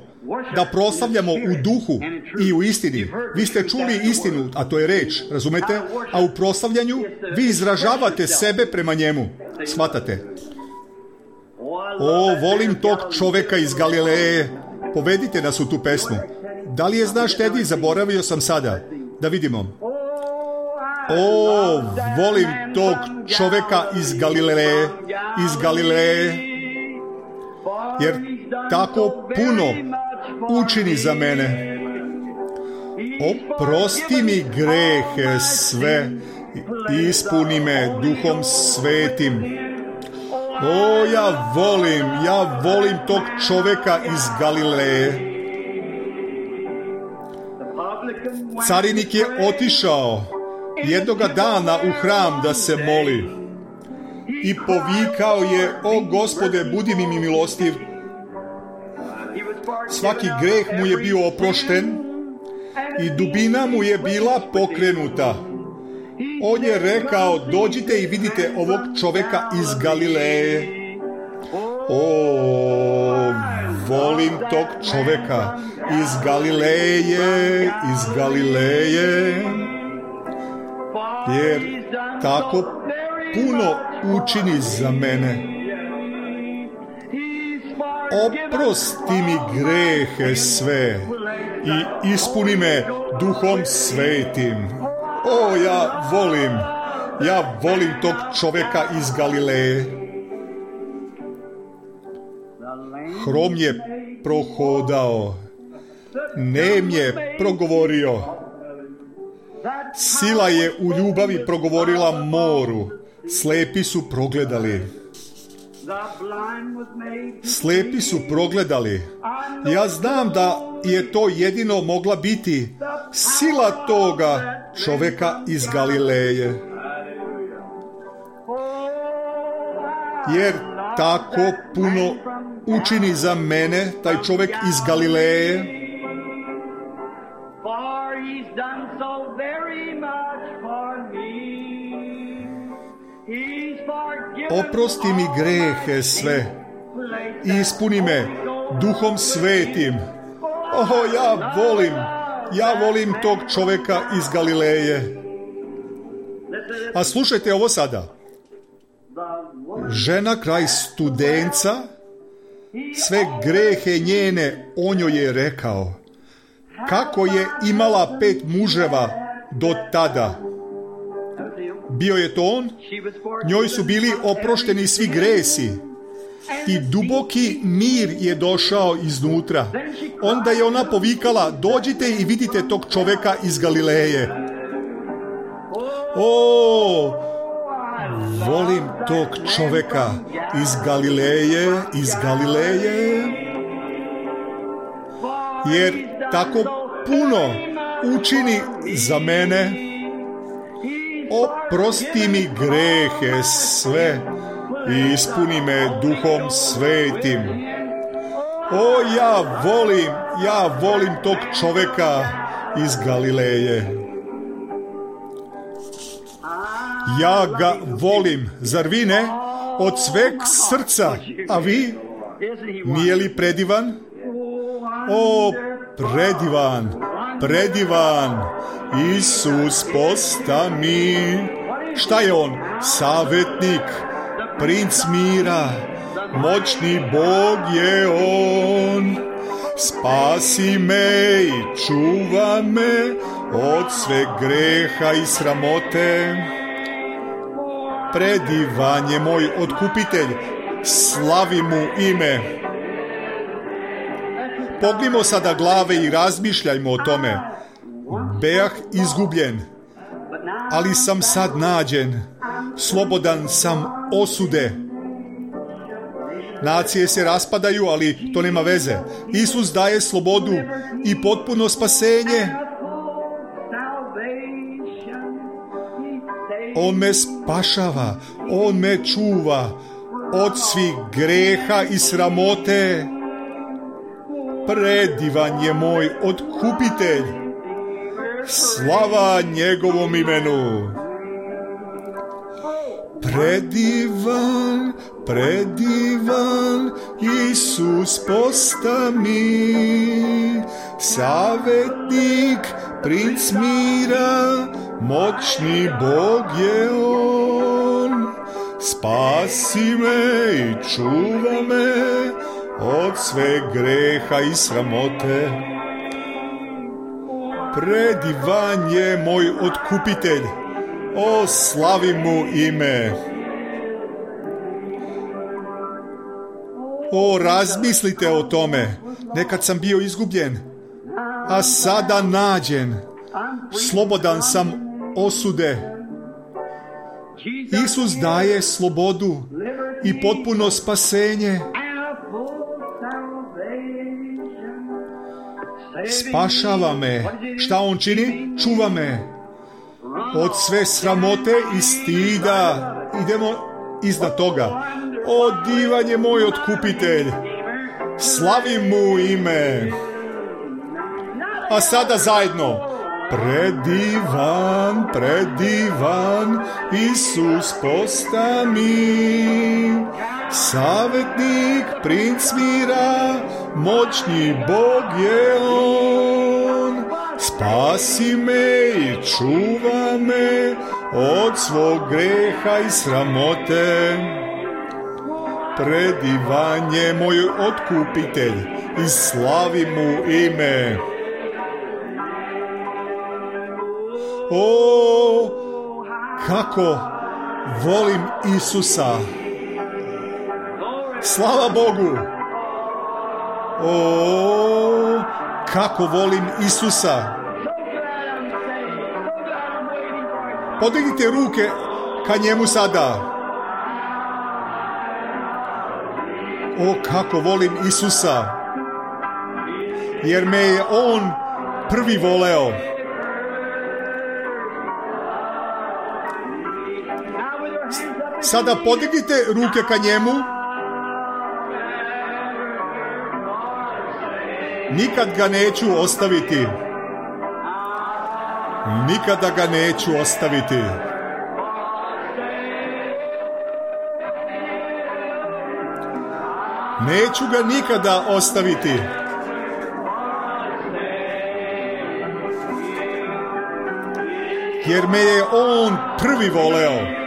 A: da proslavljamo u duhu i u istini. Vi ste čuli istinu, a to je reč, razumete? A u proslavljanju vi izražavate sebe prema njemu. Shvatate? O, volim tog čoveka iz Galileje. Povedite nas u tu pesmu. Da li je znaš, Tedi? Zaboravio sam sada. Da vidimo. O, volim tog čoveka iz Galileje, iz Galileje, jer tako puno učini za mene. Oprosti mi grehe sve, ispuni me Duhom Svetim. O, ja volim, ja volim tog čoveka iz Galileje. Carinik je otišao jednoga dana u hram da se moli i povikao je: o Gospode, budi mi milostiv. Svaki greh mu je bio oprošten i dubina mu je bila pokrenuta. On je rekao: dođite i vidite ovog čoveka iz Galileje. O, volim tog čoveka iz Galileje, iz Galileje, jer tako puno učini za mene. Oprosti mi grehe sve i ispuni me Duhom Svetim. O, ja volim, ja volim tog čoveka iz Galileje. Hrom je prohodao, nem je progovorio. Sila je u ljubavi progovorila moru, slepi su progledali. Slepi su progledali. Ja znam da je to jedino mogla biti sila toga čoveka iz Galileje. Jer tako puno učini za mene taj čovek iz Galileje. Oprosti mi grehe sve i ispuni me Duhom Svetim. O, ja volim, ja volim tog čoveka iz Galileje. A slušajte ovo sada. Žena kraj Studenca, sve grehe njene o njoj je rekao. Kako je imala pet muževa do tada. Bio je to on, njoj su bili oprošteni svi gresi i duboki mir je došao iznutra. Onda je ona povikala: dođite i vidite tog čoveka iz Galileje. O, volim tog čoveka iz Galileje, iz Galileje, jer tako puno učini za mene. Oprosti mi grehe sve i ispuni me Duhom Svetim. O, ja volim, ja volim tog čoveka iz Galileje. Ja ga volim, zar vi ne? Od sveg srca, a vi? Nije li predivan? O, predivan, predivan, Isus posta mi. Šta je on? Savjetnik, princ mira, moćni Bog je on. Spasi me i čuva me od sve greha i sramote. Predivan je moj otkupitelj, slavi mu ime. Pognimo sada glave i razmišljajmo o tome. Beah izgubljen, ali sam sad nađen, slobodan sam osude. Nacije se raspadaju, ali to nema veze. Isus daje slobodu i potpuno spasenje. On me spašava, on me čuva od svih greha i sramote. Predivan je moj otkupitelj, slava njegovom imenu. Predivan, predivan, Isus posta mi, savjetnik, princ mira, moćni Bog je on. spasi me i čuva me od sve greha i sramote. Predivan je moj otkupitelj, o slavi mu ime. O, razmislite o tome, nekad sam bio izgubljen, a sada nađen, slobodan sam osude. Isus daje slobodu i potpuno spasenje. Spašava me. Šta on čini? Čuva me od sve sramote i stida. Idemo iznad toga. O, divan je moj otkupitelj, slavim mu ime. A sada zajedno. Predivan, predivan, Isus posta mi, savjetnik, princ mira, moćni Bog je on. Spasi me i čuva me od svog greha i sramote. Predivan je moj otkupitelj i slavi mu ime. O, kako volim Isusa. Slava Bogu. O, kako volim Isusa. Podignite ruke ka njemu sada. O, kako volim Isusa. Jer me je on prvi voleo. Sada podignite ruke ka njemu. Nikad ga neću ostaviti. Nikada ga neću ostaviti. Neću ga nikada ostaviti. Jer me je on prvi voleo.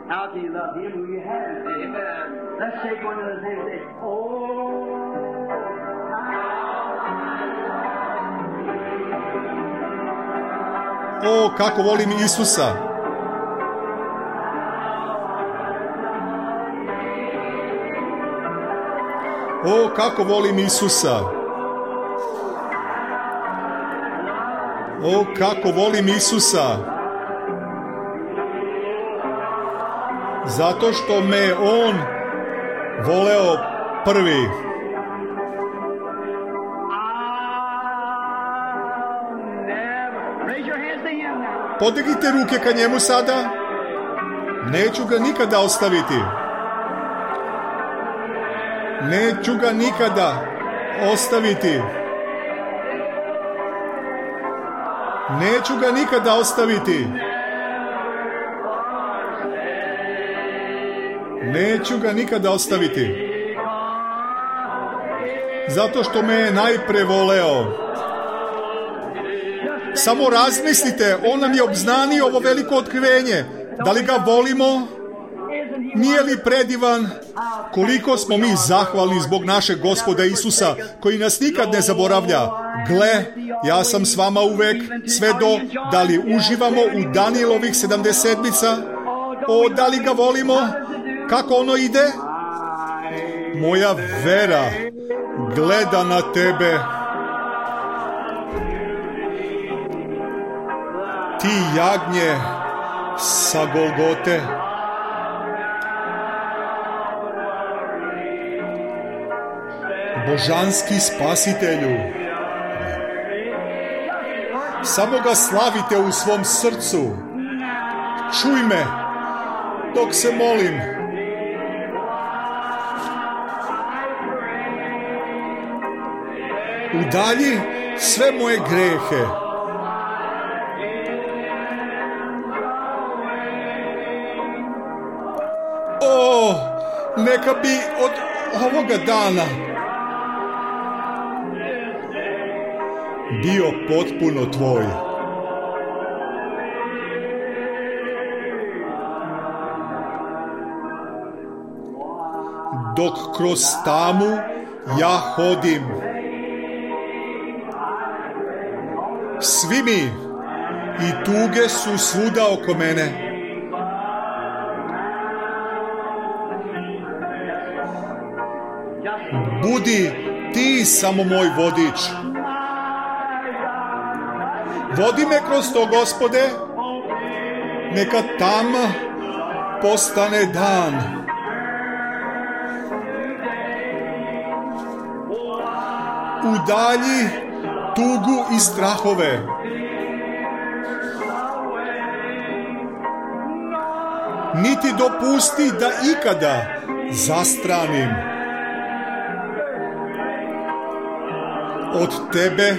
B: How do you love him who you haven't? Amen. Let's shake one of those hands and say, oh,
A: O, kako volim Isusa. O, kako volim Isusa. O, kako volim Isusa. Zato što me on voleo prvi. Podignite ruke ka njemu sada. Neću ga nikada ostaviti. Neću ga nikada ostaviti. Neću ga nikada ostaviti. Neću ga nikada ostaviti. Zato što me je najpre voleo. Samo razmislite, on nam je obznanio ovo veliko otkrivenje. Da li ga volimo? Nije li predivan? Koliko smo mi zahvalni zbog našeg Gospoda Isusa, koji nas nikad ne zaboravlja. Gle, ja sam s vama uvek, sve do, da li uživamo u Danijelovih sedamdesetmica? O, da li ga volimo? Kako ono ide? Moja vera gleda na tebe. Ti jagnje sa Golgote. Božanski spasitelju. Samo ga slavite u svom srcu. Čuj me dok se molim. Udalji sve moje grehe. O, Neka bi od ovoga dana bio potpuno tvoj. Dok kroz tamu ja hodim, svi mi i tuge su svuda oko mene. Budi ti samo moj vodič. Vodi me kroz to, Gospode, neka tama postane dan. Udalji tugu i strahove. Niti dopusti da ikada zastranim od tebe,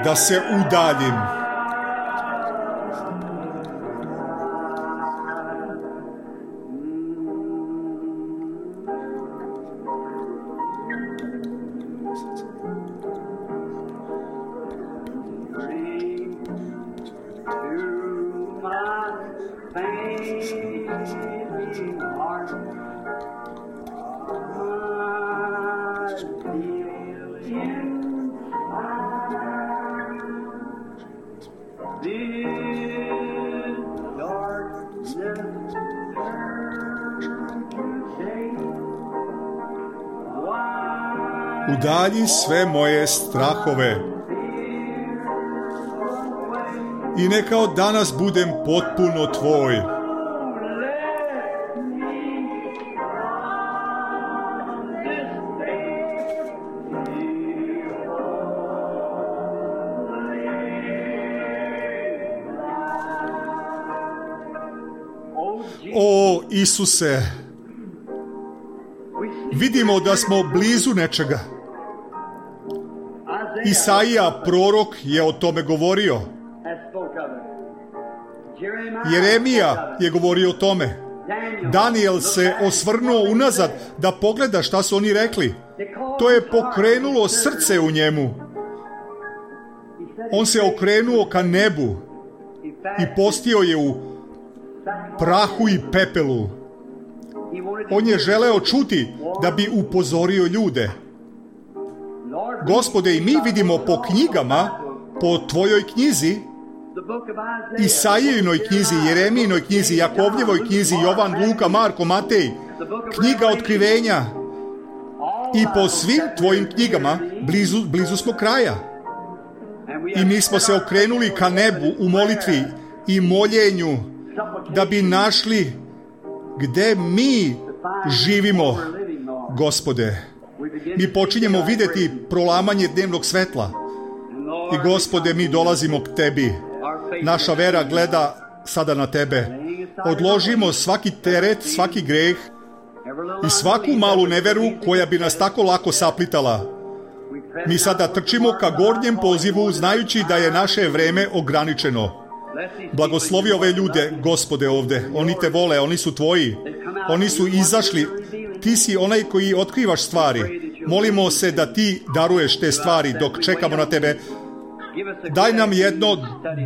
A: da se udaljim. Udalji sve moje strahove i neka od danas budem potpuno tvoj. O Isuse, vidimo da smo blizu nečega. Isaija, prorok, je o tome govorio. Jeremija je govorio o tome. Daniel se osvrnuo unazad da pogleda šta su oni rekli. To je pokrenulo srce u njemu. On se okrenuo ka nebu i postio je u prahu i pepelu. On je želeo čuti da bi upozorio ljude. Gospode, i mi vidimo po knjigama, po tvojoj knjizi, Isaijinoj knjizi, Jeremijinoj knjizi, Jakovljevoj knjizi, Jovan, Luka, Marko, Matej, knjiga otkrivenja, i po svim tvojim knjigama blizu, blizu smo kraja. I mi smo se okrenuli ka nebu u molitvi i moljenju da bi našli gde mi živimo, Gospode. Mi počinjemo vidjeti prolamanje dnevnog svetla. I Gospode, mi dolazimo k tebi. Naša vera gleda sada na tebe. Odložimo svaki teret, svaki greh i svaku malu neveru koja bi nas tako lako saplitala. Mi sada trčimo ka gornjem pozivu, znajući da je naše vreme ograničeno. Blagoslovi ove ljude, Gospode, ovde. Oni te vole, oni su tvoji. Oni su izašli. Ti si onaj koji otkrivaš stvari. Molimo se da ti daruješ te stvari dok čekamo na tebe. Daj nam jedno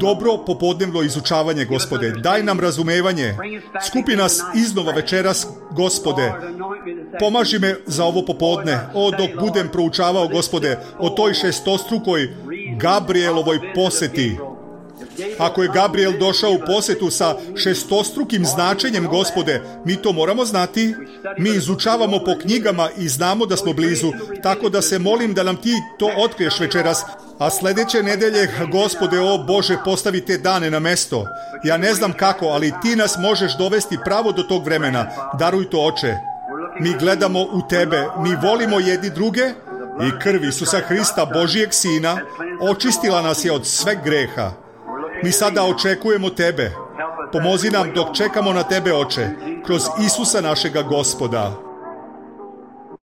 A: dobro popodnevno izučavanje, Gospode. Daj nam razumevanje. Skupi nas iznova večeras, Gospode. Pomaži me za ovo popodne. O, dok budem proučavao, Gospode, o toj šestostrukoj Gabrielovoj poseti. Ako je Gabriel došao u posetu sa šestostrukim značenjem, Gospode, mi to moramo znati. Mi izučavamo po knjigama i znamo da smo blizu, tako da se molim da nam ti to otkriješ večeras. A sljedeće nedelje, Gospode, o Bože, postavi te dane na mesto. Ja ne znam kako, ali ti nas možeš dovesti pravo do tog vremena. Daruj to, Oče. Mi gledamo u tebe, mi volimo jedni druge i krv Isusa Hrista, Božijeg Sina, očistila nas je od sveg greha. Mi sada očekujemo tebe. Pomozi nam dok čekamo na tebe, Oče, kroz Isusa našega Gospoda.